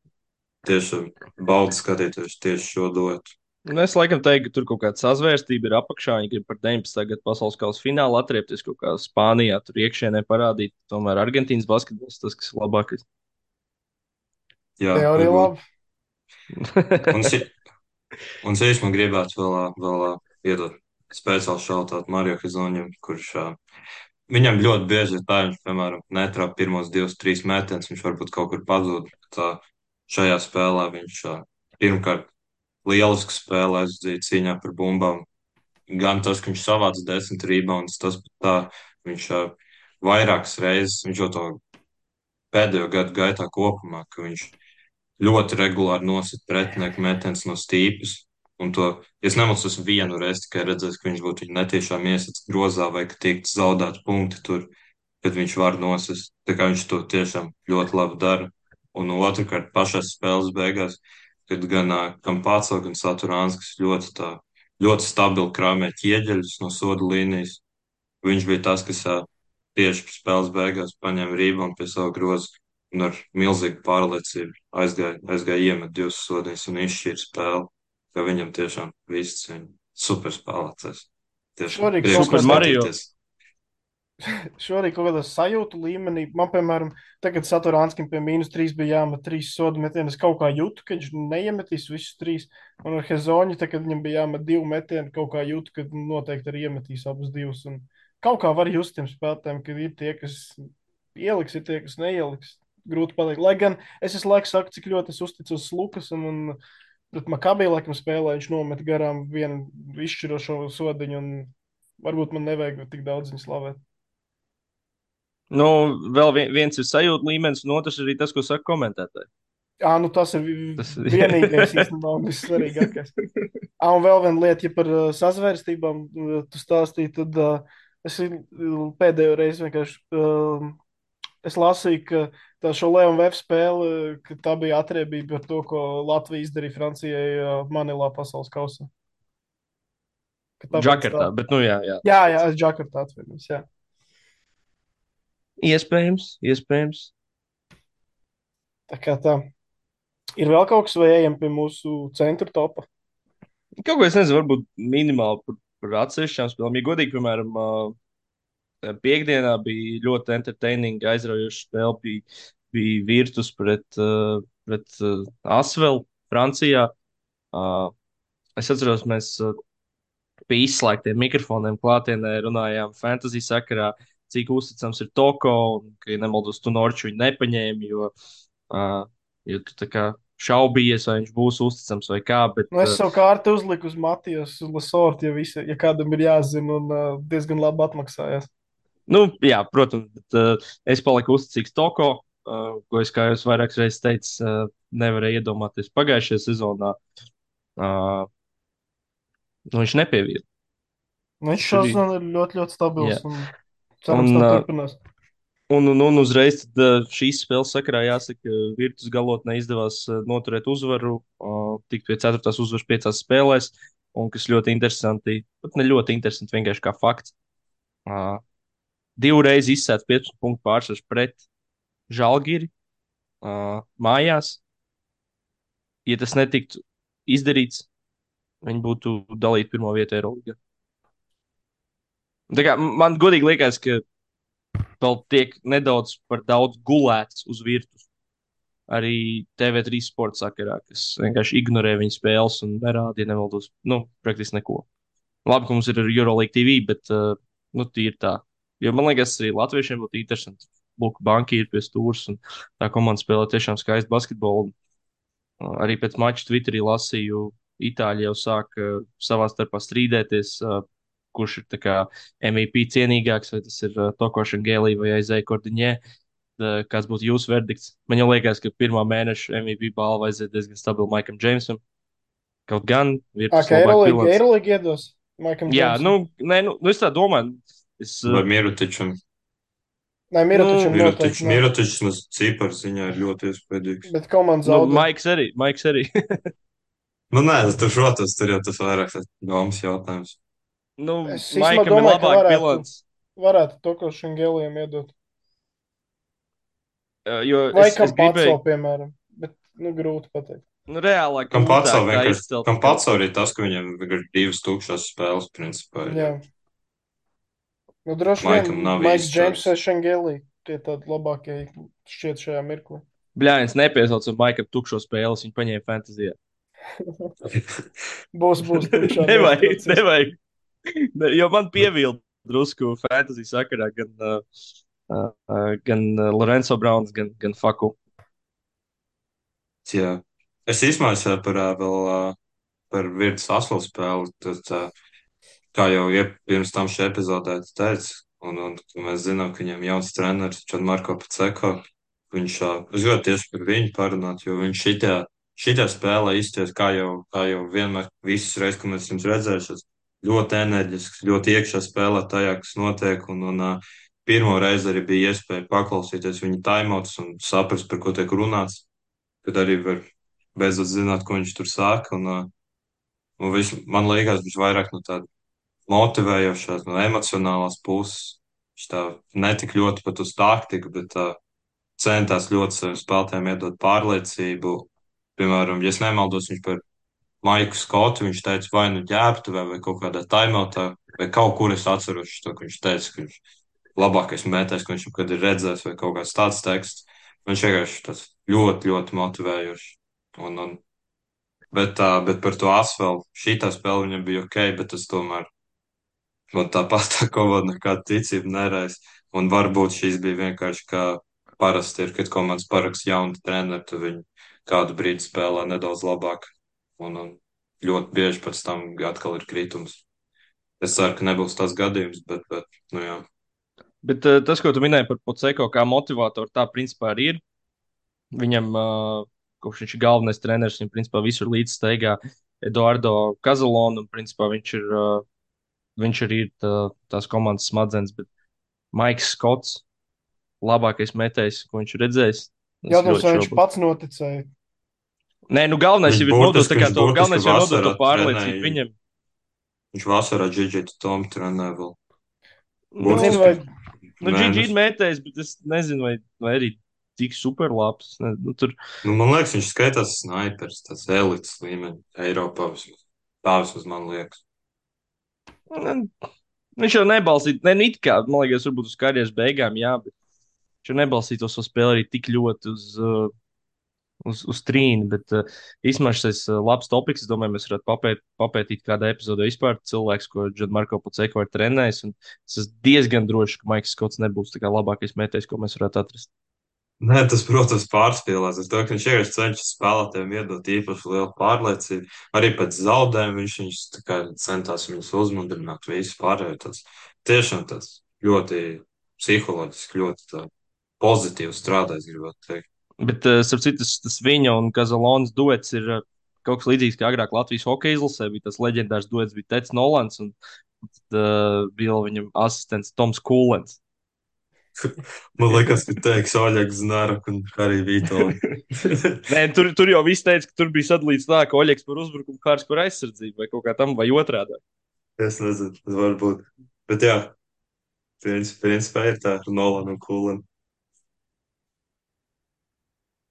S3: tiešām baudu skatīties tieši šo dotu.
S1: Nu, es laikam teiktu, ka tur kaut kāda sazvērstība ir apakšā. Viņi grib par 19. gadu pasaules kausa finālu atriepties kaut kā Spānijā, tur iekšienē parādīt. Tomēr Argentīnas basketbols tas, kas ir labākais.
S3: Jā,
S2: teorija
S3: varbūt.
S2: laba.
S3: Un, si- un es man gribētu vēl iedot speciāli šautāt Mario Hizoņam, kurš viņam ļoti bieži ir tā, viņš, piemēram, netrāp pirmos 2, 3 metienus, viņš varbūt kaut kur pazūd. Tā šajā spēlē viņš pirmkārt lieliski spēlē aizdzīja cīņā par bumbām. Gan tas, ka viņš savāca 10 rebounds, tas pat tā, viņš vairākas reizes, viņš jau to pēdējo gadu gaitā kopumā, ka viņš ļoti regulāri nosit pretinieku metienus no stīpes. Un to, ja es nemaldos, vienu reizi tikai redzēju, ka viņš būtu netiešām iesits grozā vai ka tiktu zaudēti punkti tur, kad viņš var nosist. Tā kā viņš to tiešām ļoti labi dara. Un otrkārt, pašās spēles beigās, kad gan Kampāco, gan Saturānskis ļoti stabili krāmē ķieģeļus no soda līnijas. Viņš bija tas, kas tieši spēles beigās paņēma rībumu pie sava groza un ar milzīgu pārliecību aizgāja iemet 2 sodiņus un izšķīra spēli, ka viņam tiešām viss ir super spēlētājs. Tiešām
S2: Šorīt kaut
S3: prieks
S1: Super
S2: kādā,
S1: Mario.
S3: paskatīties.
S2: šorīt kaut kādā sajūtu līmenī, man, piemēram, tagad Saturānskim pie -3 bija jāmet 3 sodu metienus. Es kaut kā jūtu, ka viņš neiemetīs visus 3. Un ar Hezoņu, tad, kad viņam bija jāmet 2 metieni, kaut kā jūtu, ka noteikti arī iemetīs abus 2. Un kaut kā var just tiem spēlētājiem, ka ir tie, kas ieliks, ir tie, kas neieliks. Grūti pateikt. Lai gan es visu laiku saku, cik ļoti es uzticos Lukas un pret Makabiju laikam spēlē, viņš nomet garām vienu izšķirošo sodiņu, un varbūt man nevajag tik daudz viņu slavēt.
S1: Nu, vēl viens ir sajūta līmenis, un otrs arī tas, ko saka komentētāji.
S2: Jā, nu tas ir
S1: Tas
S2: vienīgais īstenībā un vissvarīgākais. Un vēl viena lieta, ja par sazvērstībām tu stāstīji, tad es pēdējo reizi vienkārši es lasīju, ka tā šo Leonu Vēf spēle, ka tā bija atriebība par to, ko Latvija izdarīja Francijai Manilā pasaules kausā. Ka tāpēc tā.
S1: Džakartā, bet, nu, jā, jā.
S2: Jā, es Džakartā atvainojos, jā.
S1: Iespējams, iespējams.
S2: Tā kā tā. Ir vēl kaut kas, vai ejam pie mūsu centra topa?
S1: Kaut ko es nezinu, varbūt minimāli par atsevišķām spēlēm. Ja godīgi, piemēram, piekdienā bija ļoti entertaining, aizraujoša spēle. Bija Virtus pret Asvelu Francijā. Es atceros, mēs pie izslēgtiem mikrofoniem klātienē runājām fantasy sakarā, cik uzticams ir Toko, un, ka, ja nemaldos, tu Norču viņu nepaņēmi, jo tu tā kā šaubījies, vai viņš būs uzticams vai kā. Bet,
S2: Nu, es savu kārtu uzliku uz Matijas Lasortu, ja kādam ir jāzina, un diezgan labi atmaksājās.
S1: nu, jā, protams, bet, es paliku uzticīgs Toko, ko es, kā jau vairākas reizes teicu, nevarēju iedomāties pagājušajā sezonā. Uh, nu, viņš nepievīla.
S2: Nu, viņš
S1: Viņš arī,
S2: šodien ir ļoti, ļoti stabils,
S1: jā.
S2: un cerams,
S1: Un,
S2: tā
S1: uh,
S2: turpinās.
S1: un uzreiz tad, šīs spēles sakarā jāsaka, Virtus galotnē izdevās noturēt uzvaru, tikt pie 4. uzvaras 5 spēlēs. Un kas ļoti interesanti, pat ne ļoti interesanti, vienkārši kā fakts. Uh, Divreiz izsēta 15 punktu pārsvars pret Žalgiri mājās. Ja tas netiktu izdarīts, viņi būtu dalīti pirmo vietu Eirolandā. Man godīgi liekas, ka vēl tiek nedaudz par daudz gulēts uz virtuves. Arī TV3 sporta sakarā, kas vienkārši ignorē viņu spēles un nerāda, ja nemaldos, nu, praktiski neko. Labi, ka mums ir Euroleague TV, bet nu, tīri tā. Jo man liekas, arī latviešiem būtu interesanti. Lūk, banki ir pie stūres un tā komanda spēlē tiešām skaistu basketbolu. Arī pēc mača Twitterī lasīju, Itāļi jau sāk savā starpā strīdēties, kurš ir tā kā MVP cienīgāks, vai tas ir Tokošana Gēlī vai Aizēja Kordiņē. Kāds būtu jūsu verdikts? Man jau liekas, ka pirmā mēneša MVP balva aiziet diezgan stabili Maikam Džeimsam. Kaut gan Virtus
S2: Kā
S1: labāk bilants.
S2: Eirolandā iedos Maikam
S1: Jā,
S2: Džeimsam?
S1: nē, nu es tā domāju. Es,
S3: Vai Mirotičam?
S2: Nē, Mirotičam
S1: nu,
S2: noteikti nav.
S3: Mirotičs uz ciparu ziņā ir ļoti iespaidīgs.
S2: Bet komanda
S1: nu,
S2: zaudē.
S1: Maiks arī.
S3: Nu, nē, tur, protams, tur jau tas vairāk tas domas jautājums.
S1: Nu,
S2: Es īstenībā
S1: Maikam ir
S2: domāju, ka
S1: labāk bilants.
S2: varētu Tokošana Gēlijam iedot.
S1: Jo
S2: Vai
S1: es
S2: kam pats
S1: gribēju,
S2: vēl, piemēram. Bet, nu, grūti pateikt.
S1: nu, reālāk,
S3: Kam pats
S1: grūtāk
S3: vēl
S1: tā
S3: vienkārši,
S1: izcelt.
S3: kam pats arī tas, ka viņam ir 2 tukšas spēles, principā.
S2: Jā. Nu, droši
S3: Maikam
S2: vien
S3: nav
S2: Maiks
S3: īsti
S2: Džeims vai
S3: šāds.
S2: Šengēlī. Tie tādi labākie šķiet šajā mirklī.
S1: Bļāņas nepiesauca Maikam tukšo spēles, viņa paņēma fantāzijā.
S2: Būs tukšā.
S1: Nevajag. Jo man pievilda drusku fantāziju sakarā gan Lorenzo Browns, gan Faku.
S3: Jā. Es izmaiņoju par Virtus Aslu spēli. Tad, kā jau pirms tam šajā epizodē teicu, un mēs zinām, ka viņam jauns treneris Čanmarko Paceko. Es gribētu tieši par viņu parunāt, jo viņš šitā spēlē izties, kā jau vienmēr visas reizes, kad mēs esam redzējuši, ļoti enerģisks, ļoti iekšā spēlē tajā, kas notiek, un pirmo reizi arī bija iespēja paklausīties viņa timeouts un saprast, par ko tiek runāts, kad arī var beidzot zināt, ko viņš tur saka, man liekas, viņš vairāk no tāda motivējošās, no emocionālās puses, viņš tā netik ļoti pat uz taktiku, bet centās ļoti saviem spēlētājiem iedot pārliecību. Piemēram, ja es nemaldos, viņš par Maiku Skotu, viņš teica, vai nu ģērbtuvē, vai kaut kādā timeoutā, vai kaut kur es atceros to, ka viņš teica, ka viņš labākais mētājs, ko viņš jebkad ir redzējis, vai kaut kāds tāds teksts. Viņš vienkārši tas ļoti, ļoti motivējoši. Bet par to asfaltu, šī spēle viņam bija ok, bet tas tomēr man tāpat tā komanda nekāda ticība neraisa. Un varbūt šīs bija vienkārši kā parasti ir, kad komandas paraksta jaunu treneru, tad viņi kādu brīdi spēlē nedaudz labāk. Un ļoti bieži pēc tam atkal ir kritums. Es ceru, ka nebūs tas gadījums, bet nu jā.
S1: Bet tas, ko tu minēji par Poceko kā motivātoru, tā principā arī ir. Viņam, kopš viņš ir galvenais treneris, viņam principā visur līdzsteigā Eduardo Kazalonu, un principā viņš arī ir tās komandas smadzenes, bet Maiks Skots, labākais metējs, ko viņš ir redzējis.
S2: Jautājums, vai viņš pats noticēja?
S1: Nē, nu galvenais jau ir nodot to pārliecību
S3: trenēja.
S1: viņam.
S3: Viņš vasarā Džidžitu Tomu trenē vēl.
S2: Nezinu, vai
S1: Nu, Džidži ir mētējs, bet es nezinu, vai arī tik super labs. Nu,
S3: man liekas, viņš skaitās snaipers, tas elites līmeņa Eiropā vismaz. Tā vismaz man liekas.
S1: Viņš jau nebalstīja, ne it kā, man liekas, varbūt uz karjeras beigām, jā, bet viņš jau nebalstīja to savu spēli arī tik ļoti uz trīni, bet īstenībā šis labs topiks, es domāju, mēs varētu papētīt kādā epizodē vispār cilvēks, ko Gianmarco Paceko ir trenējis, un es esmu diezgan drošs, ka Maiks Skots nebūs tā kā labākais mētējs, ko mēs varētu atrast.
S3: Nē, tas, protams, pārspīlēs. Es domāju, ka viņš vienkārši cenšas spēlētājiem iedot īpaši lielu pārliecību. Arī pēc zaudējuma viņš tā kā centās viņus uzmundrināt, visu pārējo. Tas tiešām tas ļoti psiholoģiski, ļoti tā, pozitīvi strādājis, gribētu teikt.
S1: Bet, starp citu, tas viņa un Kazalonas duets ir kaut kas līdzīgs, kā agrāk Latvijas hokeja izlasē bija tas leģendārs duets, bija Tets Nolans un bija vēl viņam asistents Toms Kūlens.
S3: Man liekas, ka teiks Oļegs Znarak un arī Vītola.
S1: Nē, tur jau viss teica, ka tur bija sadalīts tā, ka Oļegs par uzbrukumu, Kārs par aizsardzību vai kaut kā tam, vai otrādi.
S3: Es nezinu, tas var būt. Bet jā, principā ir tā Nolan un Kulin.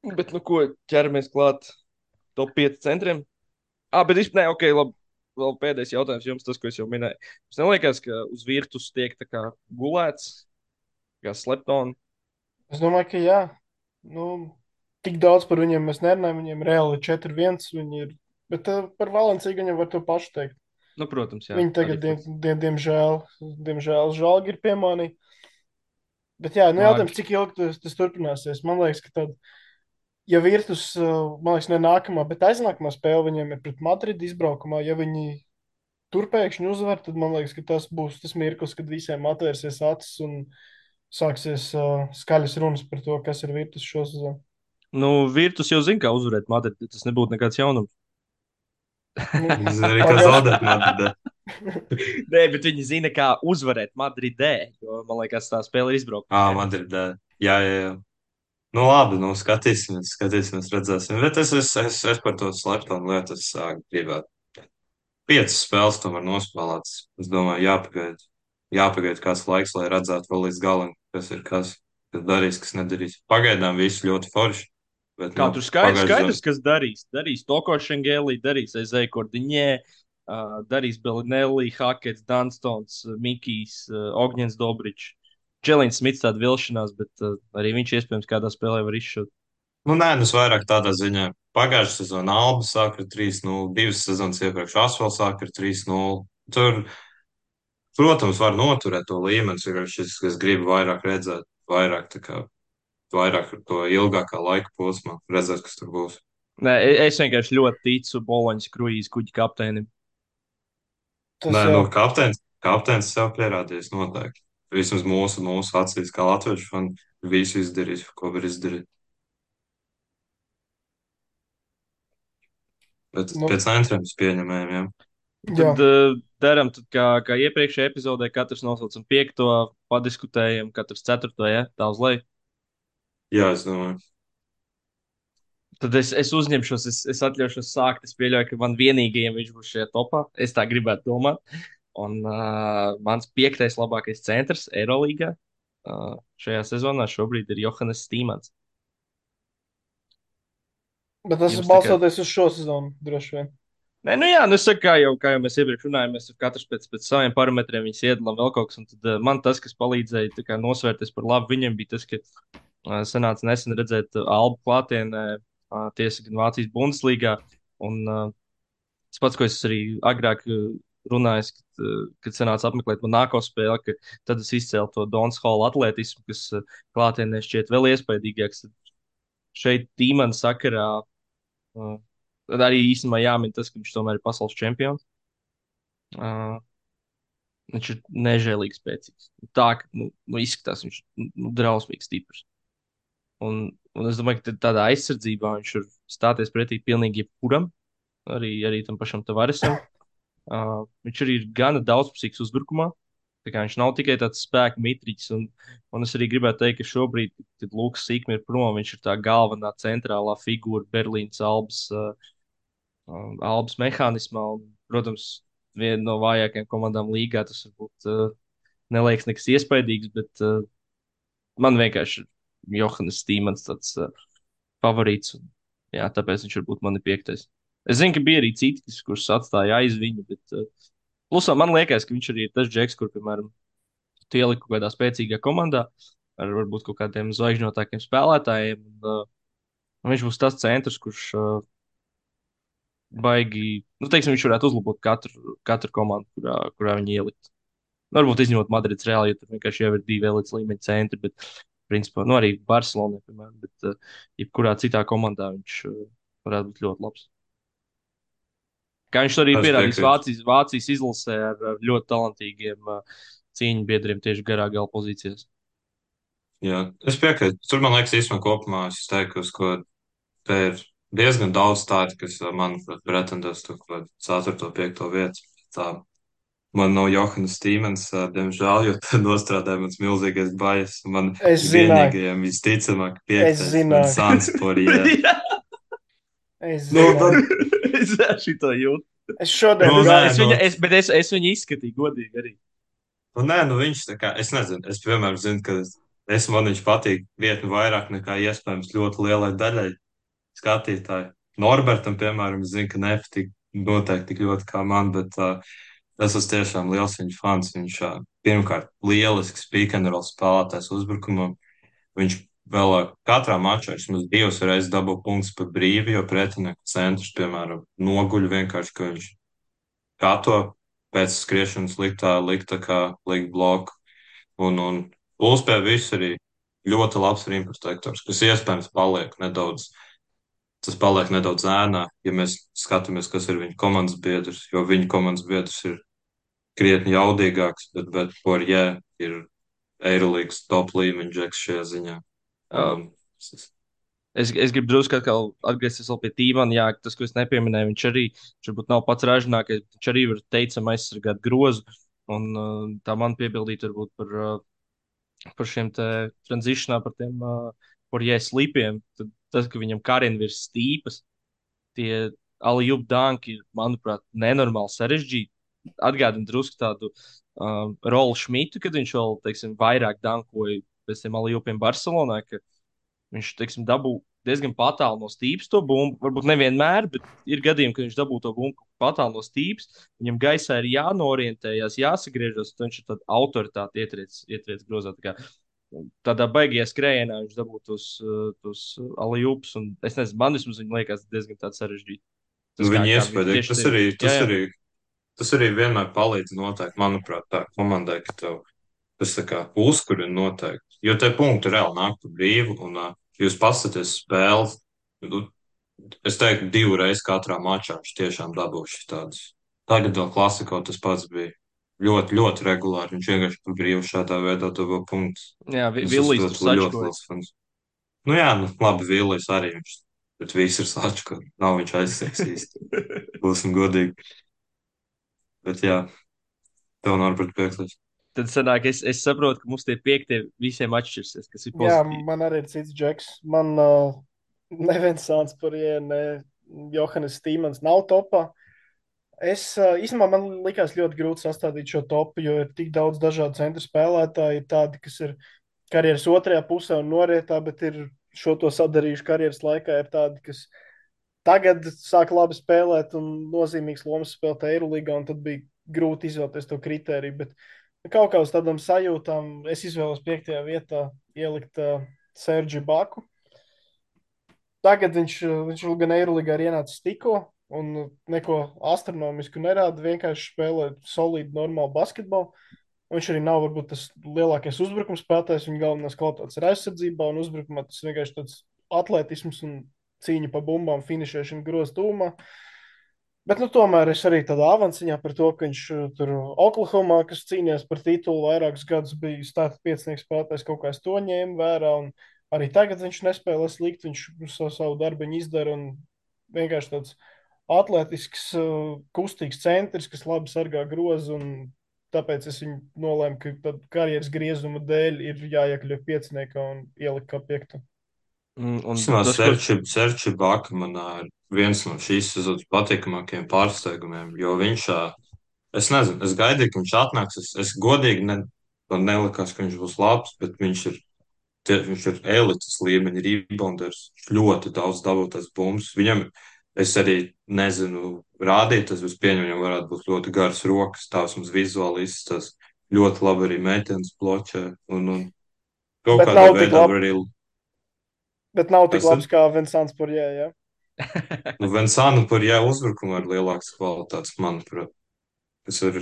S1: Bet, nu, ko ķeramies klāt top 5 centriem? Ah, bet vispār, nē, ok, labi. Vēl pēdējais jautājums jums, tas, ko es jau minēju. Jums neliekas, ka uz virtus tiek tā kā gulēts, kā sleptoni?
S2: Es domāju, ka jā. Nu, tik daudz par viņiem mēs nerunājam. Viņiem reāli ir 4-1. Viņi ir, bet par Valenciju viņam var to pašu teikt.
S1: Nu, protams, jā.
S2: Viņi tagad,
S1: Arī fakts.
S2: diemžēl, žēlgi ir pie mani. Bet jā, nu
S1: Nāk.
S2: jautājums, cik ilgi tas turpināsies. Man liekas, ka tad, ja Virtus, man liekas, ne nākamā, bet aiznākamā spēle viņiem ir pret Madridi izbraukumā, ja viņi tur pēkšņi uzvar, tad man liekas, ka tas būs tas mirklis, kad visiem atvērsies acis un sāksies skaļas runas par to, kas ir Virtus šo sezonu.
S1: Nu, virtus jau zina, kā uzvarēt Madridu. Tas nebūtu nekāds jaunums.
S2: Nu,
S3: Viņi zina arī, kā
S2: pagaid.
S3: zaudēt Madridā.
S1: Nē, bet viņi zina, kā uzvarēt Madridē. Jo, man liekas, tā spēle ir izbraukta.
S3: Madridā. Jā, jā, jā. Nu, labi, nu, skatīsimies, redzēsim. Bet es par to sleptonu lietu es gribētu. 5 spēles tomēr nospēlētas. Es domāju, jāpagaida kāds laiks, lai redzētu vēl līdz galam, kas darīs, kas nedarīs. Pagaidām viss ļoti forši. Bet,
S1: Kā
S3: nu,
S1: tur
S3: pagājušajā
S1: skaidrs, kas darīs? Darīs Toko Šengēlī, darīs Ezei Kordiņē, darīs Belinelli, Hakets, Dunstons, Mikijs, Ogņens Dobričs. Čelīns Smits tāda vilšanās, bet arī viņš iespējams kādā spēlē var izšūt.
S3: Nu, nē, nu, es vairāk tādā ziņā. Pagājušā sezonā Alba sāka ar 3-0, 2 sezonas iepriekš Asfals sāka ar 3-0. Tur, protams, var noturēt to līmeni, vienkārši es gribu vairāk redzēt, vairāk to ilgākā laika posmā, redzēt, kas tur būs.
S1: Nē, es vienkārši ļoti ticu Boloņas kruīzes kuģa kapteinim.
S2: Tas
S3: Nē,
S2: jā.
S3: nu, kapteinis sev pierādījis noteikti. Vismaz mūsu acīs, kā latviešu fani, visu izdarījis, ko var izdarīt. Bet
S2: Nu,
S3: pēc centriem es pieņemēju, jā.
S2: jā.
S1: Tad darām, tad, kā iepriekšējā epizodē, katrs nosaucam piekto, padiskutējam, katrs ceturto, ja tā uz leju.
S3: Jā, es domāju.
S1: Tad es uzņemšos, es atļaušos sākt. Es pieļauju, ka man vienīgajam viņš būs šajā topā. Es tā gribētu domāt. Un mans piektais labākais centrs Eirolandā šajā sezonā šobrīd ir Johannes Stīmans.
S2: Bet tas ir
S1: Jums tā kā.
S2: balstoties uz šo sezonu, droši vien.
S1: Nē, nu jā, nu es saku, kā jau mēs iepriekš runājām, mēs katrs pēc saviem parametriem viņus iedalām vēl kaut kas. Un tad man tas, kas palīdzēja tā kā nosvērties par labu viņam, bija tas, ka sanāca nesen redzēt Albu klātienē, tiesa gan Vācijas Bundeslīgā. Un tas pats, ko es arī agrāk runāju, kad sanāca apmeklēt Monako spēli, ka tad es izcēlu to Dons Hall atletismu, kas klātienē šķiet vēl iespaidīgāks. Tad šeit tīmana sakarā tad arī īstenībā jāmin tas, ka viņš tomēr ir pasaules čempions. Uh, Viņš ir nežēlīgi spēcīgs. Tā, ka izskatās, viņš ir drausmīgi stiprs. Un es domāju, ka tādā aizsardzībā viņš var stāties pretī pilnīgi jebkuram, arī tam pašam Tavaresam. Viņš arī ir gana daudzpusīgs uzbrukumā. Tā kā viņš nav tikai tāds spēka mitriķis. Un es arī gribētu teikt, ka šobrīd, kad Lūks Sīkmi ir prom, viņš ir tā galvenā centrālā figūra Berlīnas Albas mehānismā. Un, protams, viena no vājākajām komandām līgā tas varbūt neliekas nekas iespaidīgs, bet man vienkārši ir Johannes Stīmans tāds favorīts. Un, jā, tāpēc viņš varbūt man ir piektais. Es zinu, ka bija arī citi, kurus atstāja aiz viņu, bet plusā man liekas, ka viņš arī ir tas džeks, kur, piemēram, tu ieliku kaut kādā spēcīgā komandā ar varbūt kaut kādiem zvaigžņotākiem spēlētājiem. Un viņš būs tas centrs, kurš baigi, nu, teiksim, viņš varētu uzlabot katru komandu, kurā viņi ielikt. Varbūt izņemot Madrides Reāli, jo tur vienkārši jau ir divi elites līmeņa centri, bet Principā, nu, arī Barcelonā, piemēram, bet jebkurā citā komandā viņš varētu būt ļoti labs. Kā viņš to arī
S3: Es
S1: pierādījis
S3: piekrītu.
S1: Vācijas izlasē ar ļoti talantīgiem cīņu biedriem tieši garā gala pozīcijās.
S3: Jā, es piekrītu. Tur, man liekas, īstenībā kopumā es teiktu, ka te ir diezgan daudz tādu, kas, manuprāt, pretendēs to kaut kādu 4. 5. vietu. Tā man nav Johana Stīmens, diemžēl, jo tad nostrādāja mans milzīgais bajas. Man
S2: Es zināju,
S3: vienīgajiem visticamāk
S2: es
S3: 5.
S2: zināju,
S3: Vincents Poirier.
S1: Jā,
S2: es
S3: Nu,
S2: zināju.
S1: es šito jūtu.
S2: Es šodien
S3: Nu, nē,
S2: gāju.
S1: Es
S3: nu,
S1: viņu, es, bet es viņu izskatīju godīgi arī.
S3: nu, nē, nu viņš tā kā, es nezinu, es piemēram zinu, ka man viņš patīk vietni vairāk nekā iespējams ļoti lielai daļai skatītāju. Norbertam, piemēram, es zinu, ka nepatīk noteikti tik ļoti kā man, bet es esmu tiešām liels viņa fans. Viņš pirmkārt lielisks pick and roll spēlētājs uzbrukumam. Viņš vēl katrā mačā vismaz 2 reizes dabū punktus par brīvu, jo pretinieku centrs, piemēram, noguļ vienkārši, ka viņš kato pēc skriešanas liktā kā likt bloku. Un plus pie visu arī ļoti labs rim protektors, kas iespējams paliek nedaudz ēnā, ja mēs skatāmies, kas ir viņa komandas biedrs, jo viņa komandas biedrs ir krietni jaudīgāks, bet Poirier ir Eirolīgas top līmeņa džeks šajā ziņā.
S1: Uh,
S3: Um,
S1: es gribu drusku atkal atgriezties vēl pie Tīmana. Jā, tas, ko es nepieminēju, viņš varbūt nav pats ražīgākais, bet viņš arī var teicami aizsargāt grozu. Un tā man piebildīt varbūt par šiem te tranzīšanām, par tiem par jēslīpiem. Tad tas, ka viņam karina virs stīpas, tie Alijup danki ir, manuprāt, nenormāli sarežģīti. Atgādina drusku tādu Rolu Šmitu, kad viņš vēl, teiksim, vairāk dankoja pēc tiem Alijupiem Barcelonā, ka viņš, teiksim, dabū diezgan patālu no stīpas to bumbu. Varbūt nevienmēr, bet ir gadījumi, kad viņš dabū to bumbu patālu no stīpas. Viņam gaisā ir jānorientējas, jāsagriežas, un viņš ir tāda autoritāte ietriec grozā. Tādā baigajā skrējienā viņš dabūtu tos alijūpus. Es nezinu, man vismaz viņa liekas diezgan tāds sarežģīts.
S3: nu,
S1: Tas
S3: viņi
S1: kā viņi
S3: iespējams,
S1: tieši tie. Jā, jā.
S3: tas arī vienmēr palīdz noteikti, manuprāt, tā komandai, ka tev tas tā kā uzkurina noteikti. Jo te punkti reāli nāk pa brīvu, un jūs paskatāties spēles, nu, es teiktu, 2 reizes katrā mačā viņš tiešām dabūšu tādus. Tagad vēl klasikā tas pats bija ļoti, ļoti regulāri. Viņš vienkārši pa brīvu šādā veidā dabū punktus.
S1: Jā,
S3: Es esmu
S1: Villijs tur
S3: ļoti, ļoti
S1: sačkoja.
S3: liels fans. Nu jā, nu labi, Vīlijas arī viņš, bet viss ir sačka. Nav viņš aizsiegs īsti. Būsim godīgi. Bet jā, tev Norbert pieklājs.
S1: Tad sanāk, es saprotu, ka mums tie piektie visiem atšķirsies, kas ir
S2: Jā,
S1: pozitīvi.
S2: man arī ir cits džeks. Man neviens sāns par jēnu, ne Johannes Stīmans nav topā. Īstenībā man likās ļoti grūti sastādīt šo topu, jo ir tik daudz dažādu centru spēlētāju. Ir tādi, kas ir karjeras otrajā pusē un norietā, bet ir šo to sadarījuši karjeras laikā. Ir tādi, kas tagad sāk labi spēlēt un nozīmīgs lomas spēlēt Eirolīgā, un tad bija grūti izvēlēties to kritēriju. Bet kaut kā uz tādām sajūtām es izvēlos 5. vietā ielikt Sergiju Baku. Tagad viņš gan Eirolīgā ir ienācis tikko un neko astronomisku nerāda, vienkārši spēlē solīdu, normālu basketbolu. Viņš arī nav varbūt tas lielākais uzbrukums spēlētājs. Viņa galvenās kvalitātes ir aizsardzībā un uzbrukumā. Tas vienkārši tāds atletisms un cīņa pa bumbām, finišēšana grozā tūmā. Bet, nu, tomēr es arī tādā avansā par to, ka viņš tur Oklahomā, kas cīnījās par titulu vairākus gadus, bija starta piecinieks spēlētājs, kaut kā es to ņēmu vērā. Un arī tagad viņš nespēlē slikti, viņš savu darbiņu izdara un vienkārši tāds atletisks, kustīgs centrs, kas labi sargā grozu. Tāpēc es viņu nolēmu, ka karjeras griezuma dēļ ir jāiekļauj pieciniekā un ielikt kā piektu.
S1: Un
S3: Tas
S1: tas, ko
S3: Serči Baka manā ir viens no šīs sezonas patīkamākajiem pārsteigumiem, jo viņš, es nezinu, es gaidīju, ka viņš atnāks. Es godīgi man nelikās, ka viņš būs labs, bet viņš ir elites līmeņa rebounders. Viņš ļoti daudz dabūtas bumbas. Viņam, es arī nezinu, rādīt, tas pieņem, viņam varētu būt ļoti garas rokas, tās mums vizuāli izstas ļoti labi arī meitenes bloķē. Un kaut
S2: Bet
S3: kādā
S2: nav tik
S3: veidā
S2: labi.
S3: var arī.
S2: Bet nav tik
S3: Kas tad?
S2: labs kā Vinsants Porjē, ja?
S3: Nu, Vensānu par jā uzbrukumu ar lielākas kvalitātes, manuprāt. Tas ir.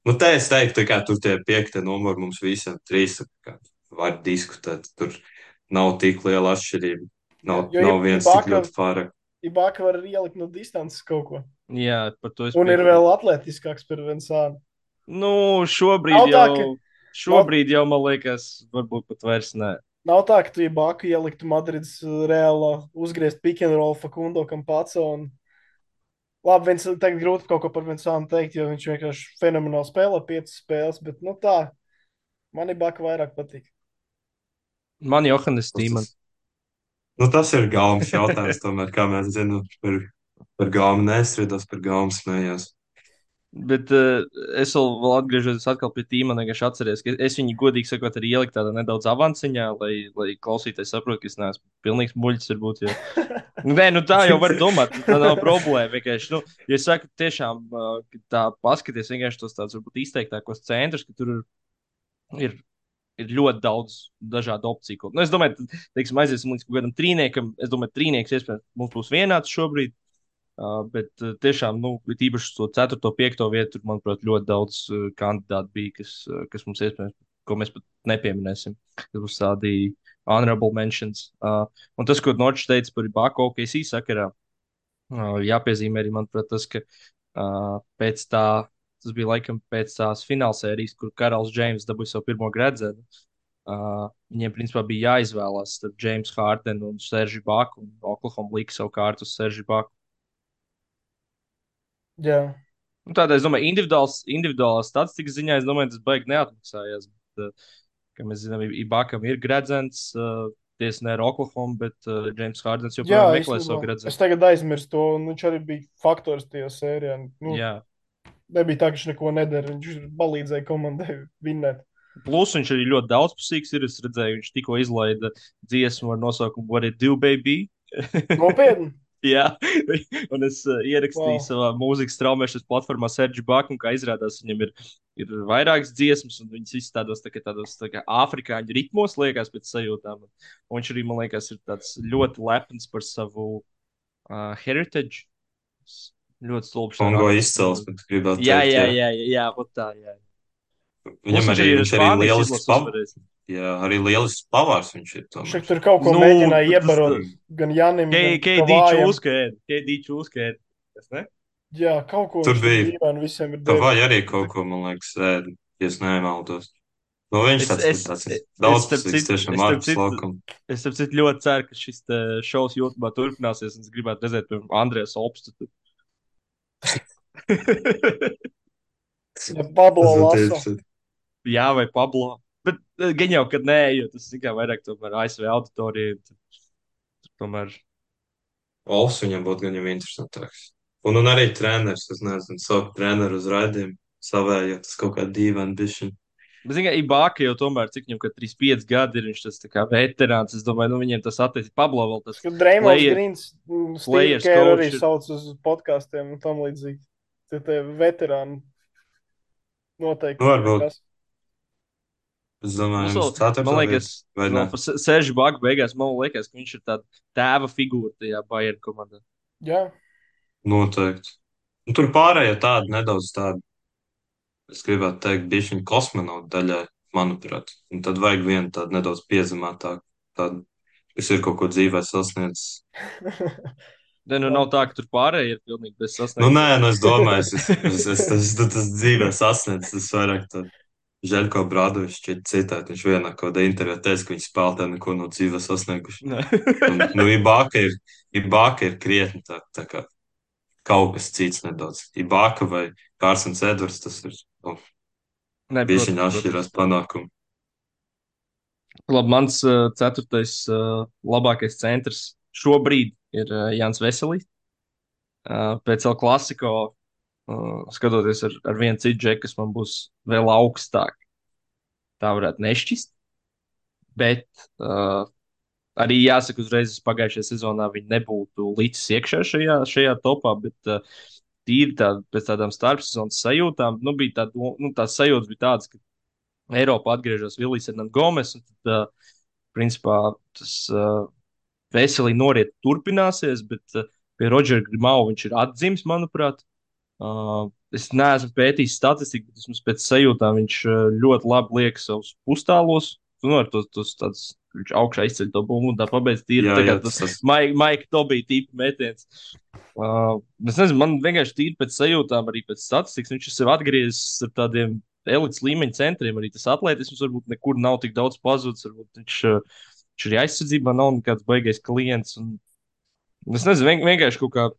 S3: Nu, te es teiktu, ka tur tie piektie numuri mums visiem trīs. var diskutēt. Tur nav tik liela atšķirība.
S2: Jā, jo
S3: Nav viens tik
S2: Ibaka,
S3: ļoti pārāk.
S2: Ibaka var ielikt no distances kaut ko.
S1: Jā, par to es
S2: Un ir
S1: piekrītu.
S2: vēl atletiskāks par Vensānu.
S1: Nu, šobrīd
S2: Nav tā,
S1: jau,
S2: ka, nav,
S1: šobrīd jau, man liekas, varbūt pat vairs nē.
S2: nav tā, ka tu Ibaku ieliktu Madrids reālā uzgriezt pick and roll Fakundo Campazzo. Labi, viens tagad grūti kaut ko par Vensānu teikt, jo viņš vienkārši fenomenāli spēlē 5 spēles, bet nu tā, man Ibaka vairāk patīk.
S1: Man Johannes
S3: Tas,
S1: Tīman.
S3: tas ir gaumas jautājums, tomēr, kā mēs zinām, par gaumu nestrīdos, par gaumu smējos.
S1: Bet es vēl atgriežos atkal pie Tīmana, vienkārši atceries, ka es viņu godīgi sakot arī ieliku tādā nedaudz avansciņā, lai klausītājs saprot, ka es neesmu pilnīgs muļķis varbūt, jo nē, nu tā jau var domāt, tā nav problēma. Vienkārši, nu, ja es saku, tiešām, ka tā paskaties vienkārši tos tādus varbūt izteiktākos centrus, ka tur ir, ir ļoti daudz dažādu opciju. Nu, es domāju, teiksim, aiziesim līdz kaut kādam trīniekam. Es domāju, trīnieks iespējams mums būs vienāds šobrīd. Bet tiešām, nu, īpaši to 4. un 5. vietu, tur, manuprāt, ļoti daudz kandidātu bija, kas mums iespējams, ko mēs pat nepieminēsim. Tas būs tādi honorable mentions. Un tas, ko Norčs teica par Baku OKC sakarā, jāpiezīmē arī, manuprāt, tas, ka pēc tā, tas bija laikam pēc tās finālsērijas, kur Karls Džeims dabūja savu pirmo gredzenu. Viņiem, principā, bija jāizvēlās starp Jamesu Hārdenu un Seržu Baku, un Oklahoma lika savu kārtu uz Seržu Baku.
S2: Jā.
S1: Nu, tādā, es domāju, individuālā statistikas ziņā, es domāju, tas baigi neatmaksājās. Bet, kā mēs zinām, Ibakam ir gredzens, tiesa ne ar Oklahoma, bet James Hārdens
S2: Jā,
S1: joprojām meklē
S2: īstenībā.
S1: savu
S2: Es
S1: gredzenu.
S2: tagad aizmirsu to, un viņš arī bija faktors tajā sērijā. Nu,
S1: Jā.
S2: nebija tā, ka viņš neko nedara. Viņš palīdzēja komandai vinnēt.
S1: Plus viņš arī ļoti daudzpusīgs ir. Es redzēju, viņš tikko izlaida dziesmu ar nosaukumu What It Do, Baby.
S2: Nopietni!
S1: Jā, un es ierakstīju
S2: Wow.
S1: savā mūzikas straumēšanas platformā Sergio Baku, un kā izrādās, viņam ir vairākas dziesmas, un viņas visas tādos tā kā afrikāņu ritmos liekas pēc sajūtām. Un viņš arī, man liekas, ir tāds ļoti lepns par savu heritage. Ļoti stulbs.
S3: Kongo izcelsme, gribētu
S1: Jā,
S3: teikt.
S1: jā, jā, jā, jā, vat tā, jā.
S3: Viņam
S1: Plus
S3: arī,
S1: ir
S3: viņš arī
S1: Spānijas
S3: lielisks
S1: izlases uzvarējis.
S3: Jā, arī lielisks pavārs viņš ir.
S2: Viņš
S3: Tomēr.
S2: tur kaut ko
S1: Nu,
S2: mēģināja
S1: tas-
S2: iebarot gan Janim, gan
S1: KD
S2: Kavājam.
S1: čūskēd. Tas ne?
S2: Jā, kaut ko
S3: Tur
S2: viņš
S3: bija.
S2: dīvaini visiem ir
S3: Tā vai
S2: devis.
S3: arī kaut ko, man liekas, ēd, ja es nemaldos. Nu, viņš
S1: Es-
S3: tāds,
S1: es-
S3: tāds
S1: es-
S3: daudzpusīgs,
S1: es starp
S3: tiešām
S1: citu-
S3: ārpus laukuma.
S1: Es saprotu, ļoti ceru, ka šis šovs YouTube turpināsies. Es gribētu redzēt, piemēram, Andrēs Opstu.
S2: Ja Pablo
S3: Tas ir
S2: Laso.
S3: tieši-
S1: Jā, vai Pablo. Bet gan jau, kad nē, jo tas ir vairāk tomēr ASV auditorija. Tur tomēr.
S3: Ols viņam būtu gan jau interesantāks. Un arī treneris, es nezinu, savu treneru uz raidījumu, savējo, tas kaut kā dīvaini bišķiņ.
S1: Bet, zināmā mērā, Ibaka jau tomēr, cik viņam, kad 35 gadi ir, viņš tas tā kā veterāns. Es domāju, nu viņiem tas attiecīgi Pablo vēl tas.
S2: Dreimons
S1: player-
S2: Grīns, Steve
S1: players
S2: Kerr
S1: coach
S2: arī
S1: ir-
S2: sauc uz podkāstiem un tam līdzīgi. Tie veterāni noteikti.
S3: Nu, varbūt.
S2: kas.
S3: Es domāju,
S1: Nu,
S3: jums ceturtā
S1: Man
S3: vieta,
S1: liekas,
S3: vai
S1: no,
S3: ne?
S1: Seržu Baku beigās man liekas, ka viņš ir tāds tēva figūra tajā Bayern komandā.
S2: Jā,
S3: Noteikti. Un tur pārējie tādi nedaudz tādi, es gribētu teikt, bišķiņ kosmonautu daļai, manuprāt. Un tad vajag vienu tādu nedaudz piezemētāku, tādu, kas ir kaut ko dzīvē sasniedzis.
S1: Ne, nu nav tā, ka tur pārējie ir pilnīgi bez
S3: Nu,
S1: sasnieguma.
S3: nē, nu es domāju, tas dzīvē sasniedzis, tas vairāk tā. Žeļko Brādovičs šķiet citēt, viņš vienā kaut kādā intervijā teica, ka viņi spēlētāji neko no dzīves sasnieguši. Un, nu, Ibaka ir krietni tā kā kaut kas cits nedaudz. Ibaka vai Kārsons Edvards, tas ir,
S1: Nē,
S3: bieži viņi
S1: protams,
S3: atšķirās panākumu.
S1: Labi, mans ceturtais labākais centrs šobrīd ir Jānis Veselīs. Pēc El Clasico, skatoties ar vienu citu džeku, kas man būs vēl augstāk, tā varētu nešķist. Bet arī jāsaka, uzreiz pagājušajā sezonā viņi nebūtu līdz iekšā šajā topā, bet tīri pēc tādām starpsezonas sajūtām, nu, bija tās sajūtas bija tādas, ka Eiropā atgriežas Vilijas Hernandez Gomes, un tad, principā, tas veselīgi noriet turpināsies, bet pie Rodžera Grimau viņš ir atdzimis, manuprāt. Es neesmu pētījis statistiku, bet vismaz pēc sajūtām viņš ļoti labi liek savus pustālos. nu, ar tos tāds, viņš augšā izceļ to bumbu un tā pabeidz tīri.
S3: Jā,
S1: Tā kā
S3: jā,
S1: tas
S3: tas
S1: Maika Tobija tipa metiens. Es nezinu, man vienkārši tīri pēc sajūtām, arī pēc statistikas, viņš ir sev atgriezis ar tādiem elites līmeņa centriem. Arī tas atletisms varbūt nekur nav tik daudz pazudis. Varbūt viņš arī aizsardzībā nav nekāds baigais klients. Un, es nezinu, vienkārši kaut kā.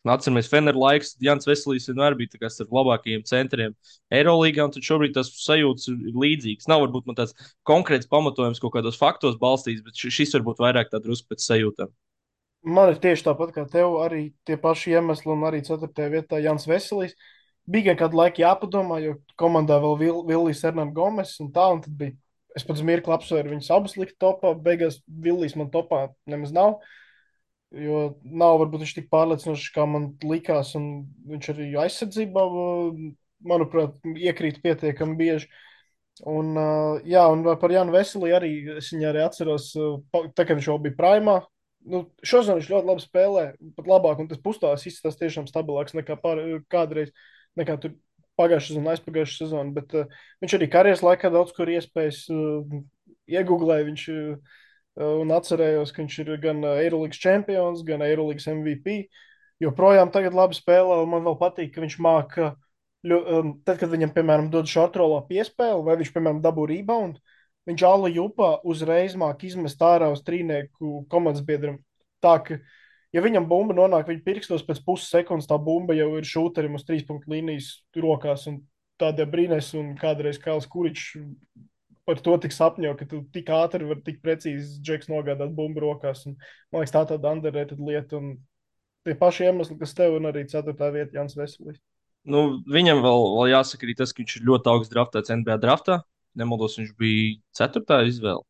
S1: Atceramies, Fener laiks, Jans Veselīs vienmēr bija ar labākajiem centriem Eirolandā, un tad šobrīd tas sajūtas ir līdzīgas. Nav varbūt man tāds konkrēts pamatojums kaut kādos faktos balstīts, bet šis varbūt vairāk tā drusku pēc sajūtām.
S2: Man ir tieši tāpat kā tev, arī tie paši iemesli, un arī 4. vietā Jans Veselīs. Bija gan kādu laiku jāpadomā, jo komandā vēl Villijs Hernandez Gomes un tā, un tad bija. Es pats mirkli apsvēru viņus abus likt topā, beigās Villijs man topā nemaz nav. Jo nav varbūt viņš tik pārliecinošs, kā man likās, un viņš arī aizsardzībā, manuprāt, iekrīt pietiekami bieži. Un, jā, un par Jānu Veselī arī es viņu arī atceros, tā kā viņš jau bija primā. Nu, šodien viņš ļoti labi spēlē, pat labāk, un tas pusstās izskatās tiešām stabilāks nekā kādreiz, nekā tur pagājušā sezona, aizpagājušā sezona. Bet viņš arī karjeras laikā daudz kur iespējas iegūlēja. Viņš un atcerējos, ka viņš ir gan Eirolandes čempions, gan Eirolandes MVP. Joprojām tagad labi spēlē, un man vēl patīk, ka viņš māca, tad, kad viņam, piemēram, dod šortrolā piespēli, vai viņš, piemēram, dabū rebound, viņš Alla Jupā uzreiz māca izmest ārā uz trīnieku komandas biedram. Tā, ka, ja viņam bumba nonāk viņa pirkstos pēc puses sekundes, tā bumba jau ir šūterim uz 3 punktu līnijas rokās, un tādiem brīnēs, un kādreiz Kails Kuričs par to tik sapņo, ka tu tik ātri vari tik precīzi džeks nogādāt bumbu rokās. Un, man liekas, tā tāda underrated lieta. Un tie paši iemesli, kas tev un arī 4. vieta Jans Veselīs.
S1: Nu, viņam vēl jāsaka arī tas, ka viņš ir ļoti augsts draftēts NBA draftā. Nemaldos, viņš bija 4. izvēle.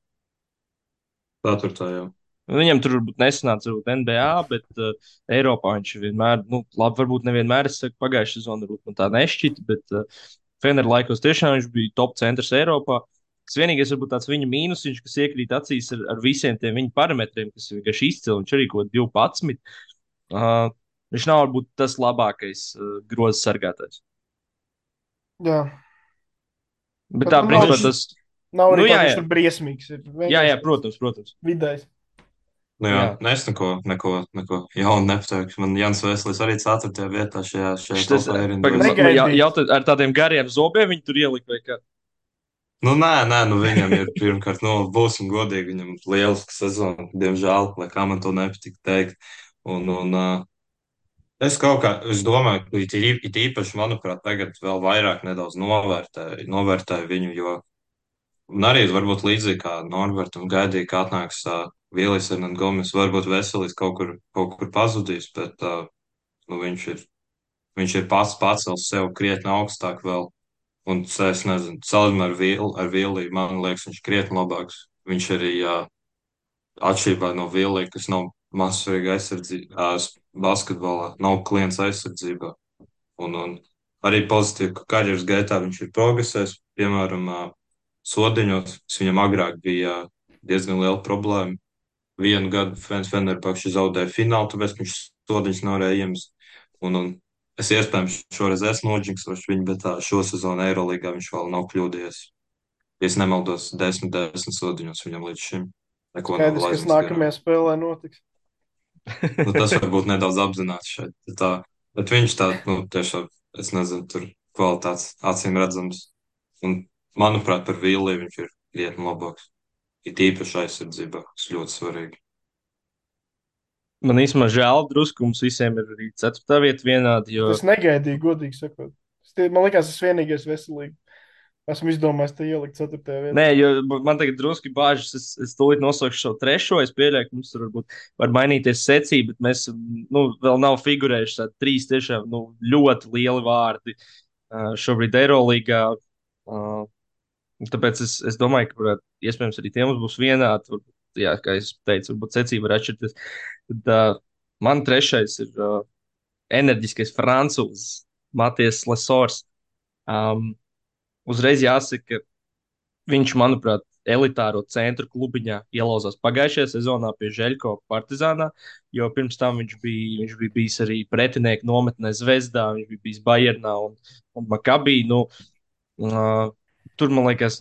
S3: 4. jau.
S1: Viņam tur varbūt nesanāca NBA, bet Eiropā viņš vienmēr, nu, labi, varbūt nevienmēr, es saku, pagājušā sezonā varbūt man tā nešķita, bet Fener laikos tiešām viņš bija top centrs Eiropā. Tas vienīgais, varbūt tāds viņa mīnusiņš, kas iekrīt acīs ar visiem tiem viņa parametriem, kas ir vienkārši izcili. Viņš arī kaut ko 12. Viņš nav varbūt tas labākais groza sargātājs.
S2: Jā.
S1: Bet tā, principā, tas
S2: nav arī
S1: nu,
S2: tā,
S1: jā,
S2: ka viņš
S1: jā.
S2: tur briesmīgs ir.
S1: Jā, protams.
S2: Vidējs.
S3: Nu, jā,
S1: Jā.
S3: es neko jaunu nepateikšu. Man Jans Veselīs arī 4. vietā šajā
S1: Tas
S3: topā ir
S2: Negaidīts.
S1: jautājums ar tādiem gariem zobiem viņi tur ielika vai kā?
S3: Nu, nē, nu viņam ir pirmkārt, nu, būsim godīgi, viņam ir lieliska sezona, diemžēl, lai kā man to nepatīk teikt. Un es domāju, ka it īpaši, manuprāt, tagad vēl vairāk nedaudz novērtēju viņu, jo un arī varbūt līdzīgi kā Norbertam gaidīja, ka atnāks Villijs Hernandez Gomes, varbūt Veselīs kaut kur pazudīs, bet nu, viņš ir pacels sev krietni augstāk vēl. Un es nezinu, salīdzinājumā ar Viliju, man liekas, viņš ir krietni labāks. Viņš arī atšķirībā no Vilija, kas nav mazsvarīga aizsardzībā, basketbolā, nav klients aizsardzībā. Un arī pozitīvi, ka karjeras gaitā viņš ir progresējis. Piemēram, sodiņos, kas viņam agrāk bija diezgan liela problēma. Vienu gadu Fenerbahče zaudēja finālu, tāpēc viņš sodiņus nevarēja iemest. Un es iespējams šoreiz esmu noģinksošs viņu, bet šo sezonu Eirolandā viņš vēl nav kļūdījies. Ja es nemaldos, 10 sodiņos viņam līdz šim neko nav
S2: Skaidrs, kas
S3: aizmirsts garām.
S2: nākamajā spēlē notiks.
S3: Nu, tas varbūt nedaudz apzināts šeit. Bet viņš tā, nu, tiešām, es nezinu, tur kvalitātes acīm redzams. Un, manuprāt, par Viliju viņš ir krietni labāks. It īpaši aizsardzībā, kas ļoti svarīgi.
S1: Man īstenībā žēl, drusku mums visiem ir arī 4. vieta vienādi. Jo...
S2: Es negaidīju, godīgi sakot. Man liekas, tas vienīgais veselīgi. Esmu izdomājis te ielikt 4. vietā.
S1: Nē, jo man tagad drusku bāžas. Es tūlīt nosaukšu šo 3. Es pieļauju, ka mums tur varbūt var mainīties secība, bet mēs vēl nav figurējuši tādi 3 tiešām ļoti lieli vārdi šobrīd Eirolandā. Tāpēc es domāju, ka iespējams arī tie mums būs vienādi. Varbūt, jā, kā es teicu, varbūt secība var atšķirties. Tad man 3. ir enerģiskais francūzis Matijas Lesors. Uzreiz jāsaka, ka viņš, manuprāt, elitāro centru klubiņā ielauzās pagājušajā sezonā pie Žeļko Partizānā, jo pirms tam viņš bija bijis arī pretinieku nometnē Zvezdā, viņš bija bijis Bayernā un Makabī. Tur, man liekas,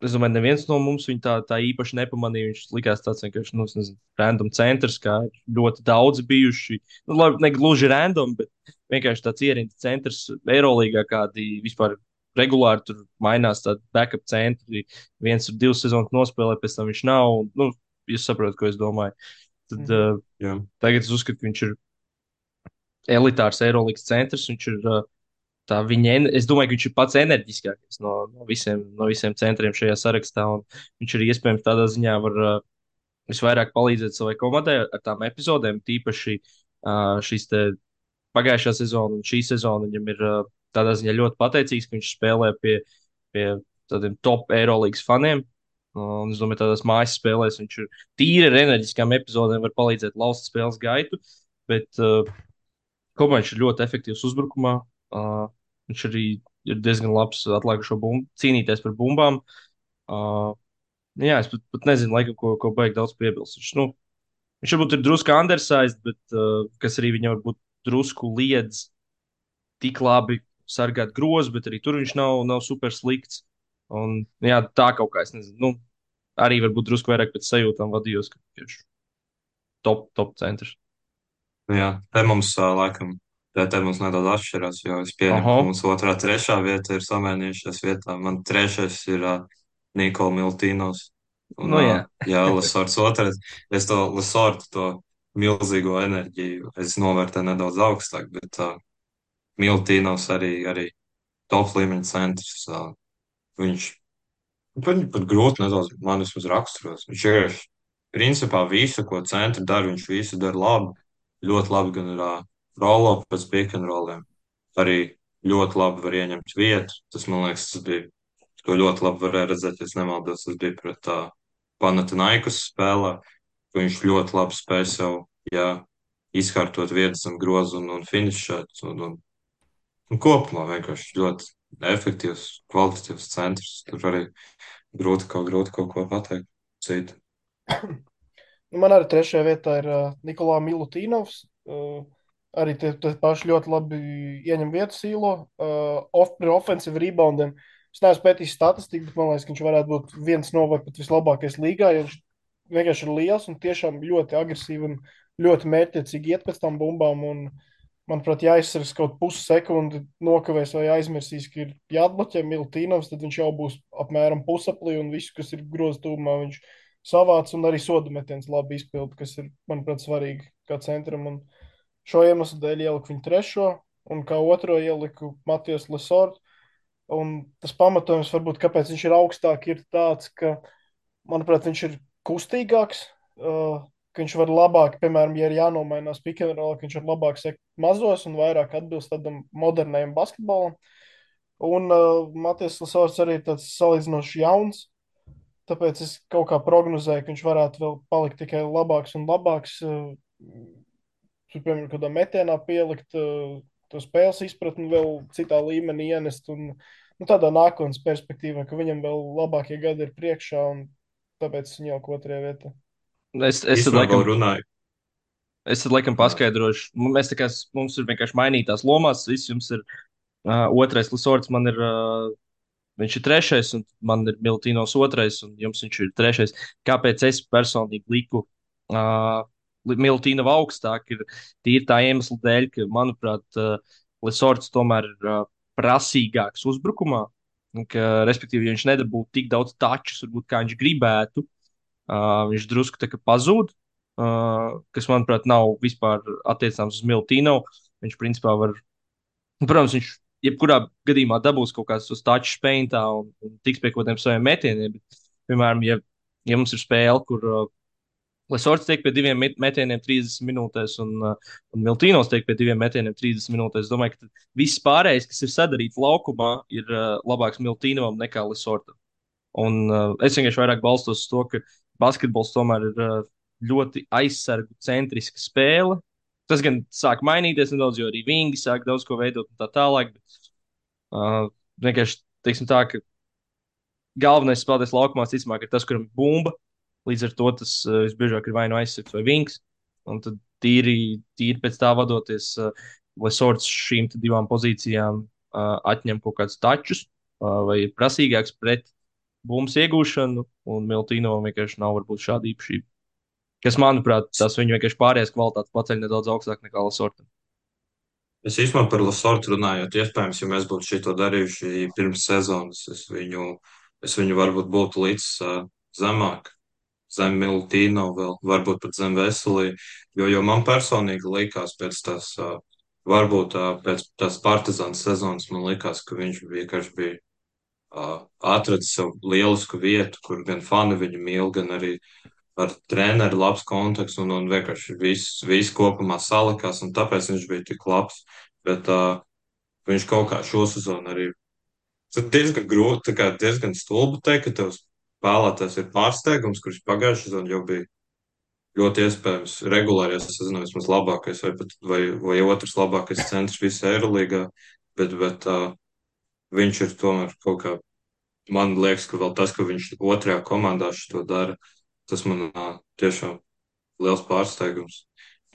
S1: Es domāju, neviens no mums viņu tā īpaši nepamanīja. Viņš likās tāds vienkārši, nu, es nezinu, random centrs, kā ļoti daudz bijuši. Nu, labi, ne gluži random, bet vienkārši tāds ierindas centrs Eirolandā, kādi vispār regulāri tur mainās. Tādi backup centri, viens ir 2 sezonas nospēlē, pēc tam viņš nav. Nu, jūs saprotat, ko es domāju. Tad
S3: Jā,
S1: tagad es uzskatu, ka viņš ir elitārs Eirolandas centrs. Viņš ir tā viņa, es domāju, ka viņš ir pats enerģiskākais no visiem centriem šajā sarakstā. Viņš arī iespējams tādā ziņā var visvairāk palīdzēt savai komandai ar tām epizodēm. Tīpaši šīs pagājušā sezona un šī sezona viņam ir tādā ziņā ļoti pateicīgs, ka viņš spēlē pie tādiem top Eirolandas faniem. Un es domāju, tādās mājas spēlēs viņš ir tīri ar enerģiskām epizodēm, var palīdzēt lauzt spēles gaitu. Bet komandai viņš ir ļoti efektīvs uzbrukumā. Viņš arī ir diezgan labs atlikušo bumbu, cīnīties par bumbām. Uh, jā, es pat nezinu, laikam, ko baigi daudz piebilst. Viņš varbūt ir drusku undersized, bet kas arī viņam varbūt drusku liedz tik labi sargāt grozu, bet arī tur viņš nav super slikts. Un, jā, tā kaut kā, es nezinu, nu, arī varbūt drusku vairāk pēc sajūtām vadījos, ka viņš ir top centrs.
S3: jā. Te mums laikam, te mums nedaudz atšķirās, jo es pieņemu,
S1: Aha,
S3: ka mums otrā, trešā vieta ir samainījušās vietā. Man trešais ir Nikola Miltīnos. Un,
S1: nu jā.
S3: jā, Lesorts otrais. Es to Lesortu, to milzīgo enerģiju, es novērtēju nedaudz augstāk, bet Miltīnos arī top līmeņa centrs. Viņš Viņu pat grūti nedaudz man vismaz raksturos. Viņš ir principā visu, ko centri dara, viņš visu dara labi. Ļoti labi gan ir rolo pēc pick and rolliem. Arī ļoti labi var ieņemt vietu. Tas, man liekas, tas bija, to ļoti labi varēja redzēt, ja es nemaldos, tas bija pret Panathinaikos spēlē, ka viņš ļoti labi spēja sev, jā, izkārtot vietas zem grozu un finišēt. Un kopumā vienkārši ļoti efektīvs, kvalitatīvs centrs. Tur arī grūti kaut ko pateikt citu.
S2: Nu, man arī trešajā vietā ir Nikolā Milutīnovs. Arī tie paši ļoti labi ieņem vietu sīlo. Par offensive reboundiem. Es neesmu pētījis statistiku, bet man liekas, ka viņš varētu būt viens no vai pat vislabākais līgā. Jo viņš vienkārši ir liels un tiešām ļoti agresīvi un ļoti mērķiecīgi iet pēc tam bumbām. Un, manuprāt, ja aizsargs kaut pussekundi nokavēs vai aizmirsīs, ka ir jāatbloķē Milutīnovs, tad viņš jau būs apmēram pusaplī un visu, kas ir groza tūmā, viņš savāc un arī sodu metiens labi izpildu, kas ir, manuprāt, svarīgi kā centram. Un šo iemeslu dēļ ieliku viņu trešo, un kā otro ieliku Matijas Lesortu. Un tas pamatojums, varbūt, kāpēc viņš ir augstāk, ir tāds, ka, manuprāt, viņš ir kustīgāks, ka viņš var labāk, piemēram, ja ir jānomainās pick and roll, ka viņš var labāk sekt mazos un vairāk atbilst tādam modernajam basketbolam. Un Matijas Lesorts arī ir tāds salīdzinoši jauns. Tāpēc es kaut kā prognozēju, ka viņš varētu vēl palikt tikai labāks un labāks. Tur, piemēram, kādā metienā pielikt to spēles izpratni vēl citā līmenī ienest. Un, nu, tādā nākotnes perspektīvā, ka viņam vēl labākie gadi ir priekšā, un tāpēc es viņu jau otrajā vietā.
S1: Es tad
S3: Īstenībā
S1: laikam,
S3: vēl runāju. Jā,
S1: paskaidrošu. Mums ir vienkārši mainītās lomās. Viss jums ir otrais Lesorts, man ir. Viņš ir trešais, un man ir Miltīnos otrais, un jums viņš ir trešais. Kāpēc es personīgi liku Miltīnu augstāk? Ir tīri tā iemesla dēļ, ka, manuprāt, Lesorts tomēr ir prasīgāks uzbrukumā. Un ka, respektīvi, ja viņš nedabūtu tik daudz tačus, varbūt kā viņš gribētu, viņš drusku tā kā pazūd, kas, manuprāt, nav vispār attiecāms uz Miltīnu. Viņš, principā, var, protams, viņš jebkurā gadījumā dabūs kaut kāds uz touch paintā un tiks pie kaut kādiem saviem metieniem. Bet, piemēram, ja mums ir spēle, kur Lesorts tiek pie 2 metieniem 30 minūtēs un Miltīnos tiek pie 2 metieniem 30 minūtēs, es domāju, ka viss pārējais, kas ir sadarīts laukumā, ir labāks Miltīnovam nekā Lesortam. Un es vienkārši vairāk balstos uz to, ka basketbols tomēr ir ļoti aizsargu centriska spēle. Tas gan sāk mainīties nedaudz, jo arī vingi sāk daudz ko veidot un tā tālāk. Bet, vienkārši teiksim tā, ka galvenais spēlētājs laukumā visticamāk ir tas, kuram ir bumba. Līdz ar to tas visbiežāk ir vai nu aizsargs vai vings. Un tad tīri pēc tā vadoties, Lesorts šīm divām pozīcijām atņem kaut kādus tačus vai ir prasīgāks pret bumbu iegūšanu, un Miltīno vienkārši nav varbūt šāda īpašība. Kas, manuprāt, tas viņu vienkārši pārējais kvalitātes paceļ nedaudz augstāk nekā Lasorta.
S3: Es īstenībā par Lasortu runājot, iespējams, ja mēs būtu šito darījuši pirms sezonas, es viņu varbūt būtu līdz zemāk, zem Miltīno vēl, varbūt pat zem Veselī, jo man personīgi likās pēc tās, varbūt pēc tās Partizānas sezonas, man likās, ka viņš vienkārši bija atradis sev lielisku vietu, kur gan fani viņu mīl, gan arī ar treneru labs kontakts un vienkārši viss kopumā salikās, un tāpēc viņš bija tik labs. Bet viņš kaut kā šo sezonu arī tas diezgan grūti, tā kā diezgan stulbi teikt, ka tavs spēlētājs ir pārsteigums, kurš pagājušajā sezonā jau bija ļoti iespējams regulāri, ja sezonā vismaz labākais vai otrs labākais centrs visā Eirolīgā, bet viņš ir tomēr kaut kā, man liekas, ka vēl tas, ka viņš otrajā komandā šo dara, tas man tiešām liels pārsteigums.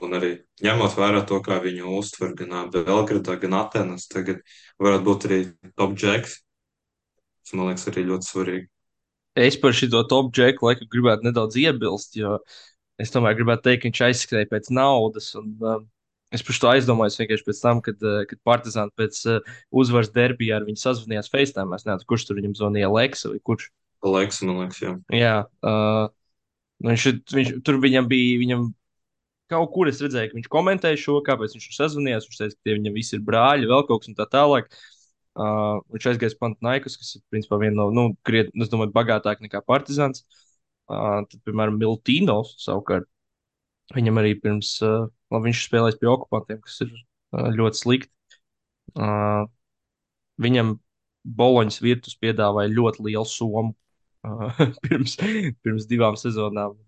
S3: Un arī ņemot vērā to, kā viņu uztver gan Belgradā, gan Atenas, tagad varētu būt arī top džeks. Tas, man liekas, arī ļoti svarīgi.
S1: Es par šo top džeku laiku gribētu nedaudz iebilst, jo es tomēr gribētu teikt, ka viņš aizskrēja pēc naudas. Un, es par to aizdomājos vienkārši pēc tam, kad Partizāni pēc uzvaras derbijā ar viņu sazvanījās FaceTime. Es nezinu, kurš tur viņam zvanīja, Leksa vai kurš.
S3: Laiks, man liekas, jā.
S1: Jā, nu viņš tur viņam kaut kur es redzēju, ka viņš komentēja šo, kāpēc viņš tur sazvanījās. Viņš teica, ka tie viņam visi ir brāļi, vēl kaut kas un tā tālāk. Viņš aizgāja uz Panathinaikos, kas ir principā viena no, nu, krietni, es domāju, bagātāka nekā Partizāns. Tad, piemēram, Miltīnos savukārt. Viņam arī pirms, labi, viņš spēlēs pie okupantiem, kas ir ļoti slikti. Uh, Viņam Boloņas virtus piedāvāja ļoti lielu summu pirms 2 sezonām.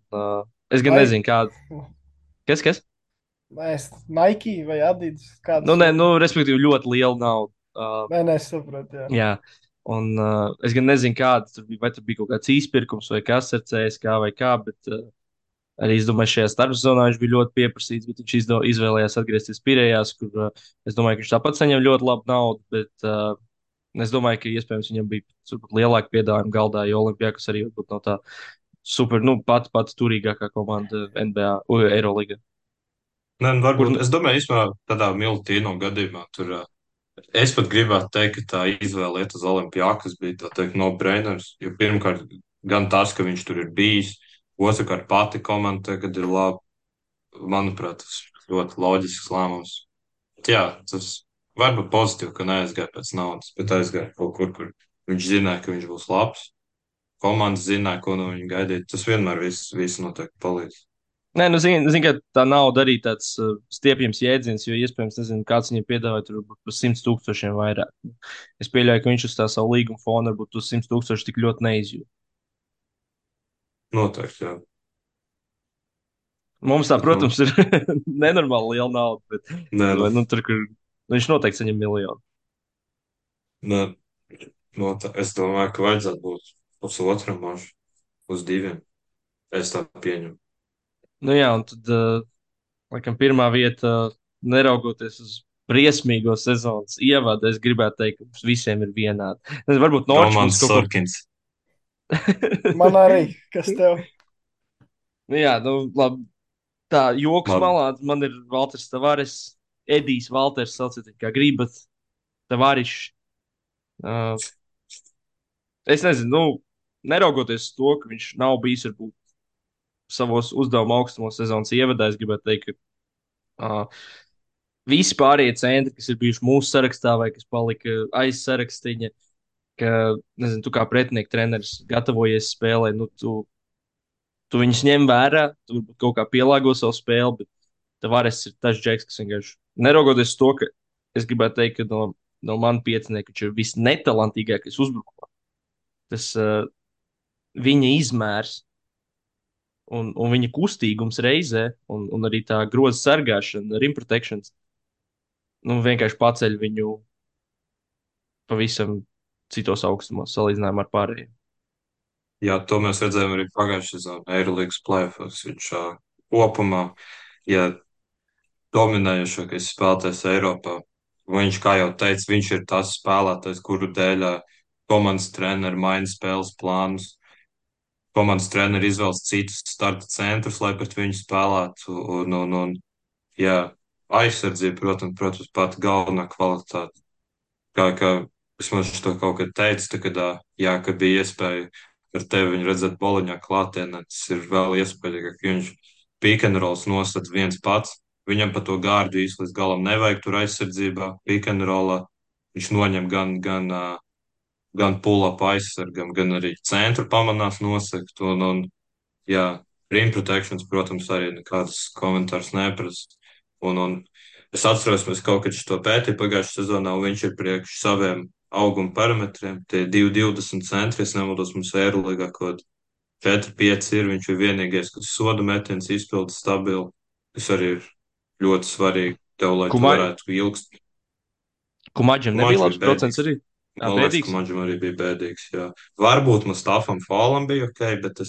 S1: Es gan
S2: Vai,
S1: nezinu, kāda. Kas?
S2: es, Nike vai Adidas,
S1: Nu,
S2: kādas
S1: nē,
S2: ir?
S1: nu, respektīvi, ļoti liela nauda.
S2: Nē, es saprotu, jā.
S1: Jā, un es gan nezinu, kāda tur bija, vai tur bija kaut kāds izpirkums vai kas ar CSK vai kā, bet arī es domāju, šajā starpzonā viņš bija ļoti pieprasīts, bet viņš izvēlējās atgriezties Pirējās, kur es domāju, ka viņš tāpat saņem ļoti labu naudu, bet es domāju, ka iespējams viņam bija lielāka piedāvājuma galdā, jo Olimpijākas arī varbūt nav tā super, nu, pati turīgākā komanda NBA, Eiroligā.
S3: Nē, nu,
S1: Kur,
S3: varbūt, es domāju, īstenībā tādā Miltīno gadījumā tur es pat gribētu teikt, ka tā izvēle iet uz Olimpijākas bija tā teikt no-brainers, jo pirmkārt gan tas, ka viņš tur ir bijis, otrkārt pati komanda tagad ir laba, manuprāt, tas ļoti loģisks lēmums. Jā, tas var būt pozitīvi, ka neaizgāja pēc naudas, bet aizgāja kaut kur, kur viņš zināja, ka viņš būs labs. Komandas zināja, ko no viņa gaidīt. Tas vienmēr viss noteikti palīdz.
S1: nē, nu, zini, ka tā nauda arī tāds stiepjams jēdziens, jo iespējams, nezinu, kāds viņam piedāvāja tur varbūt par 100 000 vairāk. Es pieļauju, ka viņš uz tā savu līguma fona varbūt uz 100 000 tik ļoti neizjūt.
S3: Noteikti, jā.
S1: Mums tā,
S3: Bet, nu,
S1: protams, ir nenormāli liela nauda, bet
S3: nē, nu,
S1: nu, tur, kur viņš noteikti saņem miljonu.
S3: nē, es domāju, ka vajadzētu būt pusotram mažu, uz diviem. Es tā pieņemu.
S1: Nu jā, un tad, laikam, pirmā vieta, neraugoties uz briesmīgo sezonas ievadu, es gribētu teikt, ka mums visiem ir vienādi. Nezinu, varbūt Norčs būs
S3: Romanis
S1: kaut kur.
S3: Sorkins.
S2: Man arī, kas tev?
S1: Nu jā, nu, labi. Tā joks
S3: Labi.
S1: malā, man ir Valters Tavares, Edijs Valters, sauciet, kā gribat. Tavarišs. Uh, es nezinu, nu, neraugoties uz to, ka viņš nav bijis varbūt savos uzdevuma augstumos sezonas ievadā, es gribētu teikt, ka visi pārējie centri, kas ir bijuši mūsu sarakstā vai kas palika aiz sarakstiņa, ka, nezinu, tu kā pretinieku treneris gatavojies spēlē, nu, tu viņus ņem vērā, tu varbūt kaut kā pielāgo savu spēli, bet Tavares ir tas džeks, kas vienkārši neraugoties uz to, ka es gribētu teikt, ka no manas piecinieka viņš ir visnetalantīgākais uzbrukumā. Tas viņa izmērs un viņa kustīgums reizē, un arī tā groza sargāšana, rim protection, nu, vienkārši paceļ viņu pavisam citos augstumos, salīdzinājumā ar pārējiem.
S3: Jā, to mēs redzējām arī pagājušajā sezonā Eirolandes playoffs. Viņš kopumā, ja dominējošākais spēlētājs Eiropā, viņš, kā jau teicu, viņš ir tas spēlētājs, kuru dēļ komandas treneri maina spēles plānus, komandas treneri izvēlas citus starta centrus, lai pret viņu spēlētu. Jā, aizsardzība, protams, pati galvenā kvalitāte. Kā vismaz es to kaut kad teicu, tā, kad, jā, kad bija iespēja ar tevi viņu redzēt boliņā klātienē, tas ir vēl iespējīgāk, ka viņš pick and rolls nosacīts viens pats. Viņam pa to gārdu īsti līdz galam nevajag tur aizsardzībā, pick and rollā. Viņš noņem gan pull-up aizsargam, gan arī centru pamanās nosakt. Jā, rim protections, protams, arī nekādas komentārs neprasa. Un es atceros, mēs kaut kad šo pētīju pagājušajā sezonā, un viņš ir priekš saviem auguma parametriem. Tie 2,20 centri, es nemaldos, mums Eirolīgā kaut 4,5 ir. Viņš ir vienīgais, kas soda metiens izpilda stabili, kas arī ir ļoti svarīgi tev, lai tu
S1: Kumai,
S3: varētu ilgst.
S1: Kumaģam nebija
S3: Maģis bija
S1: labs procents
S3: bēdīgs.
S1: arī.
S3: Man liekas, ka
S1: Bēdīgs.
S3: Maģim arī bija bēdīgs. Jā. Varbūt Mustafam Fālam bija ok, bet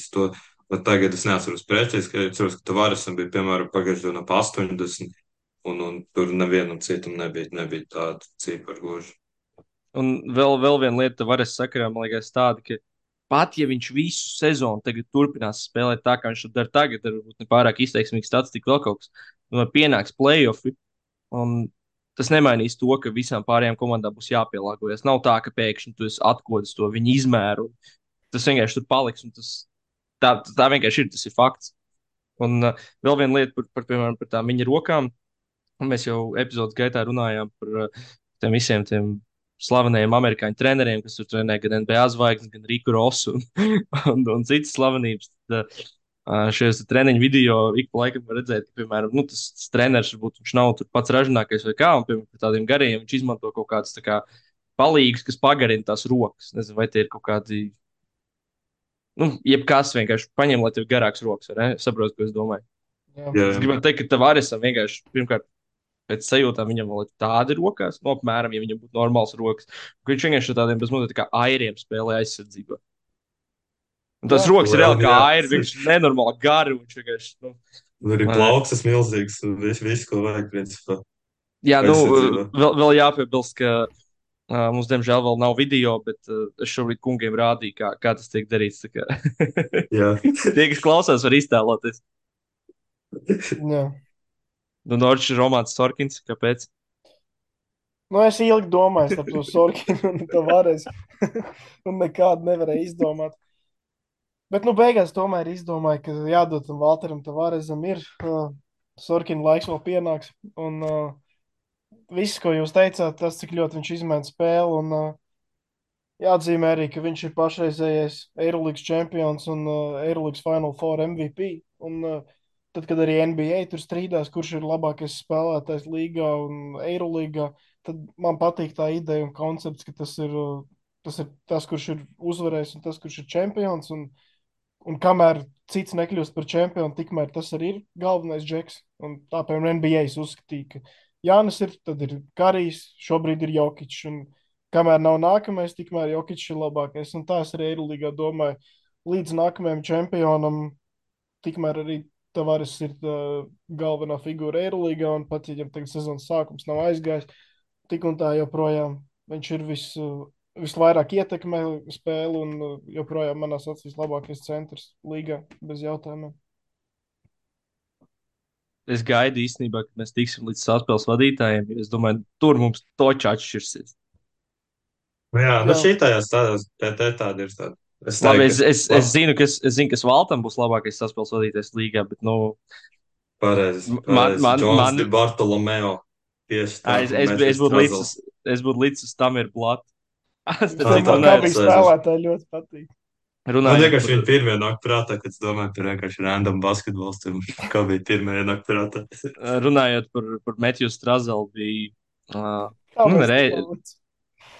S3: tagad es neatceros precīzi, ka es atceros, ka Tavaresam bija, piemēram, pagājušajā dienā pa 80, un tur nevienam citam nebija tāda cipara gluži.
S1: Un vēl viena lieta, varas sakarā, man liekas, tāda, ka pat ja viņš visu sezonu tagad turpinās spēlēt tā, kā viņš to dara tagad, ar varbūt ne pārāk izteiksmīgu statistiku, vēl kaut kas, un pienāks playoffi, un tas nemainīs to, ka visām pārējām komandām būs jāpielāgojas. Nav tā, ka pēkšņi tu esi atkodis to viņa izmēru, un tas vienkārši tur paliks, un tā vienkārši ir, tas ir fakts. Un vēl viena lieta piemēram, par tām viņa rokām. Un mēs jau epizodes gaitā runājām par tiem visiem tiem slavenajiem amerikāņu treneriem, kas tur trenē gan NBA zvaigznes, gan Riku Rosu un citas slavenības. Tad, šajos treniņu video ik pa laikam var redzēt, ka, piemēram, nu, tas treneris varbūt viņš nav tur pats ražīgākais vai kā, un, piemēram, par tādiem gariem viņš izmanto kaut kādas tā kā palīgus, kas pagarina tās rokas. Nezinu, vai tie ir kaut kādi, nu, jebkas vienkārši paņem, lai tev ir garāks rokas, vai ne? Saprotu, ko es domāju.
S2: Jā.
S3: Jā,
S1: Es gribētu teikt, ka Tavaresam vienkārši, pirmkārt, pēc sajūtām viņam vēl ir tādi rokās, no apmēram, ja viņam būtu normāls rokas, ka viņš vienkārši ar tādiem bezmazliet kā airiem spēlē aizsardzībā. Un tas
S2: Jā.
S1: rokas ir reāli kā
S3: jā.
S1: airi, viņš ir nenormāli gari, un viņš vienkārši, nu,
S3: Un arī
S1: vai ne?
S3: plaukstas milzīgs, un viss, ko vajag, principā,
S1: Jā, nu,
S3: aizsardzībā.
S1: vēl jāpiebilst, ka mums, diemžēl, vēl nav video, bet es šobrīd kungiem rādīju, kā tas tiek darīts. Tā kā
S3: Jā.
S1: tie, kas klausās, var iztēloties.
S2: Jā.
S1: Nu, Norčs ir Romāns Sorkins, kāpēc?
S2: Nu, es ilgi domāju par to Sorkinu un Tavares, un nekādu nevarēju izdomāt. Bet, nu, beigās tomēr izdomāju, ka jādod tam Valteram Tavaresam ir. Sorkina laiks vēl pienāks. Un viss, ko jūs teicāt, tas, cik ļoti viņš izmaina spēli. Un jāatzīmē arī, ka viņš ir pašreizējais Eirolandes čempions un Eirolandes Final Four MVP. Un tad, kad arī NBA tur strīdās, kurš ir labākais spēlētājs līgā un Eirolīgā, tad man patīk tā ideja un koncepts, ka tas ir tas, kurš ir uzvarējis un tas, kurš ir čempions. Un kamēr cits nekļūst par čempionu, tikmēr tas arī ir galvenais džeks. Un tā, piemēram, NBA uzskatīja, ka Jānis ir, tad ir Karijs, šobrīd ir Jokičs. Un kamēr nav nākamais, tikmēr Jokičs ir labākais. Un tā es arī Eirolīgā domāju, līdz nākamajam čempionam, tikmēr arī Tavares ir galvenā figūra Eirolīgā. Un pat, ja viņam tagad sezonas sākums nav aizgājis, tik un tā joprojām viņš ir visvairāk ietekmē spēli un joprojām manās acīs labākais centrs līgā bez jautājumiem.
S1: Es gaidu īstenībā, ka mēs tiksim līdz saspēles vadītājiem. Es domāju, tur mums točā atšķirsies.
S3: Nu jā, nu
S2: Jā.
S3: šitājās tādās PT tāda ir tāda. Es
S1: Labi,
S3: teiktu,
S1: es zinu, kas Valtam būs labākais saspēles vadītājs līgā, bet, nu,
S3: pareizi.
S1: man,
S3: Džons Di Bartolomeo. Tieši tā.
S1: es būtu līdz uz tam ir blāti.
S2: Es
S3: Tā
S2: domāju,
S3: tā
S2: kā bija
S3: nē,
S2: spēlētāji ļoti patīk.
S3: Man
S1: Runājot
S3: vienkārši
S1: par,
S3: viņa pirmie nāk prātā, kad es domāju par vienkārši random basketbolistiem. Kā bija pirmie nāk prātā?
S1: runājot par Metju Strazelu, bija,
S2: Kā
S1: nu,
S2: mēs
S1: nerei,
S2: to lauc?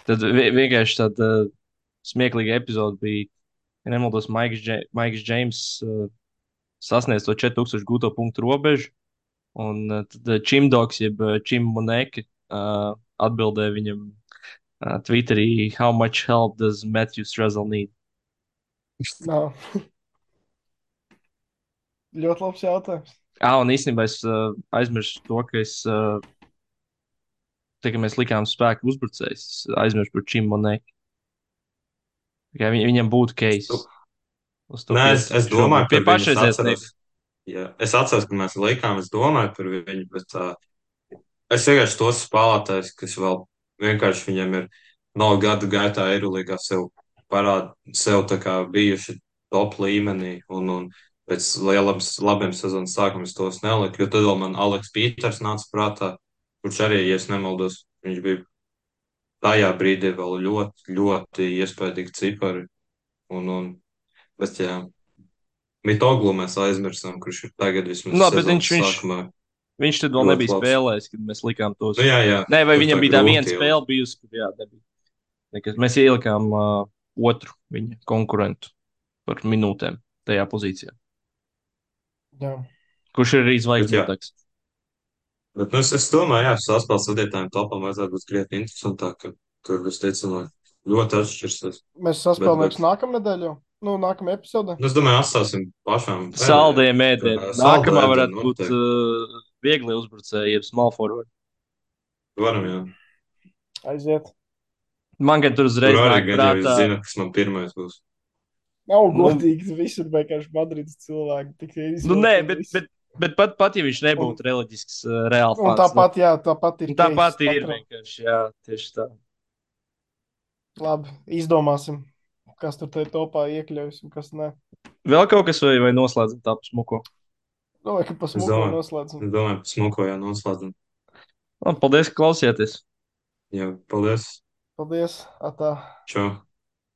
S1: tad vienkārši tāda smieklīga epizode bija, ja nemaldos, Maiks Džeims sasniedz to 4000 gūto punktu robežu, un tad Čimdoks, jeb Čim Moneke, atbildēja viņam Twitterī, how much help does Matthew Strazel need?
S2: Nav. Ļoti labs jautājums.
S1: Un īstenībā es aizmirsu to, ka tā kā mēs likām spēku uzbrucējs, es aizmirsu par Čim Moneke. Viņam būtu
S3: Nu,
S1: case uz to
S3: nē, es
S1: piespiest
S3: domāju
S1: šobrīd. Pie
S3: par viņu, es
S1: pašreizējās
S3: atceros,
S1: negatīvas.
S3: ja, es atceros, ka mēs likām, es domāju par viņu, bet es vienkārši tos spēlētājus, kas vēl vienkārši viņam ir no gadu gaitā Eirolīgā sev parāda, sev tā kā bijuši top līmenī, un pēc labiem sezonas sākumiem es tos neliku, jo tad vēl man Aleks Pīters nāca prātā, kurš arī, ja es nemaldos, viņš bija tajā brīdī vēl ļoti, ļoti iespaidīgi cipari, un, bet jā, Mitoglu mēs aizmirsām, kurš ir tagad vismaz
S1: Nu, bet
S3: sezonas sākumā
S1: viņš tad vēl
S3: ļoti
S1: nebija
S3: labs.
S1: spēlējis, kad mēs likām tos.
S3: Nu, jā, jā,
S1: Nē, vai
S3: tur tā
S1: viņam bija tā viena
S3: grūti
S1: spēle bijusi, kur jā, nebija. Nekas. Mēs ielikām otru viņa konkurentu par minūtēm tajā pozīcijā.
S2: Jā.
S1: Kurš ir arī
S3: Bet, jā,
S1: zvaigznotājs?
S3: bet nu, es domāju, jā, saspēles vadītājiem topam vajadzētu būt krietni interesantāk, ka tur visticamāk ļoti atšķirsies.
S2: Mēs
S3: Bet,
S2: saspēlēsim
S3: bet
S2: nākamnedēļ jau. Nu, nākamajā epizodē.
S3: nu, es domāju, atstāsim pašām
S1: Saldie
S3: pēdējiem,
S1: mēdieni.
S3: ka
S1: Nākamā
S3: saldē
S1: varētu
S3: ēdienu
S1: būt
S3: noteikti
S1: viegli uzbrucēji, jeb small forward.
S3: varam, jā.
S2: Aiziet.
S1: Man, kad tur
S3: Tur
S1: uzreiz
S3: arī
S1: nāk
S3: gan jau
S1: prātā,
S3: zina, kas man pirmais būs.
S2: Nav
S1: nu,
S2: godīgi. Visur vienkārši Madrids cilvēki tikai
S1: nu nē,
S2: izvēlēties.
S1: bet pat ja viņš nebūtu reliģisks, reāli
S2: Un
S1: fans,
S2: tāpat, jā, tāpat ir.
S1: tāpat
S2: case
S1: ir
S2: katram.
S1: vienkārši, jā, tieši tā.
S2: Labi, izdomāsim, kas tur tajā topā iekļaujas un kas nē.
S1: Vēl kaut kas vai noslēdzam tāpu smuko?
S2: Domāju, ka pa
S3: Es
S2: smuko
S3: domāju,
S2: noslēdzam.
S3: es domāju, smukojā noslēdzam.
S1: Labi, paldies, ka klausījāties!
S3: Jā, paldies.
S2: Paldies! Atā.
S3: Čau.